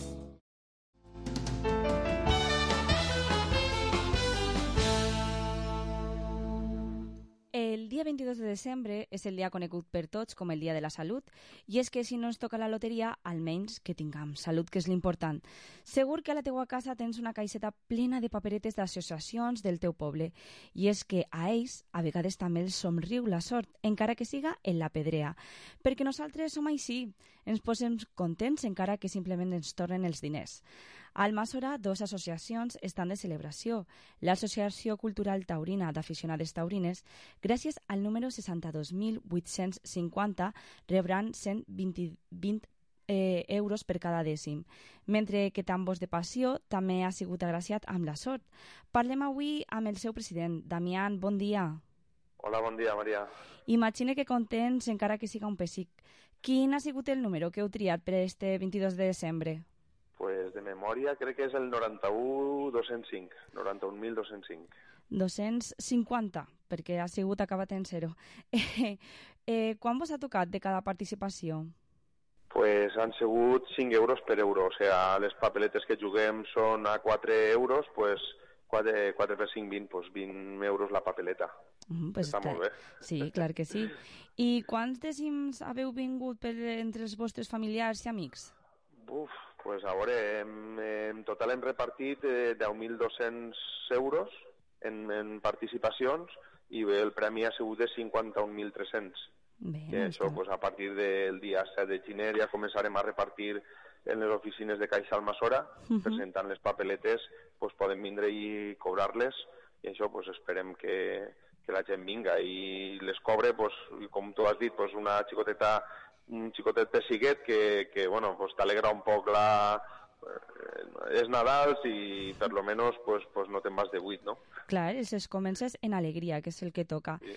El dia 22 de desembre és el dia conegut per tots com el Dia de la Salut, i és que si no ens toca la loteria, almenys que tinguem salut, que és l'important. Segur que a la teua casa tens una caixeta plena de paperetes d'associacions del teu poble, i és que a ells a vegades també els somriu la sort, encara que siga en la pedrea, perquè nosaltres som així, ens posem contents encara que simplement ens tornen els diners. A Almassora, 2 associacions estan de celebració. L'Associació Cultural Taurina d'Aficionades Taurines, gràcies al número 62.850, rebran 120 euros per cada dècim, mentre que Tambors de Passió també ha sigut agraciat amb la sort. Parlem avui amb el seu president. Damián, bon dia. Hola, bon dia, Maria. Imagine que contents, encara que siga un pessic. Quin ha sigut el número que heu triat per este 22 de desembre? Pues de memòria crec que és el 91.205, 91.205. 250, perquè ha sigut acabat en 0. Quan vos ha tocat de cada participació? Pues han sigut 5 euros per euro, o sea, les papeletes que juguem són a 4 euros, pues 4 per 5, 20, pues 20 euros la papeleta. Pues està molt bé. Sí, clar que sí. I quants dècims haveu vingut entre els vostres familiars i amics? Pues a veure, en total hem repartit 10.200 euros en participacions i el premi ha sigut de 51.300. Que això, pues, a partir del dia 7 de gener ja començarem a repartir en les oficines de Caixa Almassora, presentant les papeletes, pues, poden vindre i cobrar-les, i això pues, esperem que la gent vinga i les cobre, pues, com tu has dit, pues, un xicotet pessiguet que bueno, pues, t'alegra un poc és Nadal i per lo menos pues, no te'n vas de buit, no? Clar, es comences en alegria, que és el que toca. Sí.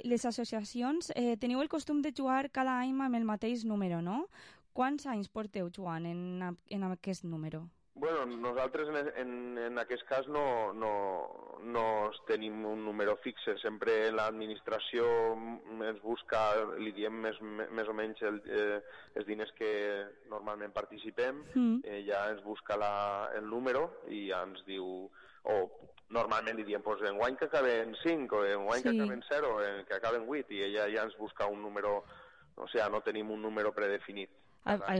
Les associacions, teniu el costum de jugar cada any amb el mateix número, no? Quants anys porteu jugant en aquest número? Bueno, nosaltres en aquest cas no tenim un número fixe. Sempre l'administració ens busca, li diem més o menys els diners que normalment participem, ja ens busca el número i ja ens diu, normalment li diem, pues, enguany que acaben 5, o enguany que acaben 0, que acaben 8, i ella ja ens busca un número, o sigui, no tenim un número predefinit.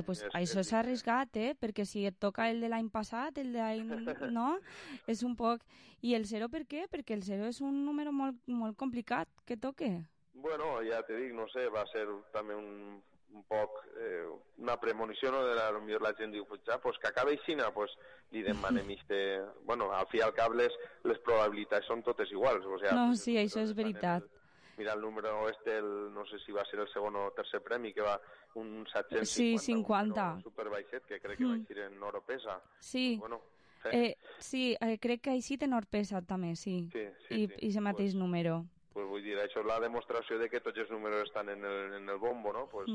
Pues això és arriscat, perquè si et toca el de l'any passat, el de l'any... no? És un poc... I el 0 per què? Perquè el 0 és un número molt, molt complicat que toque. Bueno, ja te dic, no sé, va ser també un poc una premonició, no? Potser la gent diu, pues ja, pues que acabe aixina, pues li demanem bueno, al fi i al cap les probabilitats són totes iguals. O sea, no, sí, això és veritat. Mira el número no sé si va ser el segon o tercer premi, que va un 750. Sí, 50. Un superbaixet, que crec que va eixir en Oropesa. Sí. Bueno, sí, crec que ha eixit en Oropesa també, sí. I ese mateix número. Pues vull dir, això és la demostració de que tots els números estan en el bombo, no? Pues,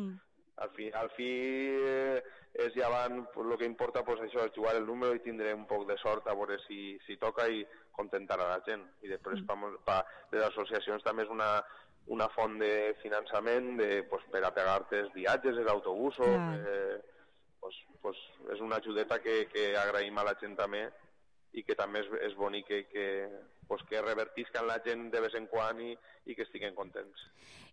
al fi és ja van, pues, el que importa, pues, això és jugar el número i tindré un poc de sort a veure si toca i contentar a la gent. I després les associacions també és una font de finançament pues, per a pegar-te els viatges, els autobusos, pues, és una ajudeta que agraïm a la gent també i que també és bonic que revertiscan la gent de vez en quan i que estiguen contents.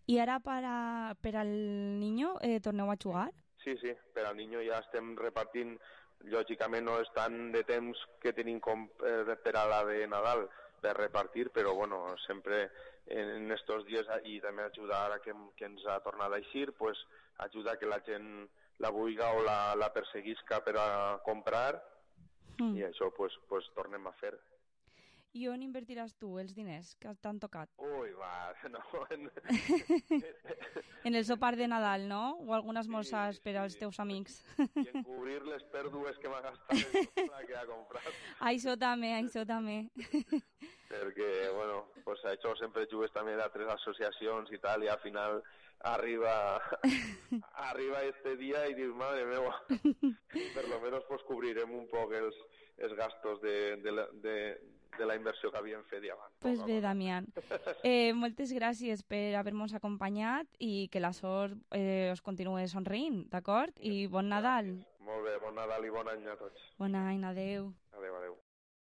I ara per al niño torneu a jugar? Sí, per al niño ja estem repartint, lògicament no és tant de temps que tenim com per a la de Nadal per repartir, però bueno, sempre en estos dies i també ajudar a que ens ha tornat a eixir, pues ajuda que la gent la vulga o la perseguisca per a comprar i això pues tornem a fer. I on invertiràs tu els diners que t'han tocat? Ui, va, no... En el sopar de Nadal, no? O algun esmorzars per als teus amics? I en cobrir les pèrdues que m'ha gastat la que ha comprat. Això també. Perquè, bueno, pues això sempre jugues també d'altres associacions i tal, i al final arriba este dia i dius, madre meva, per lo menos pues cobrirem un poc els gastos de la inversió que havíem fet abans. Pues bé, Damián. Moltes gràcies per haver-nos acompanyat i que la sort us continuï somrient, d'acord? I bon Nadal. Molt bé, bon Nadal i bon any a tots. Bon any, adeu. Adeu.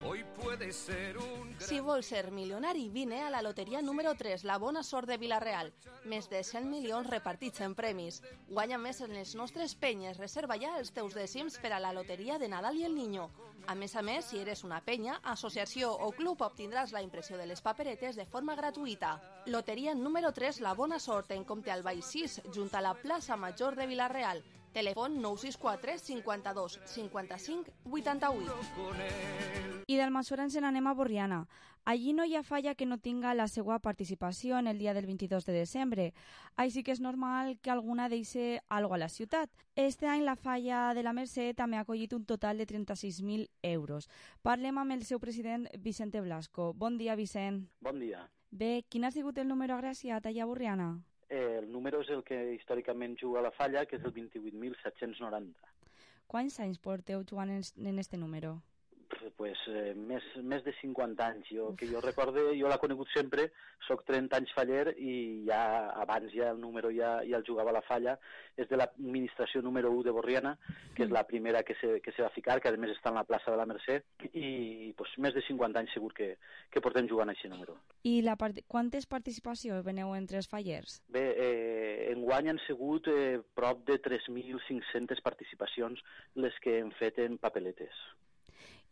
Hoy puede ser un... Si vols ser milionari, vine a la loteria número 3, la bona sort de Vila-real. Més de 100 milions repartits en premis. Guanya més en les nostres penyes. Reserva ja els teus dècims per a la loteria de Nadal i el Niño. A més, si eres una penya, associació o club, obtindràs la impressió de les paperetes de forma gratuïta. Loteria número 3, la bona sort, en Comte al Baix 6, junt a la plaça Major de Vila-real. Telèfon 964 52 55 88. I d'Almassora ens n'anem a Borriana. Allí no hi ha falla que no tinga la seva participació en el dia del 22 de desembre. Així que és normal que alguna deixi algo a la ciutat. Este any la falla de la Mercè també ha acollit un total de 36.000 euros. Parlem amb el seu president, Vicente Blasco. Bon dia, Vicent. Bon dia. Bé, quin ha sigut el número agraciat allà a Borriana? El número és el que històricament juga a la falla, que és el 28.790. Quants anys porteu jugant en este número? més de 50 anys. Que jo recorde, jo l'he conegut sempre, soc 30 anys faller i ja abans el número ja el jugava a la Falla. És de l'administració número 1 de Borriana, que és la primera que se va ficar, que a més està en la plaça de la Mercè, i més de 50 anys segur que portem jugant a aquest número. I quantes participacions veneu entre els fallers? Bé, enguany han sigut prop de 3.500 participacions les que hem fet en papeletes.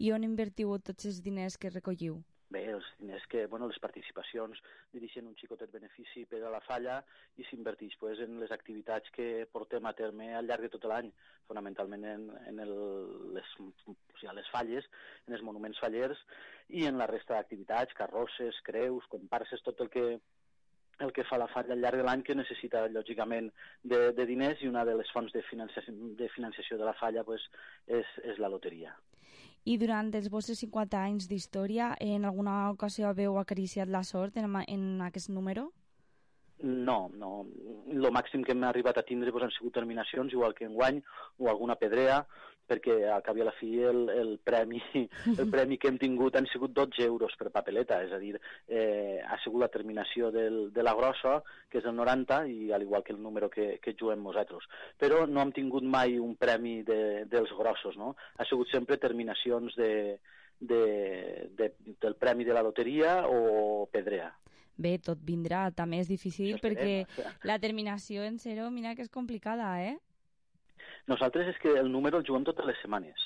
I on invertiu tots els diners que recolliu? Bé, els diners les participacions dirigeixen un xicotet benefici per a la Falla i s'inverteix en les activitats que portem a terme al llarg de tot l'any, fonamentalment en les falles, en els monuments fallers i en la resta d'activitats, carrosses, creus, comparses, tot el que fa la Falla al llarg de l'any, que necessita, lògicament, de diners, i una de les fonts de financiació de la Falla és la loteria. I durant els vostres 50 anys d'història, en alguna ocasió haveu acariciat la sort en aquest número? No. El màxim que hem arribat a tindre han sigut terminacions, igual que enguany, o alguna pedrea, perquè al cap i a la fi el premi que hem tingut han sigut 12 euros per papeleta, és a dir, ha sigut la terminació de la grossa, que és el 90, i al igual que el número que juguem nosaltres. Però no hem tingut mai un premi dels grossos, no? Ha sigut sempre terminacions del premi de la loteria o pedrea. Bé, tot vindrà, també és difícil perquè la terminació en 0, mira que és complicada, eh? Nosaltres és que el número el juguem totes les setmanes.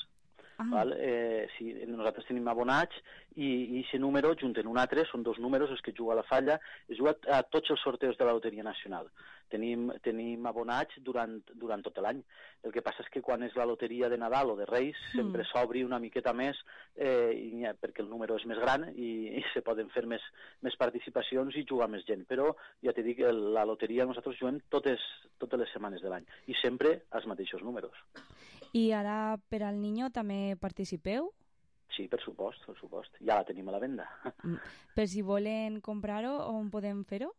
Nosaltres tenim abonats i aquest número, junt en un altre, són 2 números els que juga a la Falla, es juga a tots els sorteus de la Loteria Nacional. Tenim abonats durant tot l'any. El que passa és que quan és la loteria de Nadal o de Reis sempre s'obri una miqueta més perquè el número és més gran i se poden fer més participacions i jugar més gent. Però ja t'he dit que la loteria nosaltres juguem totes les setmanes de l'any i sempre els mateixos números. I ara per al Niño també participeu? Sí, per supost. Ja la tenim a la venda. Per si volen comprar-ho, on podem fer-ho?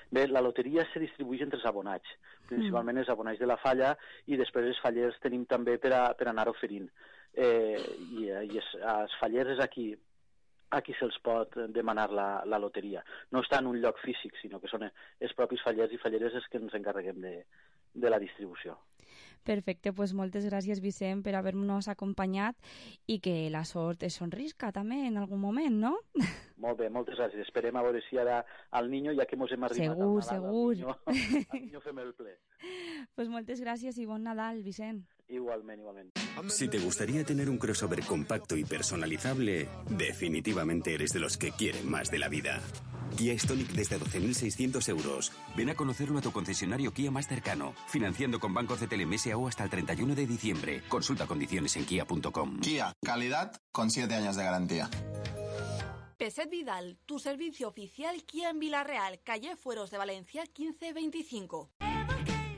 Bé, la loteria se distribueix entre els abonats, principalment els abonats de la Falla, i després els fallers tenim també per anar oferint. I els fallers és aquí se'ls pot demanar la loteria. No està en un lloc físic, sinó que són els propis fallers i falleres els que ens encarreguem de la distribució. Perfecte, doncs moltes gràcies, Vicent, per haver-nos acompanyat i que la sort es sonrisca també en algun moment, no? Molt bé, moltes gràcies. Esperem a veure si ara al Niño, ja que mos hem arribat segur. Al Niño fem el ple. Pues moltes gràcies y bon Nadal, Vicent. Igualmente. Si te gustaría tener un crossover compacto y personalizable, definitivamente eres de los que quieren más de la vida. Kia Stonic desde 12.600 euros. Ven a conocerlo a tu concesionario Kia más cercano, financiando con Banco CTLM S.A.U. hasta el 31 de diciembre. Consulta condiciones en kia.com. Kia, calidad con 7 años de garantía. Peset Vidal, tu servicio oficial Kia en Villarreal, calle Fueros de Valencia 1525.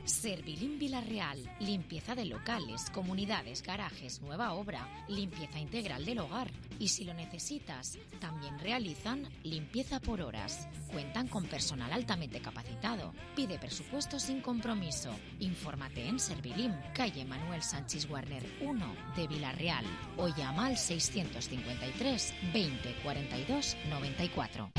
Servilín Villarreal, limpieza de locales, comunidades, garajes, nueva obra, limpieza integral del hogar. Y si lo necesitas, también realizan limpieza por horas. Cuentan con personal altamente capacitado. Pide presupuesto sin compromiso. Infórmate en Servilín, calle Manuel Sánchez Warner 1 de Villarreal, o llama al 653 20 42 94.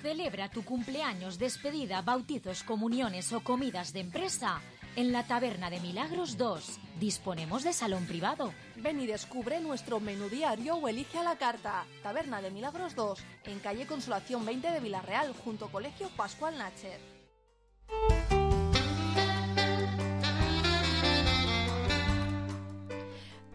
Celebra tu cumpleaños, despedida, bautizos, comuniones o comidas de empresa en la Taberna de Milagros 2. Disponemos de salón privado. Ven y descubre nuestro menú diario o elige a la carta. Taberna de Milagros 2, en calle Consolación 20 de Villarreal, junto a Colegio Pascual Nacher.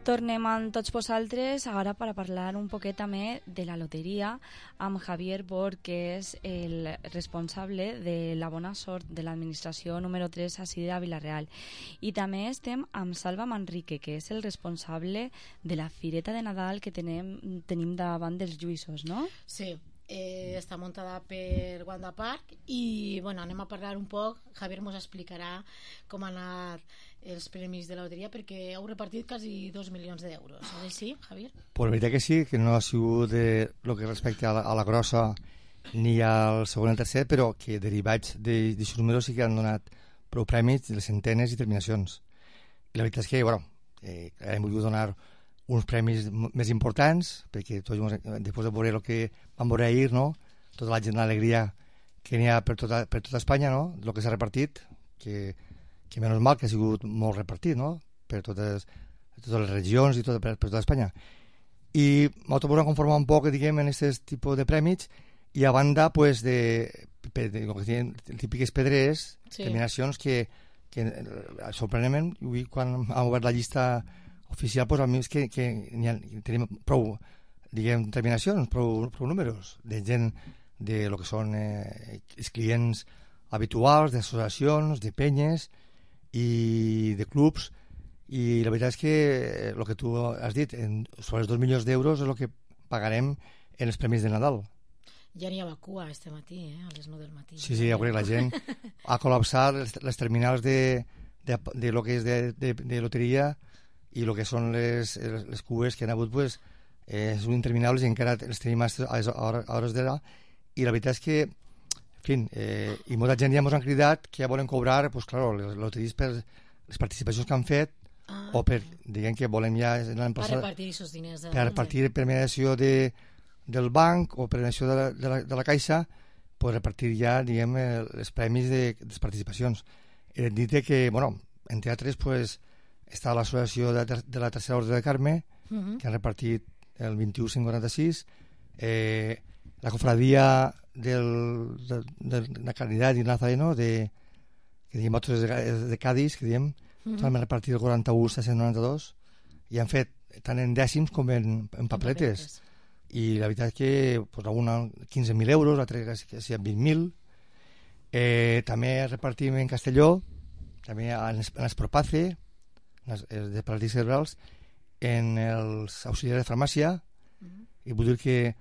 Tornem amb tots vosaltres ara per a parlar un poquet també de la loteria amb Javier Bor, que és el responsable de la bona sort de l'administració número 3 així de Villarreal. I també estem amb Salva Manrique, que és el responsable de la fireta de Nadal que tenim davant dels Lluïssos, no? Sí. Està muntada per Wanda Park i anem a parlar un poc. Javier ens explicarà com han anat els premis de la loteria, perquè heu repartit quasi 2 milions d'euros. És així, Javier? Pues la veritat que sí, que no ha sigut el que respecta a la grossa ni al segon i al tercer, però que derivats d'aquests números sí que han donat prou premis, les centenes i terminacions. I la veritat és que hem volgut donar uns premis més importants, perquè tots, després de veure el que vam veure ahir, no? Tota la gent d'alegria que n'hi ha per tota Espanya, no? El que s'ha repartit, que menys mal que ha sigut molt repartit, no? Per totes les regions i per tota Espanya. I nosaltres volem conformar un poc, diguem, en aquest tipus de premis, i a banda, pues, de típiques pedreres, terminacions que sorprenentment, quan han obert la llista oficial, pues, a mi és que tenim prou, diguem, terminacions, prou números, de gent de lo que són els clients habituals, d'associacions, de penyes i de clubs, i la veritat és que el que tu has dit, sobre els 2 milions d'euros és el que pagarem en els premis de Nadal. Ja n'hi havia cua este matí, a les 9 del matí. Sí, ja veuré, la gent ha col·lapsat les terminals de lo que és de loteria i el que són les cues que han hagut, pues, són interminables i encara els tenim a hores d'ara, i la veritat és que, en fi, i molta gent ja ens han cridat que ja volen cobrar, pues, claro, les loteries per les participacions que han fet, o per, diguem que volem ja per repartir aquests diners per repartir per mediació del banc o per mediació de la caixa, pues repartir ja, diguem, els premis de les participacions. Dit que, bueno, entre altres, pues, està l'associació de la Tercera Orde de Carme, que han repartit el 21.546, la cofradia de la Caridad i Nazareno, que diem nosaltres de Cádiz, que diem, han repartit el 41.692 i han fet tant en dècims com en papeletes. I la veritat és que pues, alguna 15.000 euros, altres que siguin 20.000. També repartim en Castelló, també en Espropace, de paràlisi cerebrals, en els auxiliars de farmàcia, i vull dir que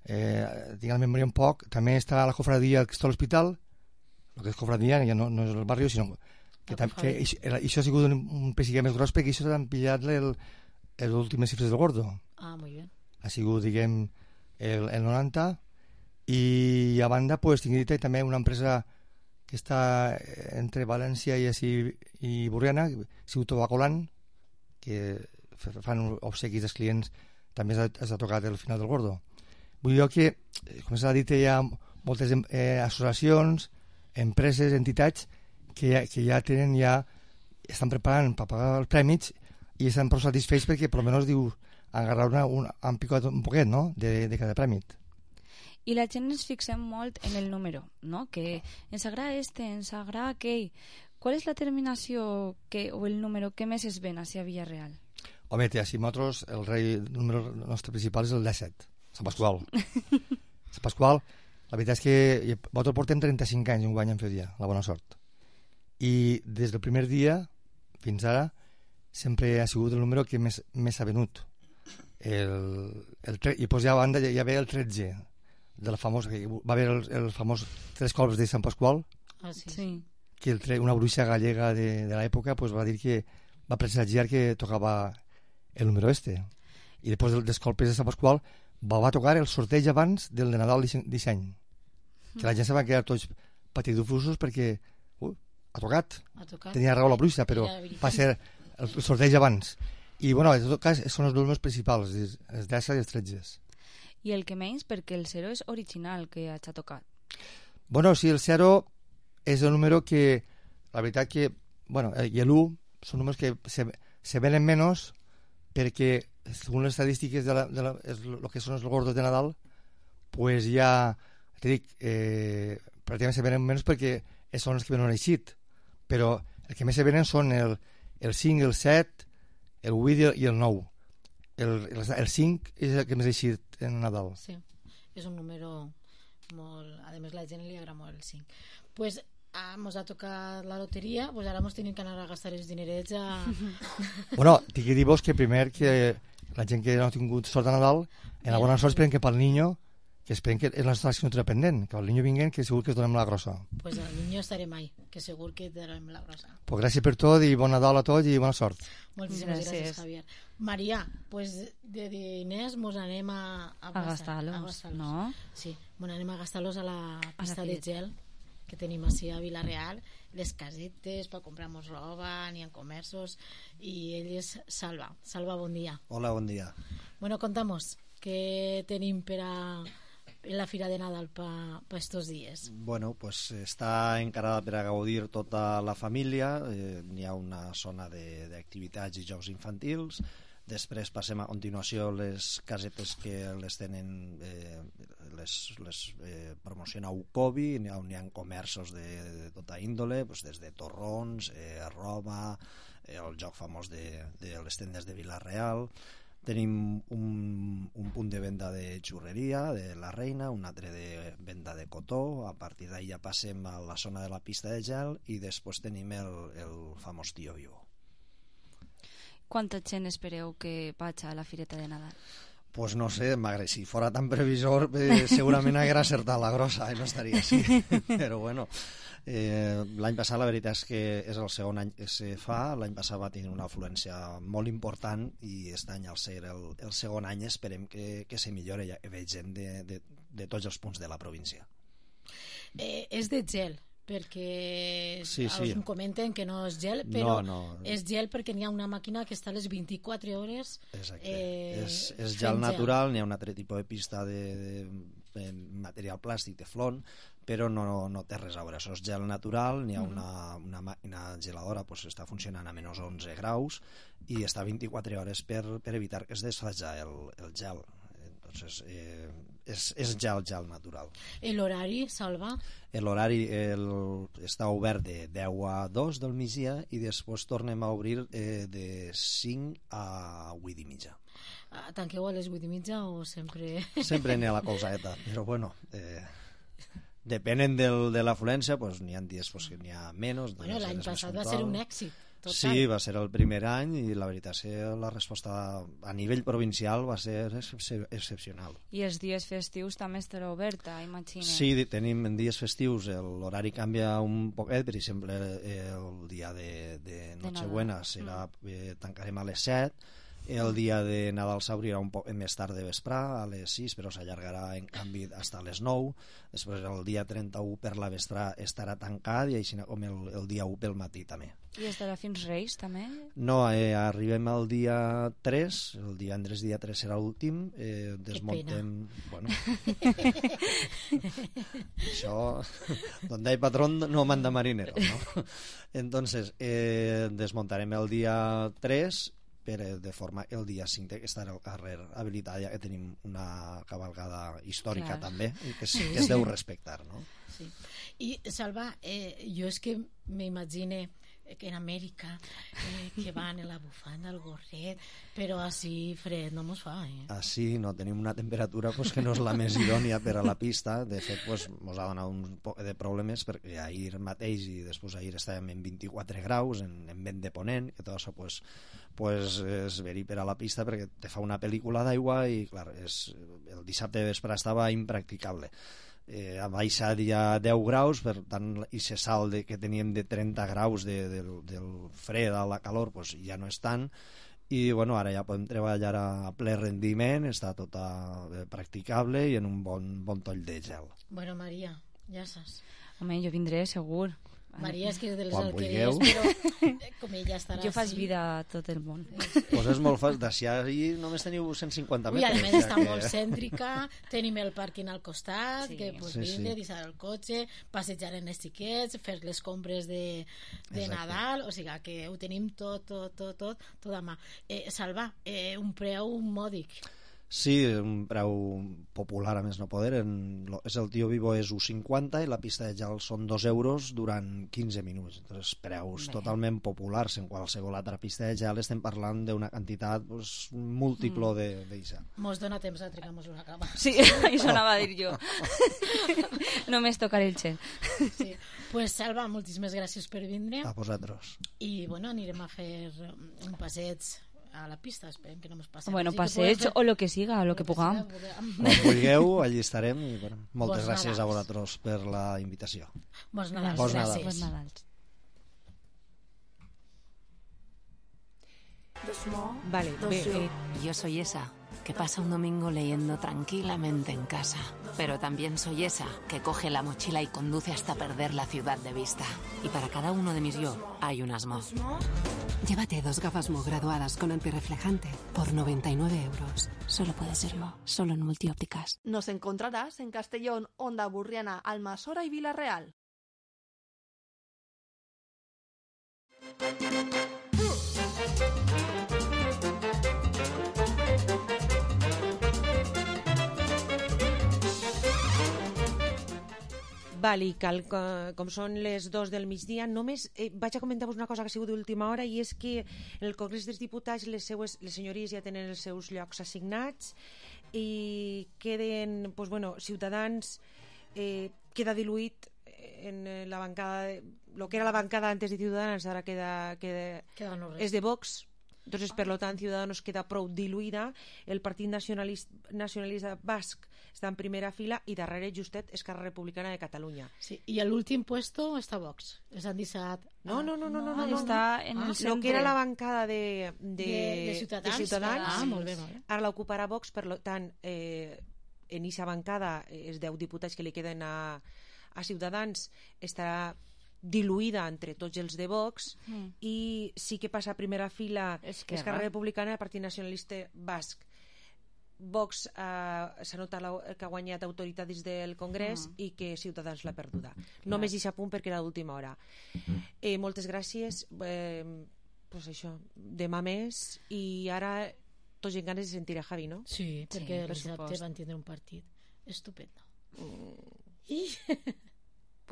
tinc la memòria un poc. També està la cofradia que està a l'hospital, el que és cofradia, ja no és el barri, sinó que això ha sigut un pessiquet més gros, perquè això s'han pillat les últimes xifres del Gordo. Ah, molt bé. Ha sigut, diguem, el 90, i a banda, pues, tinc dit també una empresa que està entre València i Borriana, Ciutat Bacolan, que fan obsequis dels clients, també s'ha tocat el final del Gordo. Vull dir que, com s'ha dit, hi ha moltes associacions, empreses, entitats, que ja estan preparant per pagar els prèmits i estan prou satisfets perquè, per almenys, diu, han picat un poquet, no?, de cada prèmit. I la gent ens fixem molt en el número, no?, que ens agrada ens agrada aquell. Qual és la terminació o el número que més es ven a Villarreal? Home, així nosaltres, el número nostre principal és el 17, Sant Pasqual. Sant Pasqual, la veritat és que nosaltres portem 35 anys un guany en fer dia, la bona sort. I des del primer dia fins ara sempre ha sigut el número que més ha venut. I pues ja a banda hi havia el 13 de la famosa, va haver el famós 3 colps de Sant Pasqual, que una bruixa gallega de l'època pues va dir que va presagiar que tocava el número este, i després dels colpes de Sant Pasqual va tocar el sorteig abans del de Nadal d'Ixany, que la gent se va quedar tots patidufosos perquè ha tocat. Tenia raó la bruixa, però va ser el sorteig abans. I, bueno, en tot cas, són els números principals, els 10 i els 13. I el que menys, perquè el 0 és original, que ha tocat. Bueno, sí, el 0 és el número que, la veritat que, bueno, i l'1 són números que se venen menys perquè, segons les estadístiques de lo que són els gordos de Nadal, pues ja, te dic, pràcticament se venen menys perquè són els que venen eixit. Però el que més se venen són el 5, el 7, el 8 i el 9. El 5 és el que més ha eixit en Nadal. Sí, és un número molt... A més, la gent li agrada molt el 5. Pues mos ha tocat la loteria, pues ara mos tenim que anar a gastar els dinerets a... Bueno, tinc que dir-vos que primer que la gent que no ha tingut sort a Nadal, en la bona sort esperen que pel niño, que esperen que és la nostra assignatura pendent, que el niño vinguen, que segur que es donem la grossa. Pues el niño estaré mai, que segur que donem la grossa. Pues gràcies per tot i bon Nadal a tots i bona sort. Moltíssimes gràcies, Javier. Maria, pues de diners mos anem a gastar-los, no? Sí, mos anem a gastar-los a la pista de gel, que tenim així a Vila-real, les casetes per comprar-nos roba, n'hi ha comerços, i ell és Salva. Salva, bon dia. Hola, bon dia. Bueno, contamos, què tenim per a la Fira de Nadal per estos dies? Bueno, pues està encarada per a gaudir tota la família, n'hi ha una zona d'activitats i jocs infantils. Després passem a continuació les casetes que les tenen, les promociona Ucobi, n'hi ha comerços de tota índole, des de torrons, roba, el joc famós de les tendes de Vila-real. Tenim un punt de venda de xurreria, de la Reina, un altre de venda de cotó. A partir d'ahí ja passem a la zona de la pista de gel i després tenim el famós Tío Vivo. Quanta gent espereu que vaig a la Fireta de Nadal? Pues no sé, magre, si fora tan previsor segurament haguera acertat la grossa i no estaria així, però bueno, l'any passat la veritat és que és el segon any que se fa. L'any passat va tenir una afluència molt important i aquest any, al ser el segon any, esperem que se millore, ja que veig gent de tots els punts de la província. És de gel, perquè sí. Us comenten que no és gel, però és gel perquè n'hi ha una màquina que està a les 24 hores. Exacte, és gel natural, n'hi ha un altre tipus de pista de material plàstic, de flon, però no té res a veure. Això és gel natural, n'hi ha una màquina geladora, està funcionant a menys 11 graus i està 24 hores per evitar que es desfaja el gel. Entonces, és gel natural. L'horari, Salva? L'horari està obert de 10 a 2 del migdia i després tornem a obrir de 5 a 8 i mitja. Tanqueu a les 8 i mitja o sempre... Sempre n'hi ha la colzeta, però bueno... Depenent de l'afluència, n'hi ha dies que n'hi ha menys. Bueno, l'any passat va ser un èxit. Total. Sí, va ser el primer any i la veritat és que la resposta a nivell provincial va ser excepcional. I els dies festius també estarà oberta, imagina. Sí, tenim en dies festius l'horari canvia un poquet. Per exemple, el dia de Nochebuena tancarem a les 7. El dia de Nadal s'obrirà un poc més tard de vesprà, a les 6, però s'allargarà en canvi fins a les 9. Després el dia 31 per la vesprà estarà tancat i així com el dia 1 pel matí també. I estarà fins Reis també? No, arribem al dia 3, el divendres dia 3 serà l'últim, desmuntem... Bueno, això, donde hay patrón no manda marinero, ¿no? Entonces, desmuntarem el dia 3 de forma el dia 5 que estarà al carrer habilitat, ja que tenim una cavalcada històrica també i que es deu respectar, no? Sí. I Salva, jo és que m'imagine que en Amèrica que van en la bufanda, el gorret, però així fred no mos fa, Així no, tenim una temperatura que no és la més idònia per a la pista. De fet, mos ha donat un poc de problemes perquè ahir mateix i després ahir estàvem en 24 graus en vent de ponent, que tot això és verí per a la pista perquè te fa una pel·lícula d'aigua i clar, el dissabte de vespre estava impracticable. Ha baixat ja 10 graus, per tant, i se salt que teníem de 30 graus del fred a la calor, ja no és tant, i bueno, ara ja podem treballar a ple rendiment, està tot practicable i en un bon toll de gel. Bueno, Maria, ja saps. Home, jo vindré, segur. Maria és que és de les alqueries, però com ella estarà... Jo faig vida a tot el món. Pues és molt fàcil, d'ací ahir només teniu 150 metres. I a més està molt cèntrica, tenim el pàrquing al costat, que vindre, deixar el cotxe, passejar en els xiquets, fer les compres de Nadal, o sigui que ho tenim tot a mà. Salva, un preu mòdic. Sí, un preu popular a més no poder. És el Tío Vivo és 1,50 i la pista de gel són 2 euros durant 15 minuts. Entonces, preus totalment populars. En qualsevol altra pista de gel estem parlant d'una quantitat múltiple d'això. Mos dona temps a trigar-nos una cama. Sí, això anava a dir jo. Només tocaré el gel. Sí. Pues Salva, moltíssimes gràcies per vindre. A vosaltres. I bueno, anirem a fer un passeig a la pista, esperem que no ens passi. Bueno, passeig o lo que siga, o lo que puguem. Quan vulgueu, allí estarem i bueno, moltes gràcies a vosaltres per la invitació. Bons Nadals. Bons Nadals. Vale, Yo soy esa. que pasa un domingo leyendo tranquilamente en casa. Pero también soy esa que coge la mochila y conduce hasta perder la ciudad de vista. Y para cada uno de mis yo hay un Asmo. Llévate 2 gafas Mo graduadas con antirreflejante por 99 euros. Solo puede ser Mo, solo en Multiópticas. Nos encontrarás en Castellón, Onda Burriana, Almasora y Villarreal. Val, i com són les 2 del migdia, només vaig a comentar-vos una cosa que ha sigut d'última hora, i és que en el Congrés dels Diputats les senyories ja tenen els seus llocs assignats i queden, doncs, bueno, Ciutadans queda diluït en la bancada, lo que era la bancada antes de Ciudadanos ara és de Vox. Entonces, per lo tant, Ciudadanos queda prou diluïda. El Partit Nacionalista Basc està en primera fila i darrere justet Esquerra Republicana de Catalunya. Sí, i a l'últim puesto està Vox. Les han deixat... No. Està en el centre. Lo que era la bancada de Ciutadans. Molt bé. Ara l'ocuparà Vox, per tant, en aquesta bancada, els 10 diputats que li queden a Ciutadans, estarà diluïda entre tots els de Vox, i sí que passa a primera fila Esquerra Republicana, el Partit Nacionalista Basc. Vox s'ha notat que ha guanyat autoritat dins del Congrés i que Ciutadans l'ha perduda. Només deixa punt perquè era d'última hora. Moltes gràcies. Pues això, demà més, i ara tots en ganes de sentir a Javi, no? Sí, perquè el dissabte van tindre un partit estupendo.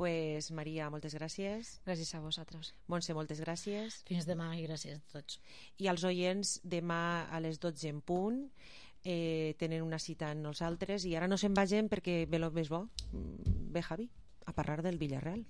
Pues Maria, moltes gràcies. Gràcies a vosaltres. Montse, moltes gràcies. Fins demà i gràcies a tots. I als oients, demà a les 12 en punt tenen una cita amb nosaltres, i ara no se'n vagin perquè ve el més bo. Ve Javi a parlar del Villarreal.